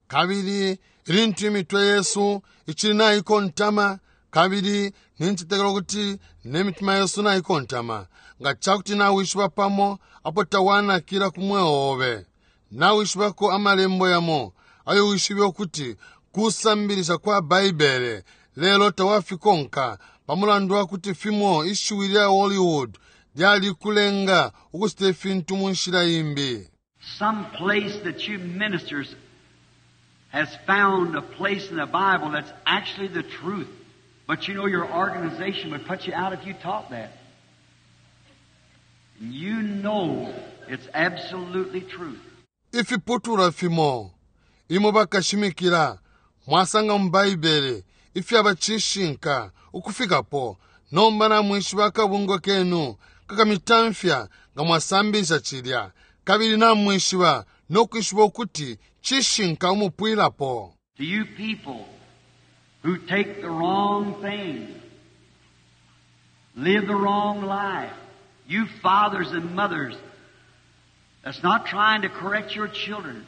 Kabili ilintu imitwe yesu icili naikontama, kabili nincetekela ukuti ne mitima yesu naikontama, nga cakuti nawishiba pamo apo tawanakila ku mweo obe, nawishibako amalembo yamo ayo wishibe ukuti kusambilisha kwa Baibele, lelo tawafikonka pa mulandu wa kuti fimo ishiwi lya Hollywood lyalikulenga ukucita ifintu mu nshila imbi. Some place that you ministers has found a place in the Bible that's actually the truth, but you know your organization would put you out if you taught that. And you know it's absolutely truth. Ifiputulwa fimo imwe bakashimikila mwasanga mu Baibele ifyaba cishinka ukufikapo, nomba namwishiba akabungwe kenu kakamitamfya nga mwasambilisha cilya, kabili namwishiba no kwishiba ukuti cishinka umupwilapo. To you people who take the wrong thing, live the wrong life, you fathers and mothers that's not trying to correct your children,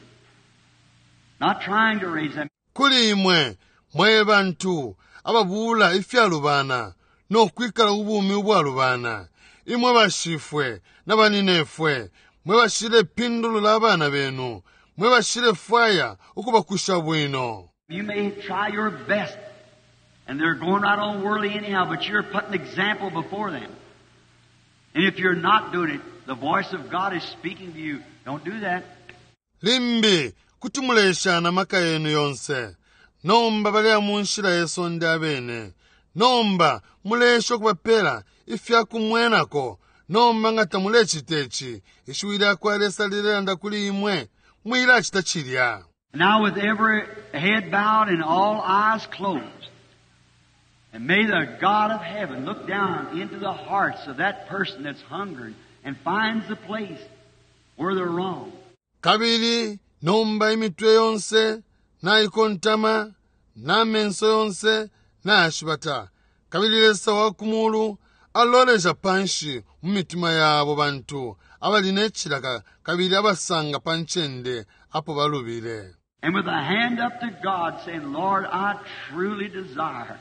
not trying to raise them. Kuli imwe mwe bantu ababuula ifyalubana no kwikala ubumi ubwalubana, imwe bashifwe na baninefwe, mwe bashilepindulula abana benu, mwe bashilefwaya ukubakusha bwino. You may try your best, and they're going right on worldly anyhow, but you're putting example before them. And if you're not doing it, the voice of God is speaking to you. Don't do that. Limbi kuti muleesha na maka yenu yonse. Nomba baleya mu nshila ye sonde abene. Nomba muleesha ukubapela ifya kumwenako. Nomba nga tamulecita ici, ishiwi lya kwa Lesa lilelanda kuli imwe, mwilacita cilya. Now with every head bowed and all eyes closed, and may the God of heaven look down into the hearts of that person that's hungering and finds the place where they're wrong. Kabili nomba imitwe yonse naikontama, na menso yonse nayashibata, kabili Lesa wa ku Mulu alolesha panshi mu mitima ya abo bantu abali ne cilaka kabili abasanga pa ncende apo balubile. And with a hand up to God saying, Lord, I truly desire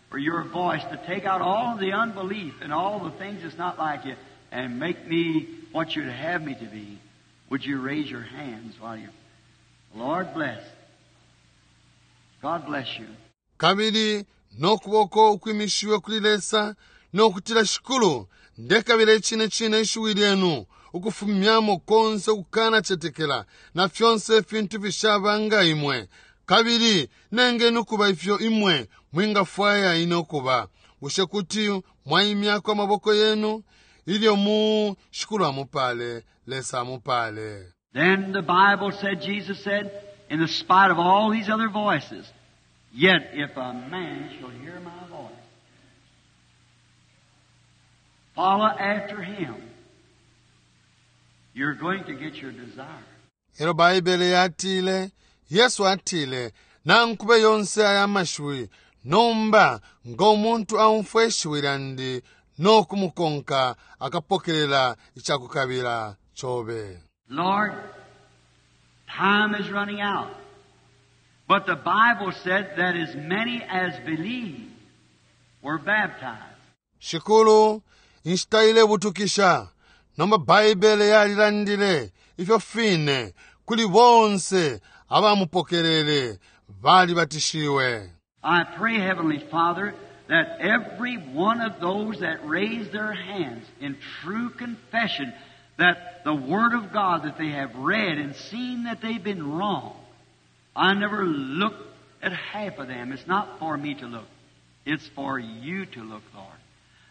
for your voice to take out all the unbelief and all the things that's not like you and make me what you'd have me to be. Would you raise your hands while you... Lord bless. God bless you. Kabili no kuboko ukwimishiwe kuli Lesa no kutila, Shikulu, ndekabila icine cine ishiwi lyenu ukufumyamo konse ukukana cetekela na fyonse ifintu fishaba nga imwe, kabili nengeni ukuba ifyo imwe mwingafwaya ine ukuba. Bushe kuti mwaimyako amaboko yenu ilyo mu Shikulu amupale, Lesa amupale. Then the Bible said, Jesus said, in the spite of all these other voices, yet if a man shall hear my voice. Follow after Him. You're going to get your desire. Elo Baibele yatile, Yesu atile, Nankube yonse aya mashiwi, nomba ngo muntu aumfwa ishiwi lyandi no kumukonka akapokelela icakukabila cobe. Lord, time is running out. But the Bible said that as many as believed were baptized. Shikulu, inshita ilebutukisha. Nomba Baibele yalilandile ifyo fine kuli bonse abamupokelele balibatishiwe. I pray, Heavenly Father, that every one of those that raise their hands in true confession that the Word of God that they have read and seen that they've been wrong. I never looked at half of them. It's not for me to look. It's for you to look, Lord.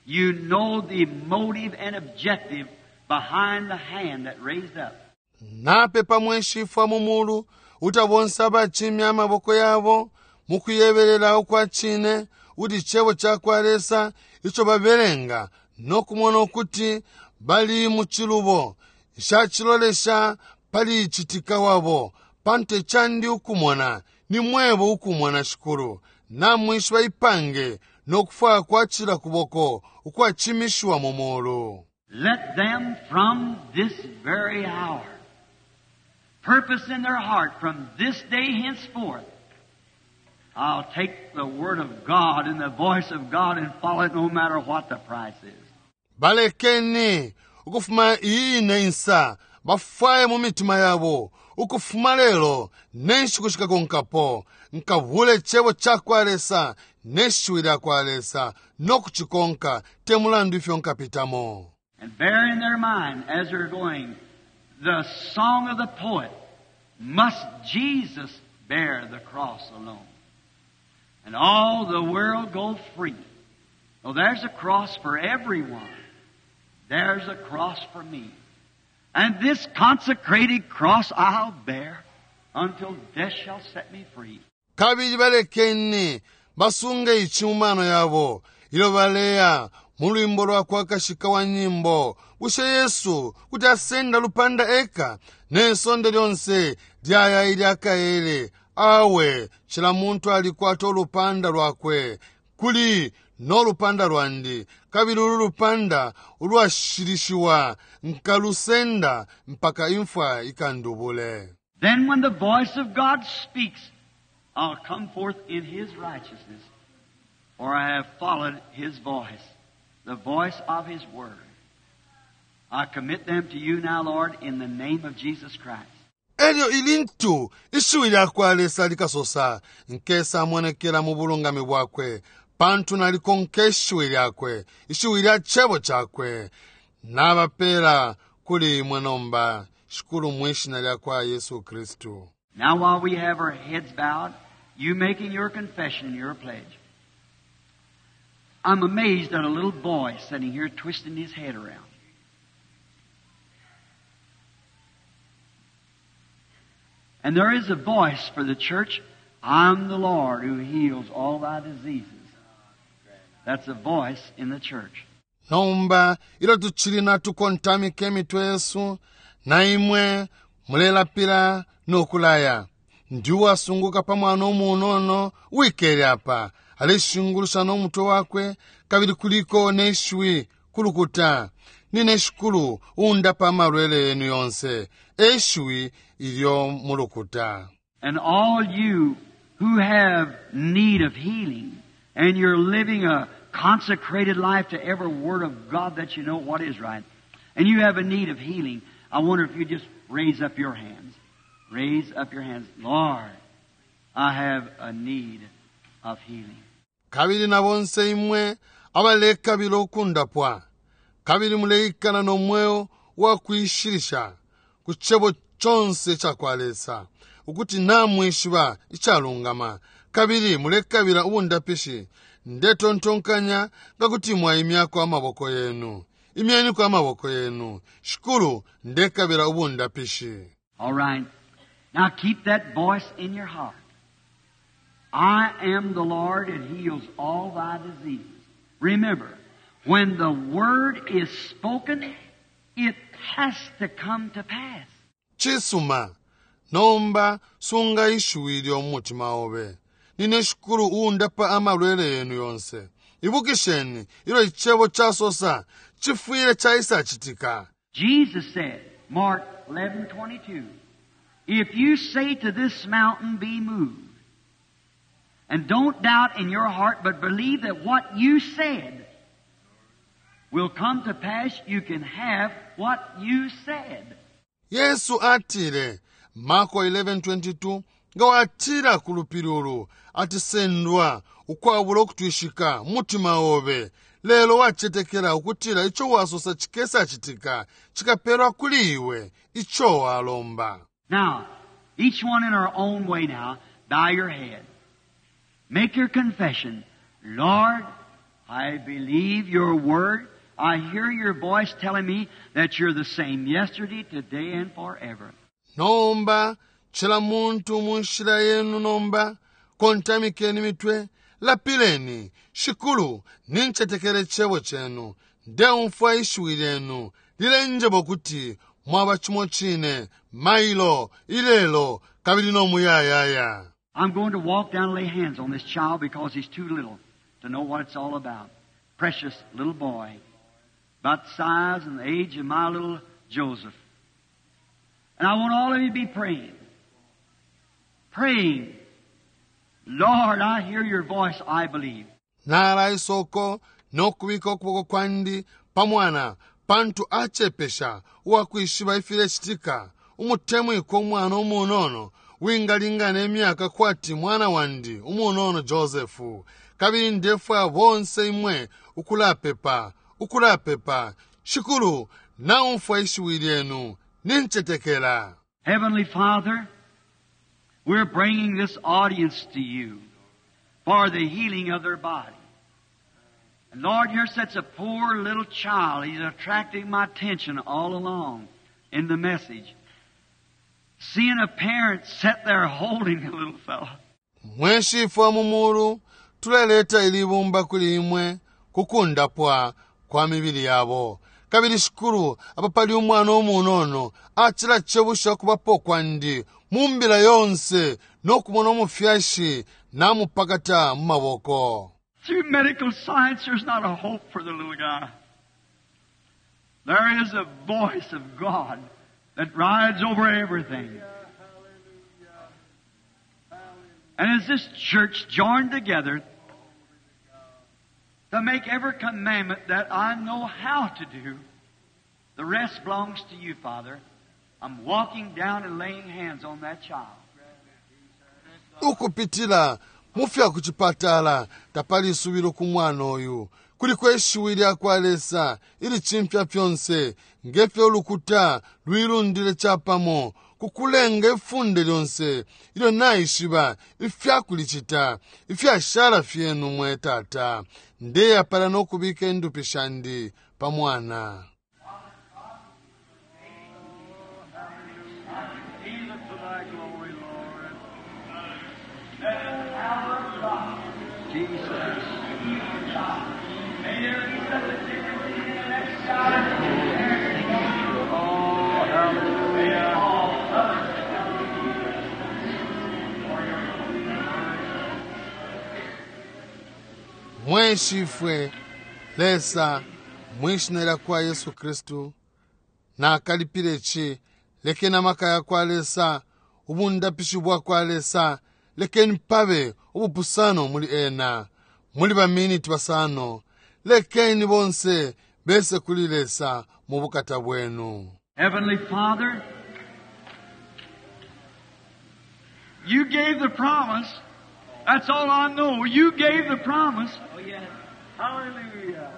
You know the motive and objective behind the hand that raised up. Napepa mwe Shifwe mu mulu ukuti bonse abacimya amaboko yabo mukuyebelela ukwa cine ukuti Icebo cakwa Lesa ico babelenga no kumona ukuti bali mu cilubo. Nshacilolesha pali citika wabo, pantu icandi ukumona ni mwebo ukumona, Shikulu. Namwishiba ipange no kufwaya kwa cila kuboko ukwacimishiwa mu mulu. Let them from this very hour purpose in their heart from this day henceforth, I'll take the Word of God and the voice of God and follow it no matter what the price is. Balekeni ukufuma iyi ine insa bafwaye mu mitima yabo ukufuma lelo ne nshiku shikakonkapo nkabule Cebo cakwa Lesa ne shiwi lyakwa Lesa no kucikonka te mulandu ifyo nkapitamo. And bear in their mind as they're going the song of the poet, Must Jesus bear the cross alone? And all the world go free. Well, there's a cross for everyone. There's a cross for me. And this consecrated cross I'll bear until death shall set me free. Kabili balekeni basunge ici mu mano yabo ilyo baleya mu lwimbo lwa kwa kashika wa nyimbo, Bushe Yesu kuti asenda lupanda eka, ne sonde lyonse lyaya ilya kaele? Awe, cila muntu alikwata ulupanda lwakwe. Kuli no lupanda lwandi, kabili ulu lupanda ulwashilishiwa nkalusenda mpaka imfwa ikandubule. Then when the voice of God speaks, I'll come forth in His righteousness, for I have followed His voice, the voice of His word. I commit them to you now, Lord, in the name of Jesus Christ. Elyo ilintu ishiwi lyakwa Lesa likasosa, Nkesa monekela mu bulungami bwakwe, pantu nalikonka ishiwi lyakwe, ishiwi lya cebo cakwe. Nabapela kuli imwe nomba, Shikulu, mwi Shina lyakwa Yesu Kristu. Now while we have our heads bowed, you making your confession and your pledge. I'm amazed at a little boy sitting here twisting his head around. And there is a voice for the church, I'm the Lord who heals all thy diseases. That's a voice in the church. Nomba ilyo tucili natukontamika imitwe yesu, na imwe mulelapila no kulaya. Ndi uwasunguka pa mwana umunono uwikele apa, aleshingulusha no mutwe wakwe, kabili kuliko ne shiwi ku lukuta, Nine Shikulu uundapa amalwele yenu yonse, e shiwi ilyo mu lukuta. And all you who have need of healing, and you're living a consecrated life to every word of God that you know what is right, and you have a need of healing, I wonder if you just raise up your hands. Raise up your hands. Lord, I have a need of healing. Kabili na bonse imwe abalekabila ukundapwa, kabili muleikala no mweo wa kuishilisha ku Cebo conse icakwa Lesa, ukuti namwishiba icalungama, kabili mulekabila ubundapishi, Ndetontonkanya nga kuti mwaimyako amaboko yenu. Imyeniko amaboko yenu. Shikulu, Ndekabila ubundapishi. All right. Now keep that voice in your heart. I am the Lord that heals all thy diseases. Remember, When the word is spoken, it has to come to pass. Cisuma, nomba sunga ishiwi ilyo mu mutima obe. Nine Shikulu uundapa amalwele yenu yonse. Ibukisheni, ilyo Icebo casosa, cifwile caisa citika. Jesus said, Mark 11:22, If you say to this mountain, be moved, and don't doubt in your heart, but believe that what you said will come to pass, you can have what you said. Yesu atile, Marko 11:22, Nga watila ku lupili ulu, ati sendwa, ukwabula ukutwishika mu mutima obe, lelo wacetekela ukutila ico wasosa cikesa citika, cikapelwa kuli iwe ico walomba. Now, each one in our own way now, bow your head. Make your confession. Lord, I believe your word. I hear your voice telling me that you're the same yesterday, today, and forever. Nomba, cila muntu mu nshila yenu nomba, kontamikeni imitwe, lapileni, Shikulu, nincetekela Icebo Cenu. Ndeumfwa Ishiwi Lyenu lilenjeba ukuti Mwaba cimo cine mailo, ilelo, kabili no muyayaya. I'm going to walk down and lay hands on this child because he's too little to know what it's all about. Precious little boy, about the size and the age of my little Joseph. And I want all of you to be praying. Praying. Lord, I hear your voice, I believe. Nalaisa uko no kubika ukuboko kwandi pa mwana, pantu acepesha uwakwishiba ifilecitika, umutemwikwa umwana umunono wingalingana imyaka kwati mwana wandi umunono Joseph. Kabili ndefwaya bonse imwe ukulapepa, ukulapepa, Shikulu, naumfwa ishiwi lyenu, nincetekela. Heavenly Father, we're bringing this audience to you for the healing of their body. And Lord, here sits a poor little child. He's attracting my attention all along in the message. Seeing a parent sit there holding the little fellow. Mwe Shifwe wa mu Muulu, tuleleta ili ibumba kuli Imwe ku kundapwa kwa mibili yabo. Kabili, Shikulu, apa pali umwana umunono, acilacebusha ukubapo kwandi mu Mbila yonse no kumona umufyashi namupakata mu maboko. Through medical science, there's not a hope for the little guy. There is a voice of God that rides over everything. And as this church joined together to make every commandment that I know how to do, the rest belongs to you, Father. I'm walking down and laying hands on that child. Ukupitila mu fya ku cipatala tapali isubilo ku mwana uyu. Kuliko ishiwi lya kwa Lesa ilicimfya fyonse, nge fyo ulukuta luilundile capamo ku kulenga ifunde lyonse ilyo naishiba ifya kulicita, ifyashala fyenu, mwe Tata. Ndeya palya no kubika indupi shandi pa mwana. Mwe Shifwe Lesa, mwi Shina lyakwa Yesu Kristu, Nakalipila ici, lekeni amaka yakwa Lesa, ubundapishi bwakwa Lesa, lekeni pabe ubupusano muli ena, muli ba miniti basano, lekeni bonse bese kuli Lesa mu bukata Bwenu. Heavenly Father, You gave the promise. That's all I know. You gave the promise. Oh, yes. Hallelujah.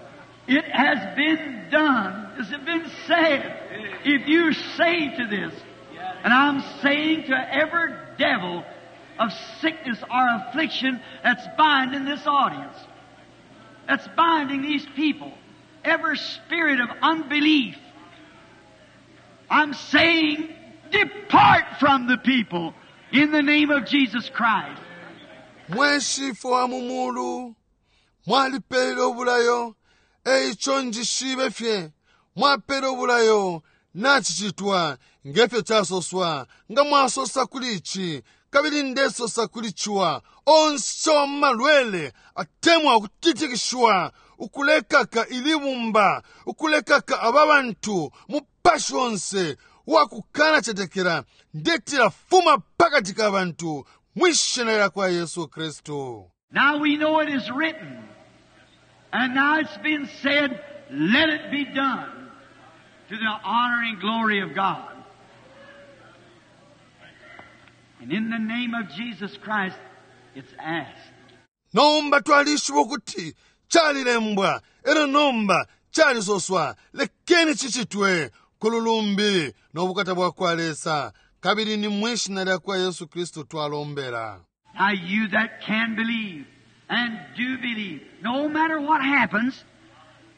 It has been done. It has been said. If you say to this, and I'm saying to every devil of sickness or affliction that's binding this audience, that's binding these people, every spirit of unbelief, I'm saying, depart from the people in the name of Jesus Christ. Mwe Shifwe wa mu Muulu, Mwalipele ubulayo, Eico njishibe fye mwapele ubulayo nacicitwa ngefyo casoswa nga mwasosa kuli ici kabili ndesosa kuli ciwa onse wa malwele atemwa ukutitikishiwa ukulekaka ilibumba ukulekaka aba bantu mupashi onse wakukana cetekela ndetila fuma pakati ka bantu mwishina lya kwa Yesu Kristu. Now we know it is written, and now it's been said, let it be done to the honor and glory of God. And in the name of Jesus Christ, it's asked. Nomba twalishiba ukuti calilembwa elyo nomba calisoswa lekeni cicitwe ku lulumbi no bukata bwa kwa Lesa kabili ni mwishina lya kwa Yesu Kristu twalombela. Now you that can believe and do believe, no matter what happens,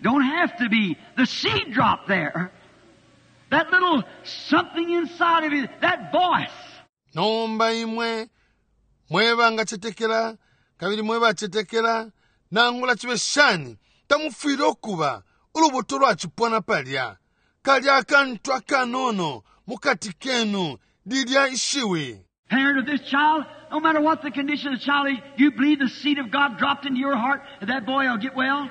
don't have to be the seed drop there. That little something inside of you, that voice. Nomba imwe mwe bangacetekela kabili mwe bacetekela nangula cibe shani tamufwile ukuba ulubuto lwacipona palya kalya akantu akanono mukati kenu lilya ishiwi. Parent of this child, no matter what the condition of the child is, you believe the seed of God dropped into your heart that that boy will get well?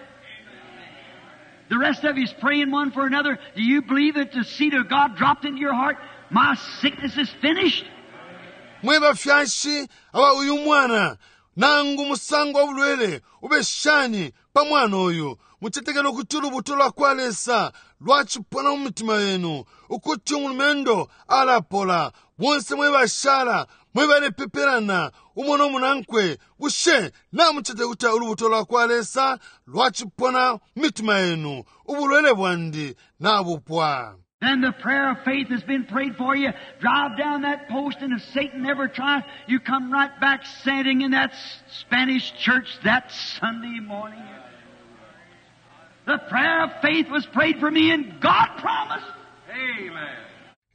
The rest of you is praying one for another. Do you believe that the seed of God dropped into your heart? My sickness is finished. Mwe bafyashi aba uyu mwana nangu musango wa bulwele ube shani pa mwana uyu mucetekele ukuti ulubuto lwa kwa Lesa lwacipona mu mitima yenu ukuti umulumendo alapola. Bonse mwe bashala mwe balepepelana umo no munankwe bushe namucetekela ukuti ulubuto lwa kwa Lesa lwacipona mu mitima yenu ubulwele bwandi nabupwa. Then the prayer of faith has been prayed for you. Drive down that post, and if Satan ever tries, you come right back standing in that Spanish church that Sunday morning. The prayer of faith was prayed for me, and God promised. Amen.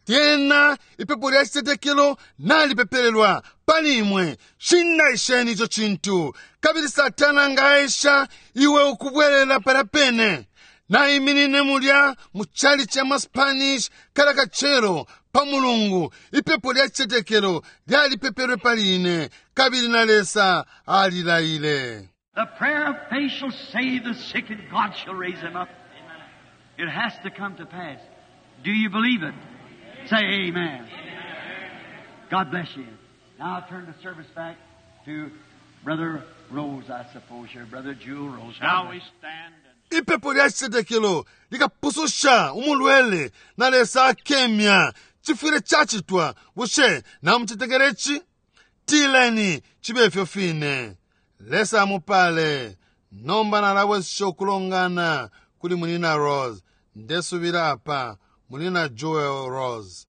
Lyena ipepo lya citetekelo nalipepelelwa pali imwe. Shindaisheni ico cintu. Kabili Satana nga aesha iwe ukubwelela palya pene. Naiminine mulya mu chalichi ya ma Spanish kala kacelo pa Mulungu. Ipepo lya citetekelo lyalipepelwe pali ine, kabili na Lesa alilaile. The prayer of faith shall save the sick and God shall raise him up. It has to come to pass. Do you believe it? Say amen. God bless you. Now I'll turn the service back to Brother Rose, I suppose, here. Brother Jewel Rose. Shall we stand and Ipepo lya citetekelo likapususha umulwele na Lesa akemya. Cifwile cacitwa. Bushe namucetekela ici? Tileni cibe ifyo fine. Lesa amupale. Nomba nalabwesesha ukulongana kuli Munyina Rose. Ndesubila apa Munyina Jewel Rose.